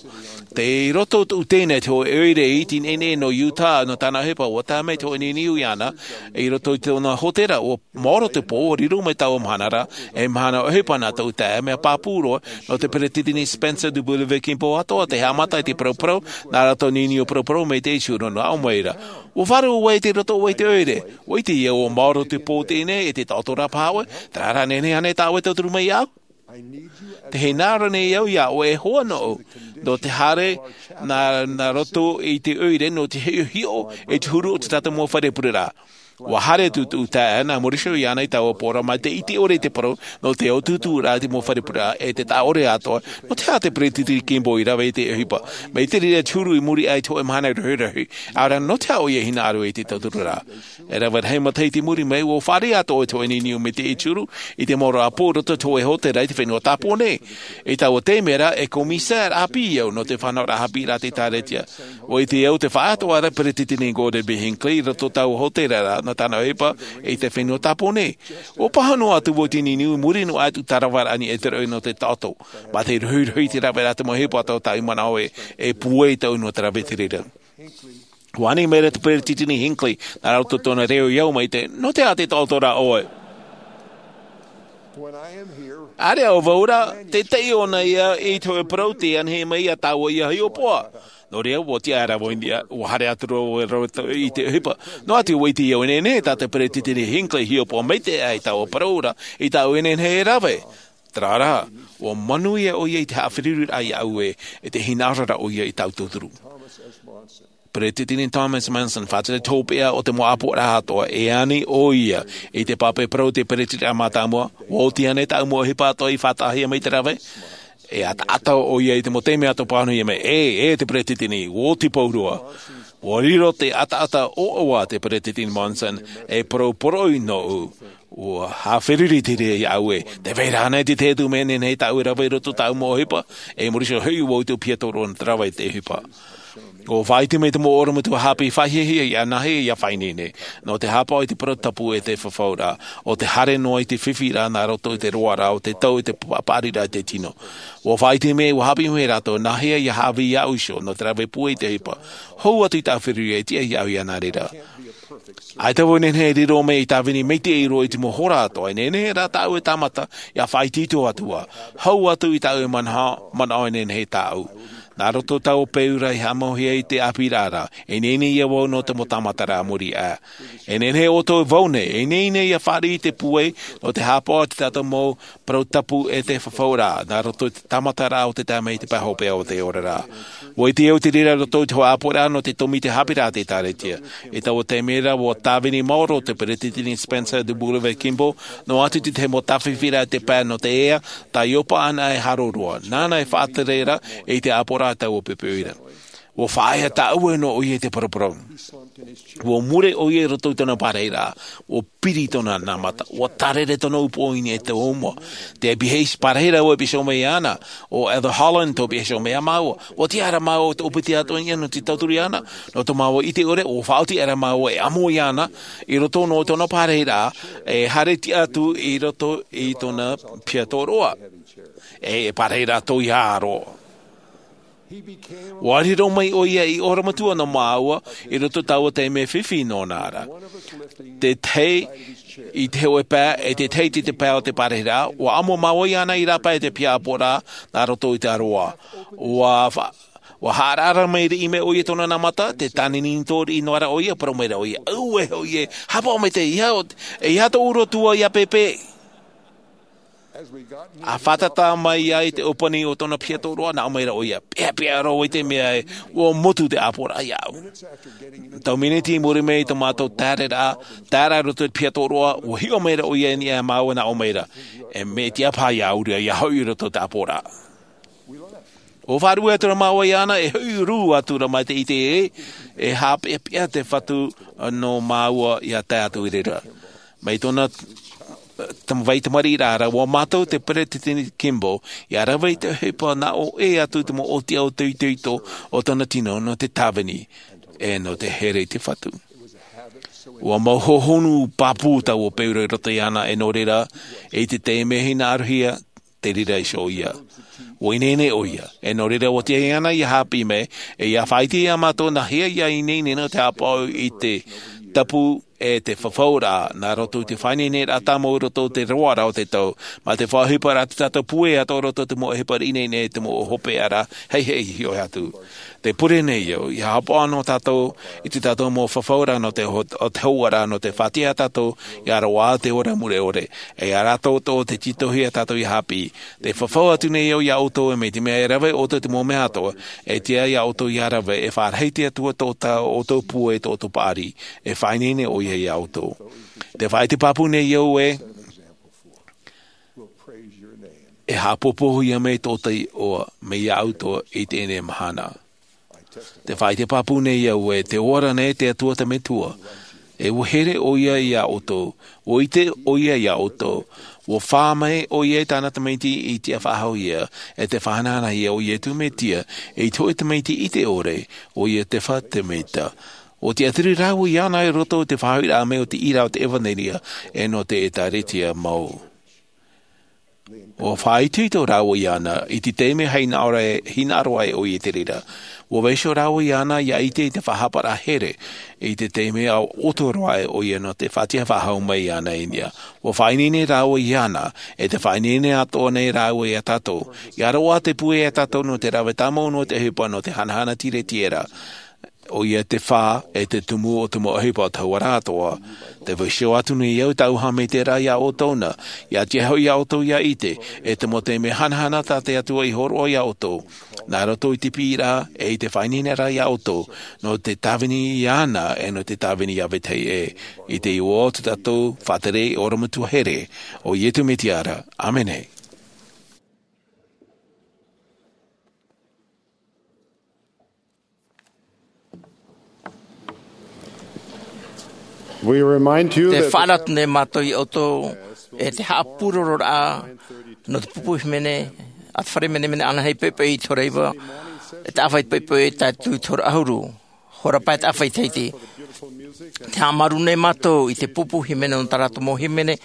Tei roto tōʻu teina i te hōʻē ʻoire iti nehenehe nō Utah, nō tāna ʻohipa, ʻua tae mai te hōʻē niuniu iāna, i roto i tōna hōtēra, ʻua maoro te pō, ʻua riro mai taua mahana ra, e mahana ʻohipa nā tōʻu taeaʻe, mea pāpū roa, nō te Peretiteni Spencer W. Kimball atoʻa, tei haʻamata i te paraparau, nā rātou niuniu paraparau, mai te ʻītū nō nā ʻō mai ra. ʻUa faʻaroʻo ʻoe i roto ʻoe i te ʻoire, ʻua ʻite ʻoe ʻua maoro te pō teie nei, e te taʻoto rā paha ʻoe, terā rā nehenehe ānei tā ʻoe e tauturu mai iāʻu? Tē hinaʻaro nei au iā ʻoe e hoa nōʻu, nō te haere nā, nā roto i te ʻoire, nō te hiʻohiʻo i te huru o te tātou mau fare pureraʻa. ʻUa haere atu tōʻu taeaʻe, nā Mauricio iāna i taua pō ra, mai te ʻite ʻore i te parau, nō te ʻutuʻuturaʻa i te mau fare pureraʻa, e te taʻa ʻore atoʻa, nō te aha te Peretiteni Kimball i rave i te ʻohipa. Mai te reira te huru i muri aʻe i te hōʻē mahana rohirohi, ʻaore rā nō te aha ʻoia e hinaʻaro i te tauturu ra. E rave rahi matahiti i muri mai, ʻua fāriʻi atoʻa te hōʻē niuniu mai te ʻītū, i te mau rāpae i roto i te hōʻē hōtēra i te fenua Tāpōnē. I taua taime ra, e komisār ʻāpī au nō te fānauraʻa haʻapiʻiraʻa a te ʻĒkālesia. ʻUa ʻite au te faʻaroʻo ra Peretiteni Gordon B. Hinckley i roto i taua hōtēra ra, nā tāna ʻohipa i te fenua Tāpōnē. ʻUa pāhono atu vau i te niuniu i muri noa atu i te taravaraʻa i niʻa i te roʻi nō te taʻoto. Mā te rohirohi i te raveraʻa te mau ʻohipa atoʻa tāʻu i manaʻo e, e pūai tāʻu nō te rave i te reira. ʻUa ani mai ra te Peretiteni Hinckley, nā roto i tōna reo i au mai te, nō te aha te taʻoto ra ʻoe? ʻĀreʻa vau ra, te taiʻo nei ïa i te hōʻē parau tei anihia mai iā tāua ʻia hiʻopoʻa. Nō reira, ʻua tiʻa aʻera vau i niʻa, ʻua haere atu ra vau i te ʻohipa. Noa atu ʻua ʻite au e nehenehe tā te Peretiteni Hinckley e hiʻopoʻa maitaʻi i taua parau ra, i tāʻu e nehenehe e rave. Terā rā, ʻua manuia ʻoia i te haʻaferuriraʻa iāʻu ē, e te hinaʻaro ra ʻoia i tāʻu tauturu. Peretiteni Thomas Monson, faʻatere te hopeʻa o te mau ʻāpoʻoraʻa atoʻa, e ani ʻoia i te pape parau a te Peretiteni mātāmua, ʻua oti ānei tāʻu mau ʻohipa atoʻa i faʻataʻahia mai te rave? E ataata ʻoia i te mau taime atoʻa pāhonohia mai, ʻē, ʻē te Peretiteni, ʻua oti pauroa. ʻUa riro te ataata ʻoaʻoa a te Peretiteni Monson, e parau poroʻi nōʻu, ʻua haʻaferuri te reira iāʻu ē, tē vai ra ānei te tahi atu mea e nehenehe tāʻu e rave i roto i tāʻu mau ʻohipa, e muri iho hoʻi ʻua ʻutuʻa piha tō rātou te rave i te ʻohipa. ʻUa faʻaʻite mai te mau ʻorometua haʻapiʻi faʻahiahia ʻia nāhea ʻia faʻaineine, nō te haʻapaʻo i te parau tapu e te fafauraʻa, ʻo te haere noa i te fifi ra nā roto i te roaraʻa o te tau i te pa-, paʻariraʻa i te tino. ʻUa faʻaʻite mai, ʻua haʻapiʻi mai rātou, nāhea ʻia haʻavī iāʻu iho, nō te rave pūai i te ʻohipa. Hou atu i tāʻu feruri e tiʻa iāʻu iāna reira. ʻAita vau e nehenehe e riro mai ei tāvini maitaʻi roa i te mau hora atoʻa, e nehenehe rā tāʻu e tāmata, ʻia faʻaitoito atu ā. Hou atu i tāʻu e manaʻo, manaʻo e nehenehe tāʻu. Nā roto i taua peu ra i haʻamauhia i te ʻāpīraʻa ra, e ineine ïa vau nō te mau tāmata ra a muri aʻe. E nehenehe ʻoutou e vau nei, e ineine ʻia fāriʻi i te pūai, nō te haʻapaʻo i tā tātou mau parau tapu e te fafauraʻa, nā roto i te tāmataraʻa o te Taeaʻe i te Pae Hopeʻa o te Oraraʻa. ʻUa ʻite au te reira i roto i te hōʻē ʻāpoʻoraʻa nō te tōmite haʻapiʻiraʻa a te ʻĒkālesia. I taua taime ra, ʻua tāvini maoro te Peretiteni Spencer W. Kimball, noa atu i te tahi mau tāfifiraʻa i te pae nō te ea, tā Ioba Anaheim e haro roa. Nāna e faʻatere ra i te ʻāpoʻoraʻa a taua poʻipoʻi ra. ʻUa faʻaea tāʻue noa ʻoia i te paraparau. ʻUa mure ʻoia i roto i tōna pārahiraʻa. ʻUa piri tōna nāmata. ʻUa tārere tōna upoʻo i niʻa i te ʻōmua. Te piha pārahiraʻa ʻua piha iho mai iāna. ʻO Elder Holland tō piha iho mai iā māua. ʻUa tiʻa aʻera māua e ʻōpiti atoʻa i niʻa nō te tauturu iāna. Nō tō māua ʻite ʻore, ʻua faʻaoti aʻera māua e amo iāna. I roto noa i tōna pārahiraʻa, e haere tiʻa atu i roto i tōna piha tōroʻa. E, e pārahiraʻa tōiaro. Ua riro mai ʻo ia i ʻoromatua nō māua i roto i taua taime fifi nōna ra. Te tahi i te hoʻe pae, e te tahi i te pae o te parahiraʻa, ua ʻamo māua iāna i rāpae i te piha ʻāpoʻoraʻa nā roto i te ʻaroʻa. Ua fa-, ua haʻaraʻara mai riʻi mai ʻo ia tōna nā mata, te tānini tō riʻi noa ra ʻo ia, parau mai ra ʻo ia, "Auē, ʻo ia, haʻapaʻo mai te ia, e ia tō ʻuro tua ia pēpē." A fātata mai ai te ʻōpani o tōna piha tōroʻa, nā ʻō mai ra ʻo ia, "Peʻapeʻa roa i te mea e, ua motu te ʻāpoʻoraʻa iāʻu." Tau miniti i muri mai i tō mātou taeraʻa, taeraʻa i roto i te piha tōroʻa, ua hiʻo mai ra ʻo ia i niʻa iā māua, nā ʻō mai ra, "E mea tiʻa paha iāʻu ra ia hoʻi i roto i te ʻāpoʻoraʻa." ʻO faʻaruʻe atu ra māua iāna, e hoʻi rū atu ra mai te ʻite ē, e haʻapeʻapeʻa te Fatu nō māua ia tae atu i reira. Mai tōna, eh, tam-, vai tamariʻiraʻa ra, ua mātau te Peresideni Kimball, ia rave i te ʻohipa nā ʻō ʻē atu te mau ʻōtiʻa ʻo te itoito o tōna tino nō te tāvini, e nō te here i te Fatu. Ua mau hohonu pāpū taua peu ra i roto iāna, e nō reira, i te taime hinaʻarohia, te reira iho ʻo ia. Ua ineine ʻo ia, e nō reira ua tiaʻi ana ia haʻapiʻi mai, e ia faʻaʻite iā mātou nā hea ia ineine nō te haʻapaʻo i te tapu e te fafauraʻa, nā roto i te faʻaineineraʻa tāmau i roto i te roaraʻa o te tau, mā te faʻaʻohiparaʻa te tātou puʻe atoʻa i roto i te mau ʻohipa ineine, te mau hopeʻa ra, hei, hei, hiʻo atu. Tē pure nei au, ia haʻapaʻo noa tātou i tō tātou mau fafauraʻa nō te ho-, o te hōroʻaraʻa nō te faʻatiʻa iā tātou, ia roaʻa te ora mure ʻore, e ia rātou atoʻa te tītauhia tātou ia haʻapiʻi. Tē fafau atu nei au iā ʻoutou, e mai te mea e rave ʻoutou i te mau mea atoʻa, e tiʻa iā ʻoutou ia rave, e faʻarahi te Atua tō tā ʻoutou puʻe, tō ʻoutou paʻari, e faʻaineine ʻo ia iā ʻoutou. Tē faʻaʻite pāpū nei au ē, e haʻapōpōhia mai tō te iʻoa, mai iā ʻoutou i teie nei mahana. Tē faʻaʻite pāpū nei au ē, tē ora nei te Atua te Metua. E ua here ʻo ia iā ʻoutou, ua ʻite ʻo ia iā ʻoutou, ua fā mai ʻo ia i tāna tamaiti i tiʻa faʻahou ia, e tē faʻahanahanahia ʻo Iesu Mesia, i te hōʻē tamaiti ʻite ʻore, ʻo ia te fatu mea. ʻUa tiʻaturi rāua iāna i roto i te faʻahoʻiraʻa mai o te ʻīrava o te ʻevanelia, e nō te ʻĒkālesia mau. ʻUa faʻaitoito rāua iāna, i te taime hinaʻaro ai, hinaʻaro ai ʻo ia i te reira. ʻUa vaiiho rāua iāna, ia ʻite i te faʻahaparaʻa here, i te taime ʻua ʻoto roa ai ʻo ia nō te faʻatiʻa faʻahou mai iāna i niʻa. ʻUa faʻaineine rāua iāna, e tē faʻaineine atoʻa nei rāua iā tātou. Ia roaʻa te puʻe iā tātou nō te rave tāmau noa te ʻohipa nō te hanahana tiretiera. ʻO ia te fā, e te tumu o te mau ʻohipa o te hauʻaraʻa atoʻa. Tē vaiiho atu nei au i tāʻu haʻamaitaʻiraʻa iā ʻoutou na, ia tiʻa hoʻi iā ʻoutou ia ʻite, e te mau taime hanahana tā te Atua i hōroʻa iā ʻoutou. Nā roto i te piʻiraʻa, e i te faʻaineineraʻa iā ʻoutou, nō te tāvini iāna, e nō te tāvini iā vetahi ʻē, i te iʻoa o tō tātou faʻatere ʻorometua here, ʻo Iesu Mesia ra. ʻĀmene. We remind you Te that faʻaara atu nei mātou iā ʻoutou, e te haʻapūrororaʻa nō te pupu hīmene, a te fare menemene ānānahi poʻipoʻi i te hora iva, e te ʻāvaʻe poʻipoʻi tae atu i te hora ʻahuru, hora pae taʻa faʻaʻite. Te haʻamaru nei mātou i te pupu hīmene nō tā rātou mau hīmene,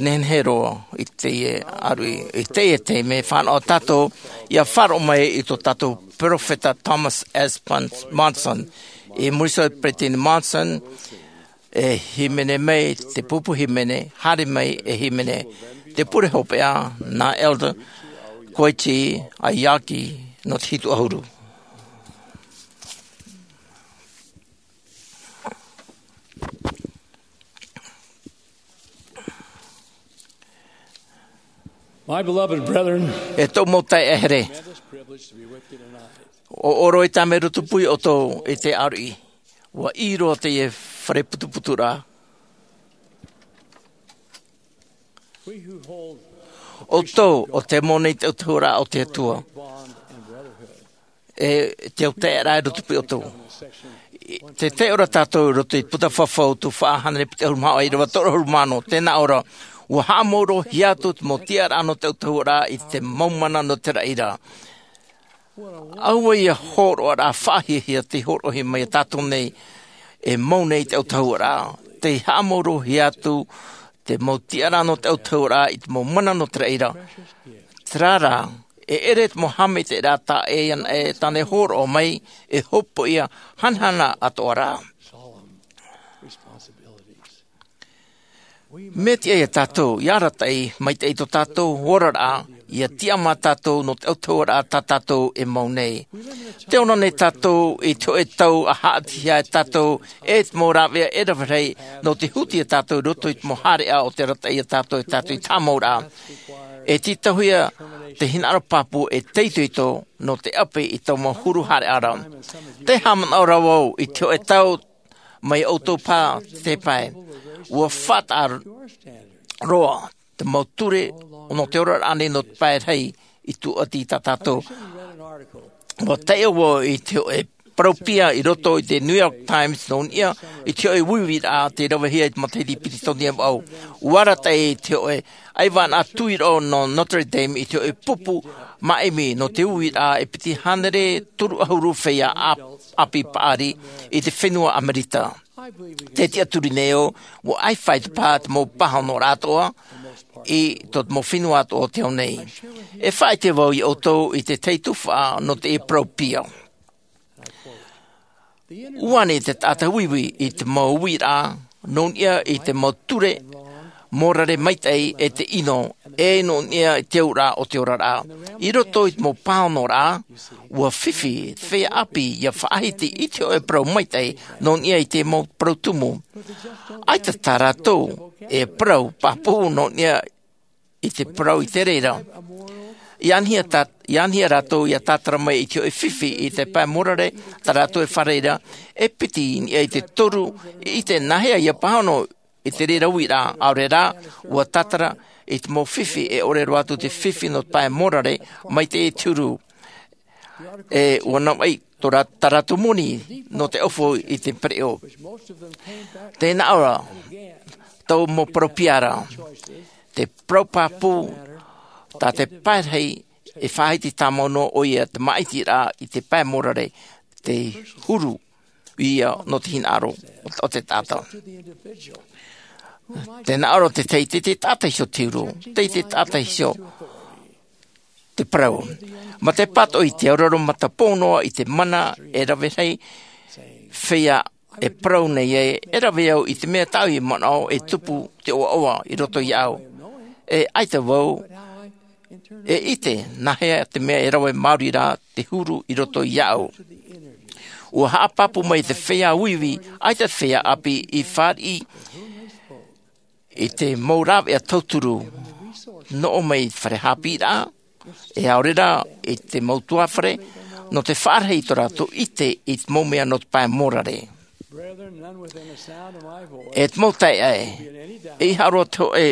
nehenehe roa, i teie ʻāruʻi, i teie taime, fānaʻo tātou, ia faʻaroʻo mai i tō tātou peropheta Thomas S. Pon-, Monson. I muri iho Peresideni Monson, e hīmene mai te pupu hīmene, haere mai e hīmene te pure hopeʻa, nā Elder Koichi Aoyagi, nō te hitu ʻahuru. My beloved brethren, e tōʻu mau taeaʻe here, ʻo ʻoroʻi tā mai roto pū iā ʻoutou i te ʻāruʻi. ʻUa ʻī roa teie fare putuputuraʻa. ʻOutou, ʻo tē mau nei i te ʻautahuʻaraʻa o te Atua, e te autaeaʻeraʻa i roto pū iā ʻoutou. Tē taiʻo ra tātou i roto i te puta fafau, tuhaʻa hānere piti ʻahuru mā ʻīrava toru ʻahuru mā ono, tē nā ʻō ra, ʻua haʻamaurohia atu te mau tiʻaraʻa nō te ʻautahuʻaraʻa i te mau mana nō te raʻi ra. Aua ia hōroʻaraʻa faʻahiahia tei hōroʻahia mai iā tātou nei, e mau nei i te ʻautahuʻaraʻa, tei haʻamaurohia atu te mau tiʻaraʻa nō te ʻautahuʻaraʻa i te mau mana nō te raʻi ra. Terā rā, E ʻere te mau haʻamaitaʻiraʻa e ana e tāne hōroʻa mai e hopoiʻa hanahana atoʻa rā. Mea tiʻa ia tātou ia arataʻi maitaʻi tō tātou oraraʻa, ia tiʻamā tātou nō te autahuʻaraʻa tā tātou e mau nei. Te ora nei tātou i te hoʻe tau a haʻatihia e tātou e te mau rāveʻa e rave rahi nō te huti ia tātou i roto i te mau haereʻa o te arataʻi ia tātou e tātou i te haʻamauraʻa. E tītauhia te hinaʻaro pāpū e te itoito nō te ʻapi i tō mau huru haereʻa ra. Te haʻamanaʻo ra vau i te hoʻe tau mai ʻoutou pā te pae, ua faʻataʻa roa te mau ture nō te oraraʻa nei nō te pae rahi i tūʻati i tā tātou. Ua taiʻo vau i te hoʻe parau pia i roto i te New York Times nō niʻa i te hoʻe uiuiraʻa tei ravehia i te matahiti Piritonia vau. Ua arataʻi i te hoʻe ʻaivānaʻa tuiroʻo nō Notre Dame i te hoʻe pupu māʻimi nō te uiuiraʻa e piti hānere toru ʻahuru feiā ʻāpī paʻari i te fenua Amerika. Te tiʻaturi nei au, ua ʻaifai te paha te mau pāhonoraʻa atoʻa i tō te mau fenua atoʻa o te ao nei. E faʻaʻite vau ia ʻoutou i te tahi tuhaʻa nō te parau pia. Ua ani te taʻata uiui i te mau uiraʻa nō niʻa i te mau ture mōrare maitaʻi e te ʻino, e nō niʻa i te auraʻa o te oraraʻa. I roto i te mau pāhonoraʻa, ua fifi te feiā ʻāpī ia faʻahiti i te hoʻe parau maitaʻi nō niʻa i te mau parau tumu. ʻAita tā rātou e parau pāpū nō niʻa i te parau i te reira. I anihia rātou ia tātara mai i te hoʻe fifi i te pae mōrare tā rātou e fārereiraʻa, e piti i niʻa i te toru i te nāhea ia pāhono i te reira uiraʻa. ʻAore rā, ua tātara i te mau fifi e ʻore roa atu te fifi nō te pae mōrare mai te huru. E ua navaʻi tō rā tā rātou moni nō te ʻaufau i te pereʻoʻo. Tēnā ʻoia tō mau parau pia ra. Te parau pāpū tā te pae rahi e faʻahiti tāmau noa ʻoia te māʻitiraʻa i te pae mōrare te huru ia nō te hinaʻaro o te taʻata. Tēnā ʻoia te teitei te taʻata iho te huru, teitei te taʻata iho te parau. Ma te pātoʻi te auraro matapō noa i te mana e rave rahi feiā e parau nei ai e rave au i te mea tāʻu i manaʻo e tupu te ʻoaʻoa i roto iāʻu. E ʻaita vau e ʻite nāhea te mea e rave māori rā te huru i roto iāʻu. Ua haʻapāpū mai te feiā uiui ʻaita te feiā ʻāpī i fāriʻi i te mau rāveʻa tauturu nō ʻō mai i te fare hāpiʻiraʻa e ʻaore rā i te mau tuāfare nō te faʻarahi i tō rātou ʻite i te mau mea nō te pae mōrare. E te mau taeaʻe, e ʻaita roa te hoʻe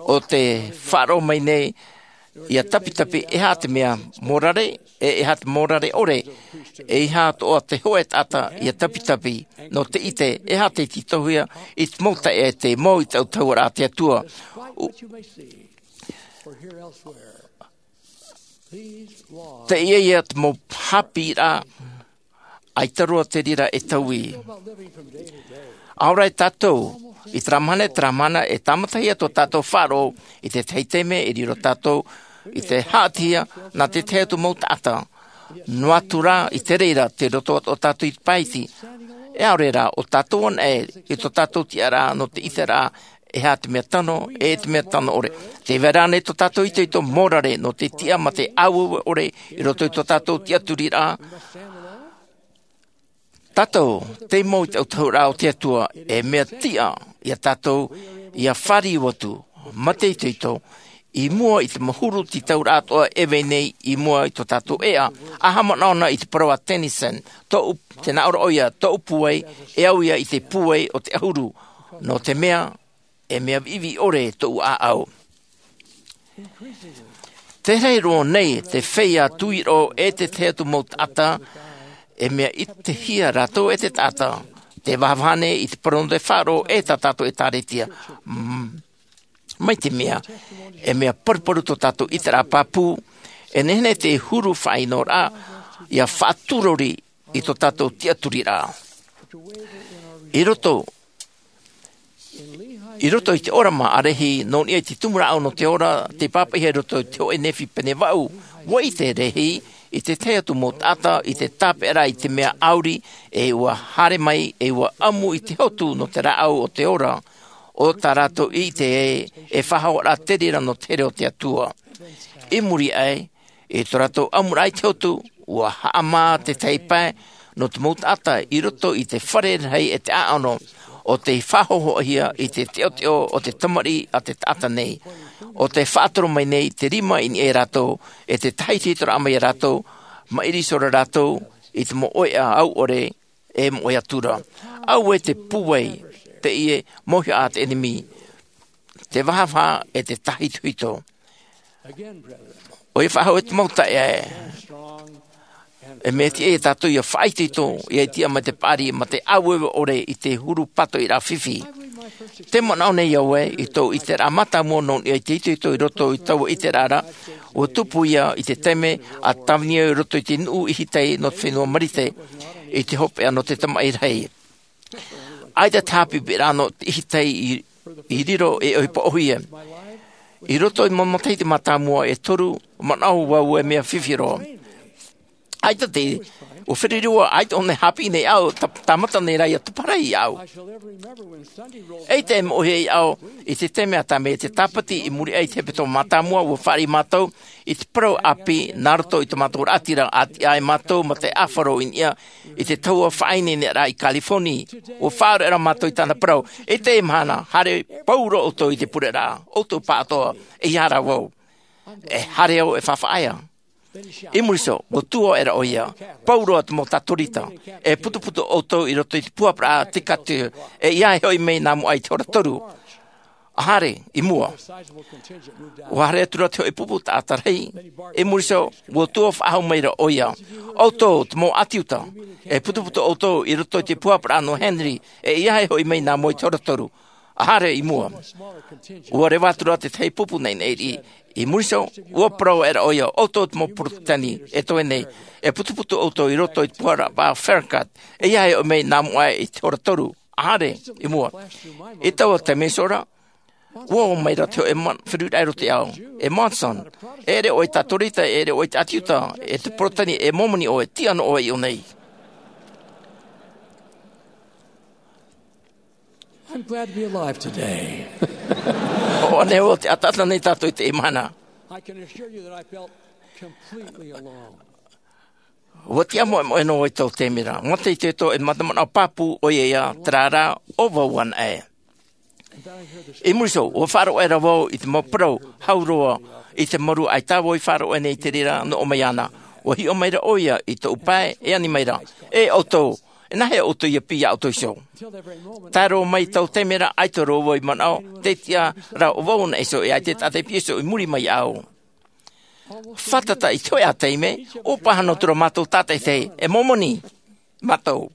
o te faʻaroʻo mai nei ia tapitapi e aha te mea mōrare e e aha te mōrare ʻore, e aha atoʻa te hoʻe taʻata ia tapitapi nō te ʻite e aha te tītauhia i te mau taeaʻe te mau i te autahuʻaraʻa a te Atua. Teie ia te mau hāpiʻiraʻa ʻaita roa te reira e taui. ʻAore rā tātou i terā mahana e terā mahana e tāmatahia tō tātou faʻaroʻo i te tahi taime e riro tātou i te haʻatihia nā te tahi atu mau taʻata. Noa atu rā i te reira te roto atoʻa tātou i te pae iti, e ʻaore rā ʻo tātou anaʻe i tō tātou tiʻaraʻa nō te ʻiteraʻa e aha te mea tano e te mea tano ʻore. Te vai ra nei tō tātou itoito mōrare nō te tiʻa ma te ʻāueue ʻore i roto i tō tātou tiʻaturiraʻa. Tātou te mau i te autahuʻaraʻa o te Atua, e mea tiʻa ia tātou ia fāriu atu ma te itoito i mua i te mau huru tītauraʻa atoʻa e vai nei i mua i tō tātou ʻēʻa. A haʻamanaʻo na i te parau a Tennyson, tōʻu, tēnā ʻoia, tōʻu pūai e au ia i te pūai o te ʻahuru, nō te mea e mea viʻiviʻi ʻore tōʻu ʻāʻau. Te rahi roa nei te feiā tuiroʻo e te tahi atu mau taʻata, e mea ʻitehia rātou e te taʻata te vahavaha nei i te parau nō te faʻaroʻo e tā tātou ʻēkālesia. Mai te mea e mea paruparu tō tātou ʻiteraʻa pāpū, e nehenehe te huru faʻaʻinoraʻa ia faʻaturori i tō tātou tiʻaturiraʻa. I roto i roto i te ʻōrama ʻārehi nō niʻa i te tumu rāʻau nō te ora, te pāpaʻihia i roto i te hoʻe nehefi pene vaʻu. ʻua ʻite rahi i te tahi atu mau taʻata i te tāpeʻa i te mea ʻauri, e ʻua haere mai e ʻua ʻamu i te hotu nō te rāʻau o te ora, o tā rātou i ʻite e e faʻahoʻi rā te reira nō te here o te Atua. I muri aʻe i tō rātou ʻamuraʻa i te hotu, ʻua haʻamā te tahi pae nō te mau taʻata i roto i te fare rahi e te ʻāʻano, o te faʻahohoʻahia i te teʻoteʻo o te tamariʻi a te taʻata nei, o te faʻatoro mai nei te rima i niʻa ia rātou e te tahiti toraʻa mai ia rātou, maʻiri sora rātou i te mau ʻoiʻa au ʻore e mau ʻoiʻa tura. Auē te pūai, teie mauhaʻa a te ʻenemi, te vahavaha e te tahitohito. ʻOia faʻahou e te mau taeaʻe, e mea tiʻa ia tātou ia faʻaitoito, ia tiʻa mai te paʻari ma te ʻāueue ʻore i te huru pātoʻiraʻa fifi. Te manaʻo nei au ē i tōʻu ʻiteraʻa mātāmua nō niʻa i te itoito i roto i taua ʻiteraʻa ra, ʻua tupu ia i te taime a tāvini au i roto i te nuʻu ihitai nō te fenua Marite, i te hopeʻa nō te tamaʻi rahi. ʻAita te haʻapiʻiraʻa nō te ihitai i, i riro e ʻohipa ʻōhie. I roto i mau matahiti mātāmua e toru, manaʻo vau e mea fifi roa. ʻAita te, ʻua feruri au, ʻaita ʻōna e haʻapiʻi nei au, tā, tāmata nei rā ia taparahi au. ʻAita e moʻe au i te taime a tāmau i te tāpati i muri aʻe i te hepetoma mātāmua, ʻua fāriʻi mātou i te parau ʻāpī nā roto i tō mātou raʻatira, a tiʻa ai mātou ma te ʻāfaro i niʻa i te tahua faʻaineineraʻa i California. ʻUa faʻaroʻo ra mātou i tāna parau, i teie mahana, haere pauroa ʻoutou i te pureraʻa, ʻoutou pāʻatoʻa, ʻeiaha rā vau. E haere au e faʻaea. I muri iho, ʻua tuō aʻera ʻoia, pauroa te mau tātorita, e putuputu ʻoutou i roto i te puhaparaʻa Decatur, e ʻeiaha e hoʻi mai nā mua aʻe i te hora toru. ʻA haere i mua. ʻUa haere atu ra te hōʻē pupu taʻata rahi. I muri iho, ʻua tuō faʻahou mai ra ʻoia, ʻoutou te mau ʻāti Iuta, e putuputu ʻoutou i roto i te puhaparaʻa nō Henry, e ʻeiaha e hoʻi mai nā mua i te hora toru. ʻA haere i mua. ʻUa reva atu ra te tahi pupu naʻinaʻi riʻi. I muri iho, ʻua parau aʻera ʻoia, ʻoutou te mau Porotetani e toe nei, e putuputu ʻoutou i roto i te puhaparaʻa Farragut, e ʻeiaha e hoʻi mai nā mua aʻe i te hora toru. ʻA haere i mua. I taua taime iho ra, ʻua ō mai ra te hōʻē ma-, feruriraʻa i roto iāʻu. E Monson, e ʻere ʻoe tātorita, e ʻere ʻoe ʻāti Iuta, e te Porotetani, e Momoni ʻoe, tiʻa noa ʻoe i ʻō nei. I'm glad to be alive today. ʻO ʻānei au te ʻataʻata nei tātou i teie mahana. I can assure you that I felt completely alone. ʻUa tiʻa moʻemoʻe noa i taua taime ra. Mata i te tō e mata manaʻo pāpū ʻoia ia, terā rā, ʻo vau anaʻe. I muri iho, ʻua faʻaroʻo aʻera vau i te mau parau hau roa i te maru, ʻaita vau i faʻaroʻo nei i te reira nō ʻō mai ana. ʻUa hiʻo mai ra ʻoia i tōʻu pae, e ani mai ra, e ʻoutou, e nāhea ʻoutou ia piʻi iā ʻoutou iho? Tae roa mai i taua taime ra, ʻaita roa vau i manaʻo, tē tiʻa ra ʻo vau anaʻe iho, e ʻaita e taʻata i piʻi iho i muri mai iāʻu. Fātata i te hōʻē taime, ʻua pāhono atu ra mātou tātaʻitahi, e Momoni mātou.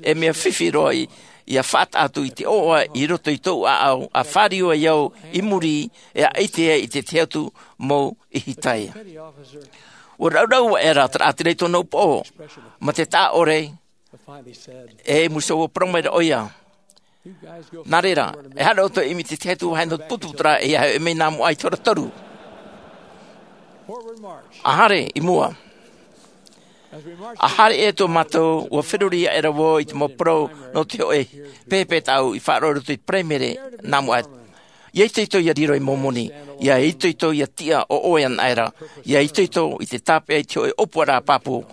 E mea fifi roa i, ia faʻataʻa atu i te ʻoaʻoa i roto i tōʻu ʻāʻau, ʻa fāriu ai au i muri, e ʻite ai i te tahi atu mau ihitai. ʻUa raurau aʻera te raʻatira i tōna upoʻo, ma te taʻa ʻore, e muri iho ʻua parau mai ra ʻoia. Nā reira, e haere ʻoutou e ʻimi i te tahi atu vāhi nō te putuputuraʻa, e ʻeiaha e hoʻi mai nā mua aʻe i te hora toru. ʻA haere i mua. ʻA haere atu mātou, ʻua feruri aʻera vau i te mau parau nō te hōʻē pehepehe tāʻu i faʻaroʻo i roto i te Paraimere nā mua aʻe. ʻIa itoito ʻia riro ei Momoni, ʻia itoito ʻia tiʻa ʻo ʻoe anaʻe ra, ʻia itoito i te tāpeʻa i te hōʻē ʻōpuaraʻa pāpū,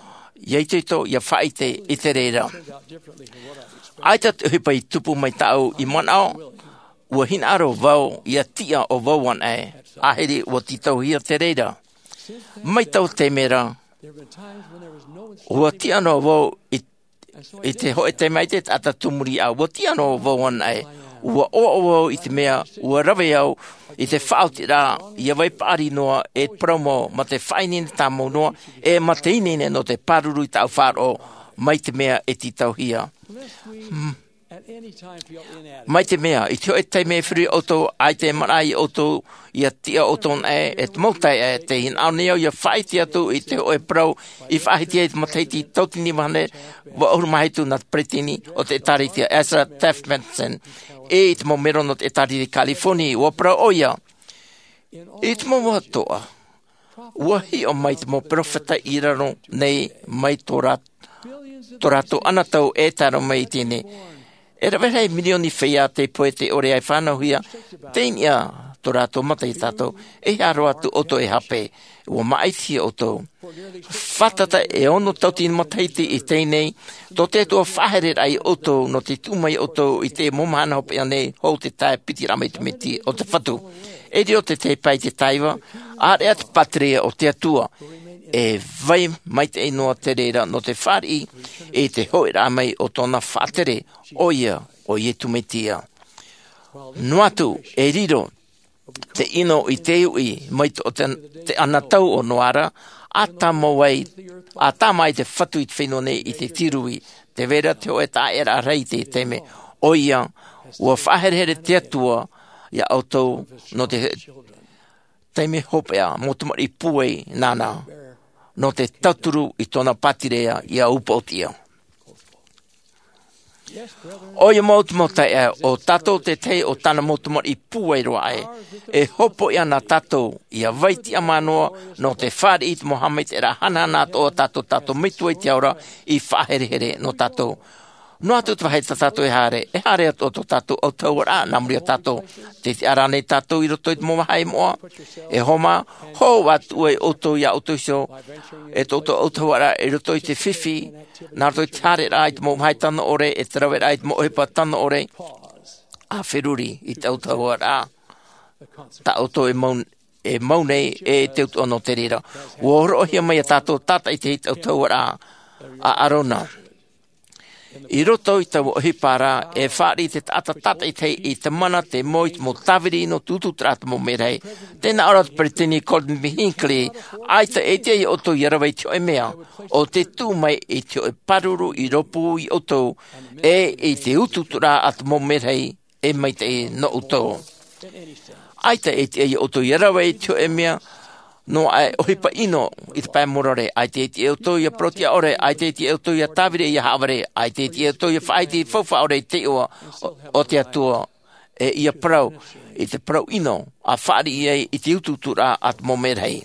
ʻia itoito ʻia faʻaʻite i te reira. ʻAita te ʻohipa i tupu mai tāʻu i manaʻo, ʻua hinaʻaro vau ʻia tiʻa ʻo vau anaʻe, ʻāhiri ʻua tītauhia te reira. Mai taua taime ra, ʻua tiʻa noa vau i, i te hōʻē taime ʻaita e taʻata tū muri iāʻu, ʻua tiʻa noa vau anaʻe. ʻUa ʻoaʻoa vau i te mea, ʻua rave au i te faʻaotiraʻa, ʻia vai paʻari noa e parau mau, ma te faʻaineine tāmau noa, e ma te ineine nō te pāruru i tāʻu faʻaroʻo, mai te mea e tītauhia. Hmm. Mai te mea, i te hōʻē taime e feruri ʻoutou, ʻaita e manaʻo ʻoutou, ʻia tiʻa ʻoutou anaʻe, e te mau taeaʻe, tē hinaʻaro nei au ʻia faʻaʻite atu i te hōʻē parau i faʻahiti ai i te matahiti tauatini vaʻu ʻahuru mā hitu nā te peresideni o te ʻĒtārētia, Ezra Taft Benson, e i te mau mero nō te ʻĒtārētia i California, ʻua parau ʻoia. I te mau vāhi atoʻa, Ua hiʻo mai te mau peropheta i raro nei mai tō rā- tō rātou anotau e tae roa mai i teie nei. E rave rahi mirioni feiā tei pohe tei ʻore ai fānauhia. Teie nei tō rātou mata iā tātou. E hea roa atu ʻoutou e hape? Ua māʻitihia ʻoutou. Fātata e ono tauatini matahiti i teie nei, tō te Atua faʻahereraʻa iā ʻoutou nō te tuʻu mai ʻoutou i te mau mahana hopeʻa nei hou te tae piti raʻa mai te miti o te Fatu. E riro te tahi pae i te tāiva, ʻāreʻa te pātireia o te Atua. E vai maitaʻi noa te reira nō te fāriʻi i te hoʻiraʻa mai o tōna faʻatere, ʻoia ʻo Iesu Mesia. Noa atu e riro te ʻino i te uʻi mai tō te, te anotau o Noa ra, a tāmau ai, a tāmau ai te Fatu i te fenua nei i te tīrū. Tē vai ra te hōʻē taʻaʻēraʻa rahi i te taime, ʻoia, ua faʻaherehere te Atua iā ʻoutou nō te taime hopeʻa, mau tamariʻi pūai nāna, nō te tauturu i tōna pātireia ʻia upoʻotiʻa. ʻOia mau te mau taeaʻe, ʻo tātou te tahi o tāna mau tamariʻi pūai roa aʻe. E hopoiʻa na tātou ʻia vai tiʻamā noa nō te fāriʻi i te mau haʻamaitaʻiraʻa hanahana atoʻa a tātou, tātou Metua i te ao ra i faʻaherehere nō tātou. Noa atu te vāhi tā tātou e haere, e haere atoʻa tō tātou autahuʻaraʻa nā muri iā tātou. Tē tiʻa ra ānei tātou i roto i te mau vāhi moʻa? E hōmā, hōʻē atu ai ʻoutou iā ʻoutou iho, e tō ʻoutou autahuʻaraʻa i roto i te fifi, nā roto i te haereraʻa i te mau vāhi tano ʻore, e te raveraʻa i te mau ʻohipa tano ʻore, ʻa feruri i te autahuʻaraʻa tā ʻoutou e mau, e mau nei, e te utuʻa nō te reira. Ua hōroʻahia mai iā tātou tātaʻitahi te autahuʻaraʻa a ʻĀrona. I roto i taua ʻohipa ra, e fāriʻi te taʻata tātaʻitahi i te mana, te moe, i te mau tāviri nō te utuuturaʻa a te mau merahi. Tē nā ʻō ra te Peresideni Gordon B. Hinckley, ʻaita e tiʻa iā ʻoutou ʻia rave i te hōʻē mea, ʻo te tuʻu mai i te hōʻē pāruru i rōpū iā ʻoutou, e i te utuuturaʻa a te mau merahi, e maitaʻi nō ʻoutou. ʻAita e tiʻa iā ʻoutou ʻia rave i te hōʻē mea, noa aʻe ʻohipa ʻino i te pae mōrare, ʻaita e tiʻa iā ʻoutou ʻia parau-tiʻa-ʻore, ʻaita e tiʻa iā ʻoutou ʻia tāviri ʻia haʻavare, ʻaita e tiʻa iā ʻoutou ʻia faʻaʻite i te faufaʻa ʻore i te iʻoa o, o te Atua, e ʻia parau i te parau ʻino, ʻa fāriʻi ai i te utuuturaʻa a te mau merahi.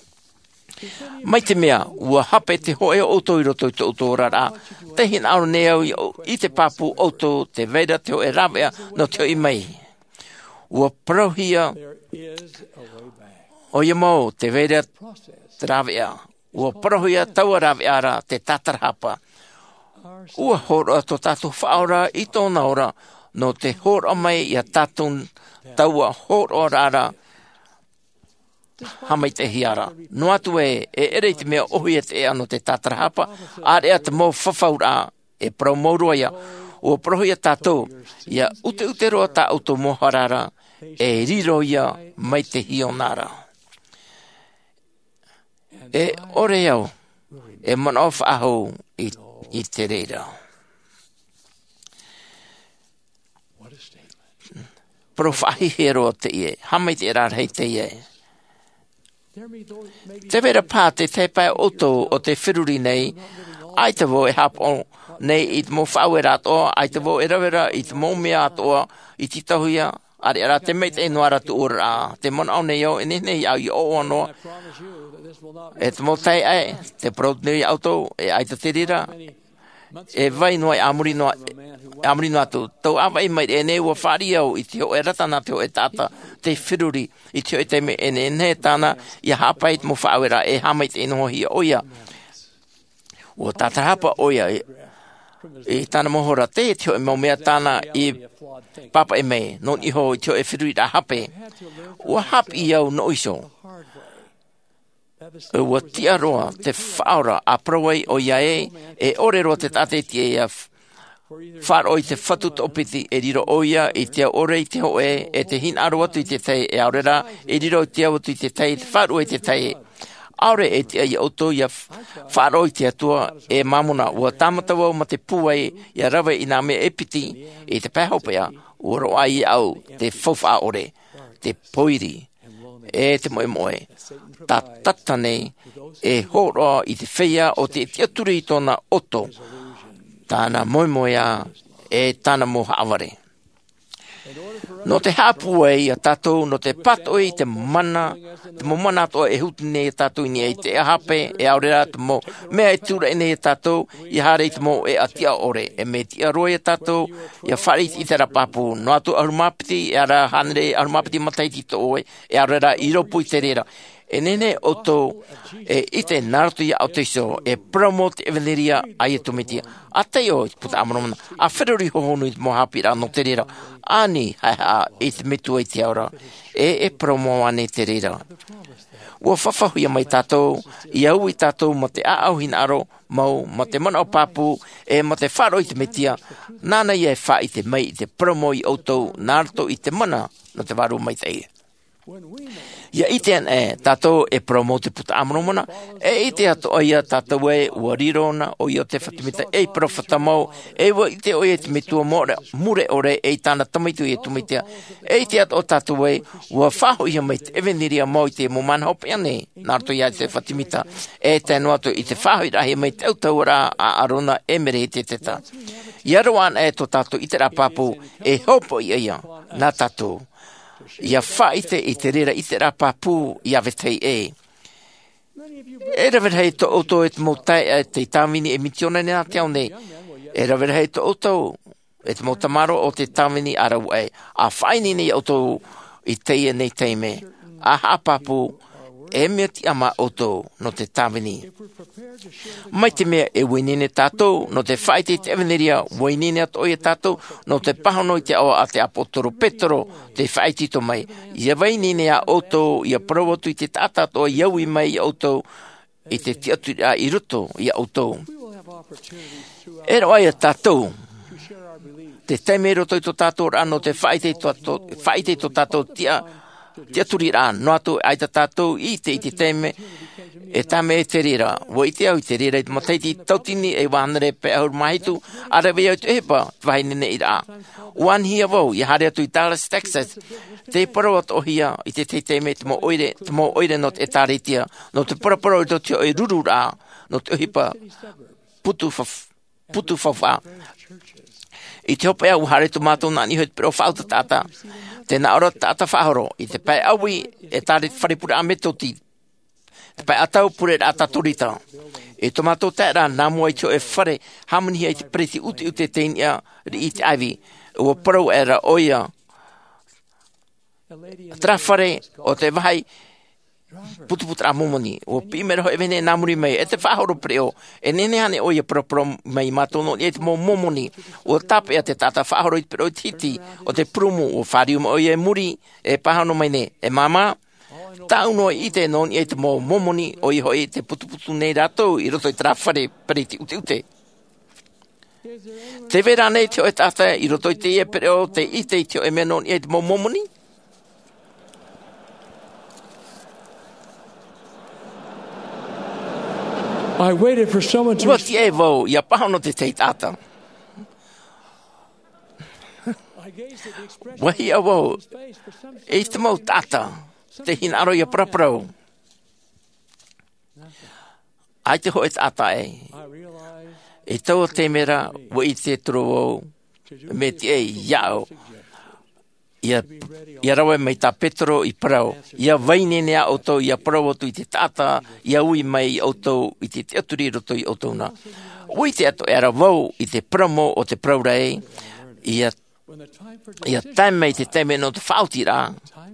Mai te mea, ua hape te hōʻē o ʻoutou i roto i tō ʻoutou oraraʻa, tē hinaʻaro nei au i, i te pāpū ʻoutou, tē vai ra te hōʻē rāveʻa nō te hoʻi mai. Ua parauhia, ʻoia mau, tē vai ra te rāveʻa. Ua parauhia taua rāveʻa ra te tātarahapa. Ua hōroʻa tō tātou Faʻaora i tōna ora, nō te hōroʻa mai iā tātou taua hōroʻaraʻa ra, haʻamaitaʻihia ra. Noa atu ē, e ʻere i te mea ʻōhie te ʻēʻa nō te tātarahapa, ʻāreʻa te mau fafauraʻa, e parau mau roa ia. Ua parauhia tātou, ʻia ʻuteʻute roa tā ʻoutou mau hara ra, e riro ia mai te hiona ra. E ʻore au e manaʻo faʻahou i, i te reira. Parau faʻahiahia roa teie, haʻamaitaʻiraʻa rahi teie. Tē vai ra paha te tahi pae o ʻoutou o tē feruri nei, ʻaita vau e haʻapaʻo nei i te mau faʻaueraʻa atoʻa, ʻaita vau e rave ra i te mau mea atoʻa i tītauhia, ʻāreʻa rā te maitaʻi noa ra tō ʻoe oraraʻa. Tē manaʻo nei au, e nehenehe au ʻia ʻoaʻoa noa. E te mau taeaʻe, tē parau nei au iā ʻoutou, e ʻaita te reira, e vai noa, e a muri noa, e a muri noa atu. Tau ʻāvaʻe mai ra ʻēnei, ua fāriʻi au i te hōʻē rata nā te hōʻē taʻata tē feruri, i te hōʻē taime e nehenehe tāna ʻia haʻapae i te mau faʻaueraʻa, e haʻamaitaʻi noa hia ʻoia. Ua tātarahapa ʻoia i, i tāna mau hora, teie te hōʻē mau mea tāna i pāpaʻi mai, nō niʻa iho i te hōʻē feruriraʻa hape. Ua haʻapiʻi au nō ʻoe iho. Ua tiʻa roa te Faʻaora, ʻa parau ai ʻoia ē, e ʻore roa te taʻata e tiʻa ʻia f-, faʻaroʻo i te Fatu toʻopiti, e riro ʻoia i te au ʻore i te hōʻē, e te hinaʻaro atu i te tahi, e ʻaore rā, e riro i te au atu i te tahi, e te faʻaruʻe i te tahi. ʻAore e tiʻa iā ʻoutou ʻia f-, faʻaroʻo i te Atua, e Māmona, ua tāmata vau ma te pūai, ʻia rave i nā mea e piti, i te pae hopeʻa, ua roaʻa iāʻu te faufaʻa ʻore, te pōiri, e te moʻemoʻe. Tātata nei, e hōroʻa i te feiā ʻo tē tiʻaturi i tōna ʻoto, tāna moemoeā, e tāna mau haʻavare. Nō te haʻapūai iā tātou nō te pātoʻi i te mana, te mau mana atoʻa e huru nei iā tātou i niʻa i te hape, e ʻaore rā te mau mea e tūraʻi nei iā tātou ia haere i te mau ʻēʻa tiʻa ʻore. E mea tiʻa roa iā tātou ia fāriʻi i te ʻiteraʻa pāpū. Noa atu ʻahuru mā piti, e ara hānere ʻahuru mā piti matahiti i tō ʻoe, e ʻaore rā i rōpū i te reira. E nehenehe ʻoutou e ʻite nā roto iā ʻoutou iho e parau mau te ʻevanelia a Iesu Mesia. A taiʻo i te Buka a Moromona, a feruri hohonu i te mau haʻapiʻiraʻa nō te reira, ani haʻehaʻa i te Metua i te ao ra, e e parau mau ānei te reira. Ua faʻafaʻahia mai tātou ia ui tātou mā te ʻāʻau hinaʻaro mau, mā te manaʻo pāpū, e mā te faʻaroʻo i te Mesia. Nāna ia e faʻaʻite mai i te parau mau iā ʻoutou nā roto i te mana nō te Vārua Maitaʻi. Ia ʻite anaʻe tātou e parau mau te Buka a Moromona, e ʻite atoʻa ia tātou ē ua riro na ʻoia ʻo Iosefa Sāmita ei peropheta mau, e ua ʻite ʻoia i te Metua mure, mure ʻore, e i tāna Tamaiti ʻo Iesu Mesia. E ʻite atoʻa tātou ē ua faʻahoʻihia mai te ʻevanelia mau i te mau mahana hopeʻa nei nā roto iā Iosefa Sāmita, e tae noa atu i te faʻahoʻiraʻahia mai te autahuʻaraʻa a ʻĀrona e Melehiseteka. Ia roaʻa anaʻe tō tātou ʻiteraʻa pāpū, e hopoiʻa ia nā tātou ia faʻaʻite i te reira ʻiteraʻa pāpū iā vetahi ʻē. E rave rahi tō ʻoutou e te mau taeaʻe tei tāvini ei misiōnare nā te ao nei. E rave rahi tō ʻoutou e te mau tamaroa o tei tāvini ā rāua ʻē. ʻA faʻaineine iā ʻoutou i teie nei taime, ʻa haʻapāpū, e mea tiʻamā ʻoutou nō te tāvini. Mai te mea e ua ineine tātou nō te faʻaʻite i te ʻevanelia, ua ineine atoʻa ia tātou nō te pāhono i te aʻo a te ʻāpōsetolo Petero, tei faʻaitoito mai, ia vai ineine iā ʻoutou ia parau atu i te taʻata atoʻa ia ui mai iā ʻoutou i te tiʻaturiraʻa i roto iā ʻoutou. E roaʻa ia tātou te taime i roto i tō tātou oraraʻa nō te faʻaʻite i tō tātou, faʻaʻite i tō tātou tiʻa, tiʻaturiraʻa, noa atu ʻaita tātou i ʻite i te taime e tāmau i te reira. Ua ʻite au i te reira i te matahiti tauatini e iva hānere pae ʻahuru mā hitu, ʻa rave au i te ʻohipa, te vāhi neneʻiraʻa. Ua anihia vau ia haere atu i Dallas, Texas, tei parau atoʻahia i te tahi taime te mau ʻoire, te mau ʻoire nō te ʻĒtārētia, nō te paraparau i roto i te hōʻē rururaʻa nō te ʻohipa putu faf-, putu faufaʻa. I te hopeʻa, ua haere atu mātou nā niʻa iho i te pereʻoʻo faʻautaʻa taʻata. Tē nā ʻō ra te taʻata faʻahoro i te pae ʻāui, ʻĒtārētia, fare pureraʻa Metotisi, te pae ʻatau, pureraʻa Katorika. I tō mātou taeraʻa, nā mua i te hōʻē fare hāmanihia i te peresideni ʻuteʻute, tei niʻa riʻi i te ʻāivi. Ua parau aʻera ʻoia, terā fare o te vāhi putuputuraʻa Momoni. Ua piʻi mai ra hōʻē vahine nā muri mai, e te faʻahoro pereʻoʻo, e nehenehe ānei ʻoe ia paraparau mai iā mātou nō niʻa i te mau Momoni? Ua tāpeʻa te taʻata faʻahoro i te pereʻoʻo i te hiti o te purumu, ua fāriu mai ʻoia i muri, e pāhono mai nei, e māmā, tāʻu noa i ʻite nō niʻa i te mau Momoni, ʻoia hoʻi tē putuputu nei rātou i roto i terā fare peresideni ʻuteʻute. Tē vai ra ānei te hōʻē taʻata i roto i teie pereʻoʻo tei ʻite i te hōʻē mea nō niʻa i te mau Momoni? I waited for someone to Ua tiʻa vau ia pāhono te tahi taʻata. Ua hiʻo vau i te mau taʻata tei hinaʻaro ia paraparau. ʻAita hōʻē taʻata ē. I taua taime ra, ua ʻite atu ra vau, mea tiʻa iāʻu. Ia, ia rave mai tā Petero i parau, ia vai ineine ā ʻoutou ia parau atu i te taʻata ia ui mai iā ʻoutou i te tiʻaturi i roto iā ʻoutou na. Ua ʻite atoʻa ra vau i te parau mau o te parau ra ē, ia Ia tae mai te taime nō te faʻaotiraʻa,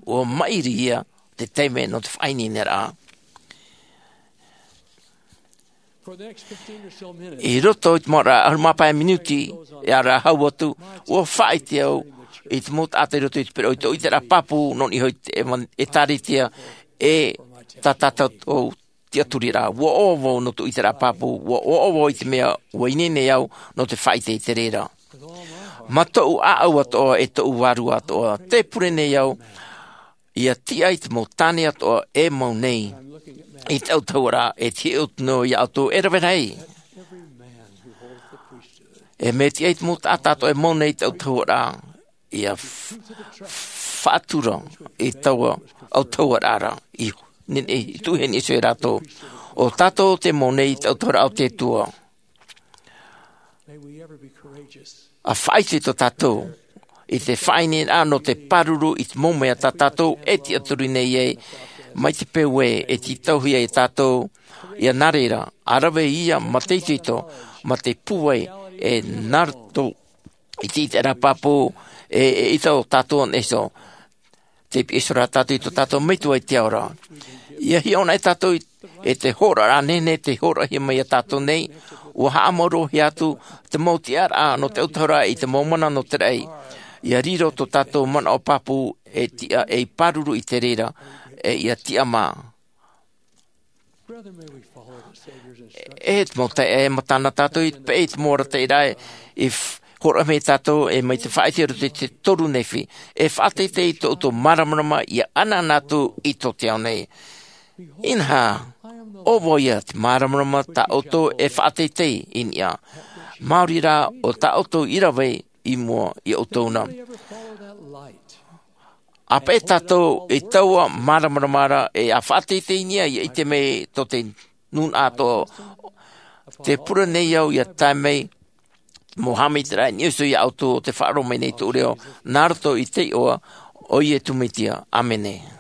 ua maʻiri ia te taime nō te faʻaineineraʻa. I roto i te mau ra ʻahuru mā pae minuti, e ara hau atu, ua faʻaʻite au i te mau taʻata i roto i te pereʻoʻo i tō ʻiteraʻa pāpū nō niʻa iho i te ʻEva-, ʻĒtārētia, e tā tātou tiʻaturiraʻa. Ua ʻoaʻoa vau nō tō ʻiteraʻa pāpū, ua ʻoaʻoa vau i te mea ua ineine au nō te faʻaʻite i te reira. Mā tōʻu ʻāʻau atoʻa e tōʻu vārua atoʻa, tē pure nei au ia tiʻa i te mau tāne atoʻa e mau nei i te autahuʻaraʻa, e tiʻa atu noa iā ʻoutou e rave rahi. E mea tiʻa i te mau taʻata atoʻa e mau nei i te autahuʻaraʻa, ia f-, faʻatura i taua autahuʻaraʻa ra, i nehenehe, i tuʻu i heni iho ia rātou. ʻO tātou te mau nei i te autahuʻaraʻa o te Atua. ʻA faʻaʻite tō tātou i te faʻaineineraʻa nō te pāruru i te mau mea tā tātou e tiʻaturi nei ai, mai te peu ē e tītauhia e tātou, ia nā reira, ʻa rave ia mā te itoito, mā te pūai, e nā roto i te ʻiteraʻa pāpū, e, e ʻita o tātou nei iho. Te piʻi iho rā tātou i tō tātou Metua i te ao ra. Ia hiʻo anaʻe tātou i, e te hōroʻaraʻa nehenehe tei hōroʻahia mai ia tātou nei, ʻua haʻamauruahia atu te mau tiʻaraʻa nō te autahuʻaraʻa i te mau mana nō te raʻi. Ia riro tō tātou manaʻo pāpū e tiʻa ei pāruru i te reira, e ia tiʻamā. E te mau taeaʻe, e mata na tātou i te peʻe i te mau arataʻiraʻa i f-, hōroʻa mai ia tātou e mai te faʻaʻite i roto i te toru Nephi. E faʻateitei i tō ʻoutou māramarama ia ʻanaʻana atu i tō te ao nei. Inaha, ʻo vau ia te māramarama tā ʻoutou e faʻateitei i niʻa. Maori rā ʻo tā ʻoutou i rave i mua ia ʻoutou na. ʻA peʻe tātou i taua māramarama ra e ʻa faʻateitei i niʻa ia ʻite mai tō te nūnaʻa atoʻa. Te pure nei au ia tae mai, mau haʻamaitaʻiraʻa i niʻa iho ia ʻoutou ʻo tē faʻaroʻo mai nei tōʻu reo, nā roto i te iʻoa o Iesu Mesia. ʻĀmene.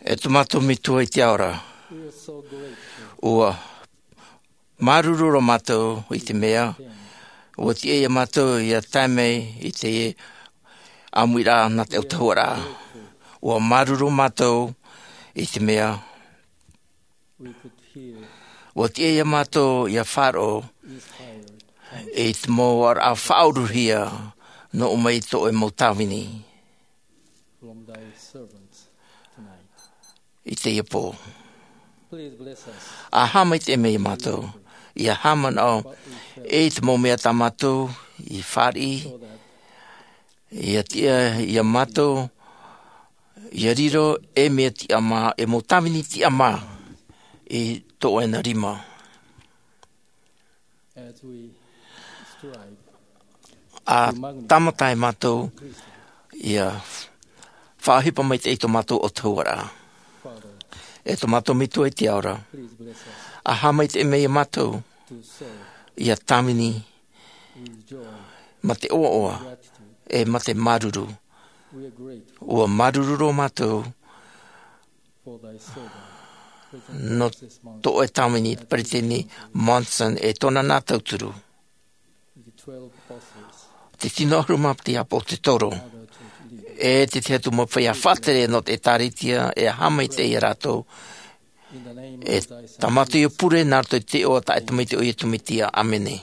E tō mātou Metua i te ao ra, ua māuruuru roa mātou i te mea ua tiʻa ia mātou ia tae mai i te ʻāmuiraʻa nā te autahuʻaraʻa. Ua māuruuru mātou i te mea ua tiʻa ia mātou ia faʻaroʻo i te mau oraraʻa faʻauruhia nō ʻō mai tō ʻoe mau tāvini i teie pō. A haʻamaitaʻi mai ia mātou ia haʻamanaʻo i te mau mea tā mātou i fāriʻi, ia tiʻa ia mātou ia riro e mea tiʻamā, e mau tāvini tiʻamā i tō ʻoe na rima. A tāmata e mātou ia faʻaʻohipa maitaʻi i tō mātou autahuʻaraʻa. E tō mātou Metua i te ao ra, a haʻamaitaʻi mai ia mātou ia tāvini mā te ʻoaʻoa e mā te māuruuru. Ua māuruuru roa mātou nō tō ʻoe tāvini, Peresideni Monson e tōna nā tauturu, te tino ʻahuru mā te ʻāpōsetolo, e te tahi atu mau feiā faʻatere nō te ʻĒtārētia, e haʻamaitaʻi ia rātou. E tā mātou ia pure nā roto i te iʻoa taʻata maitaʻi o Iesu Mesia, ʻāmene.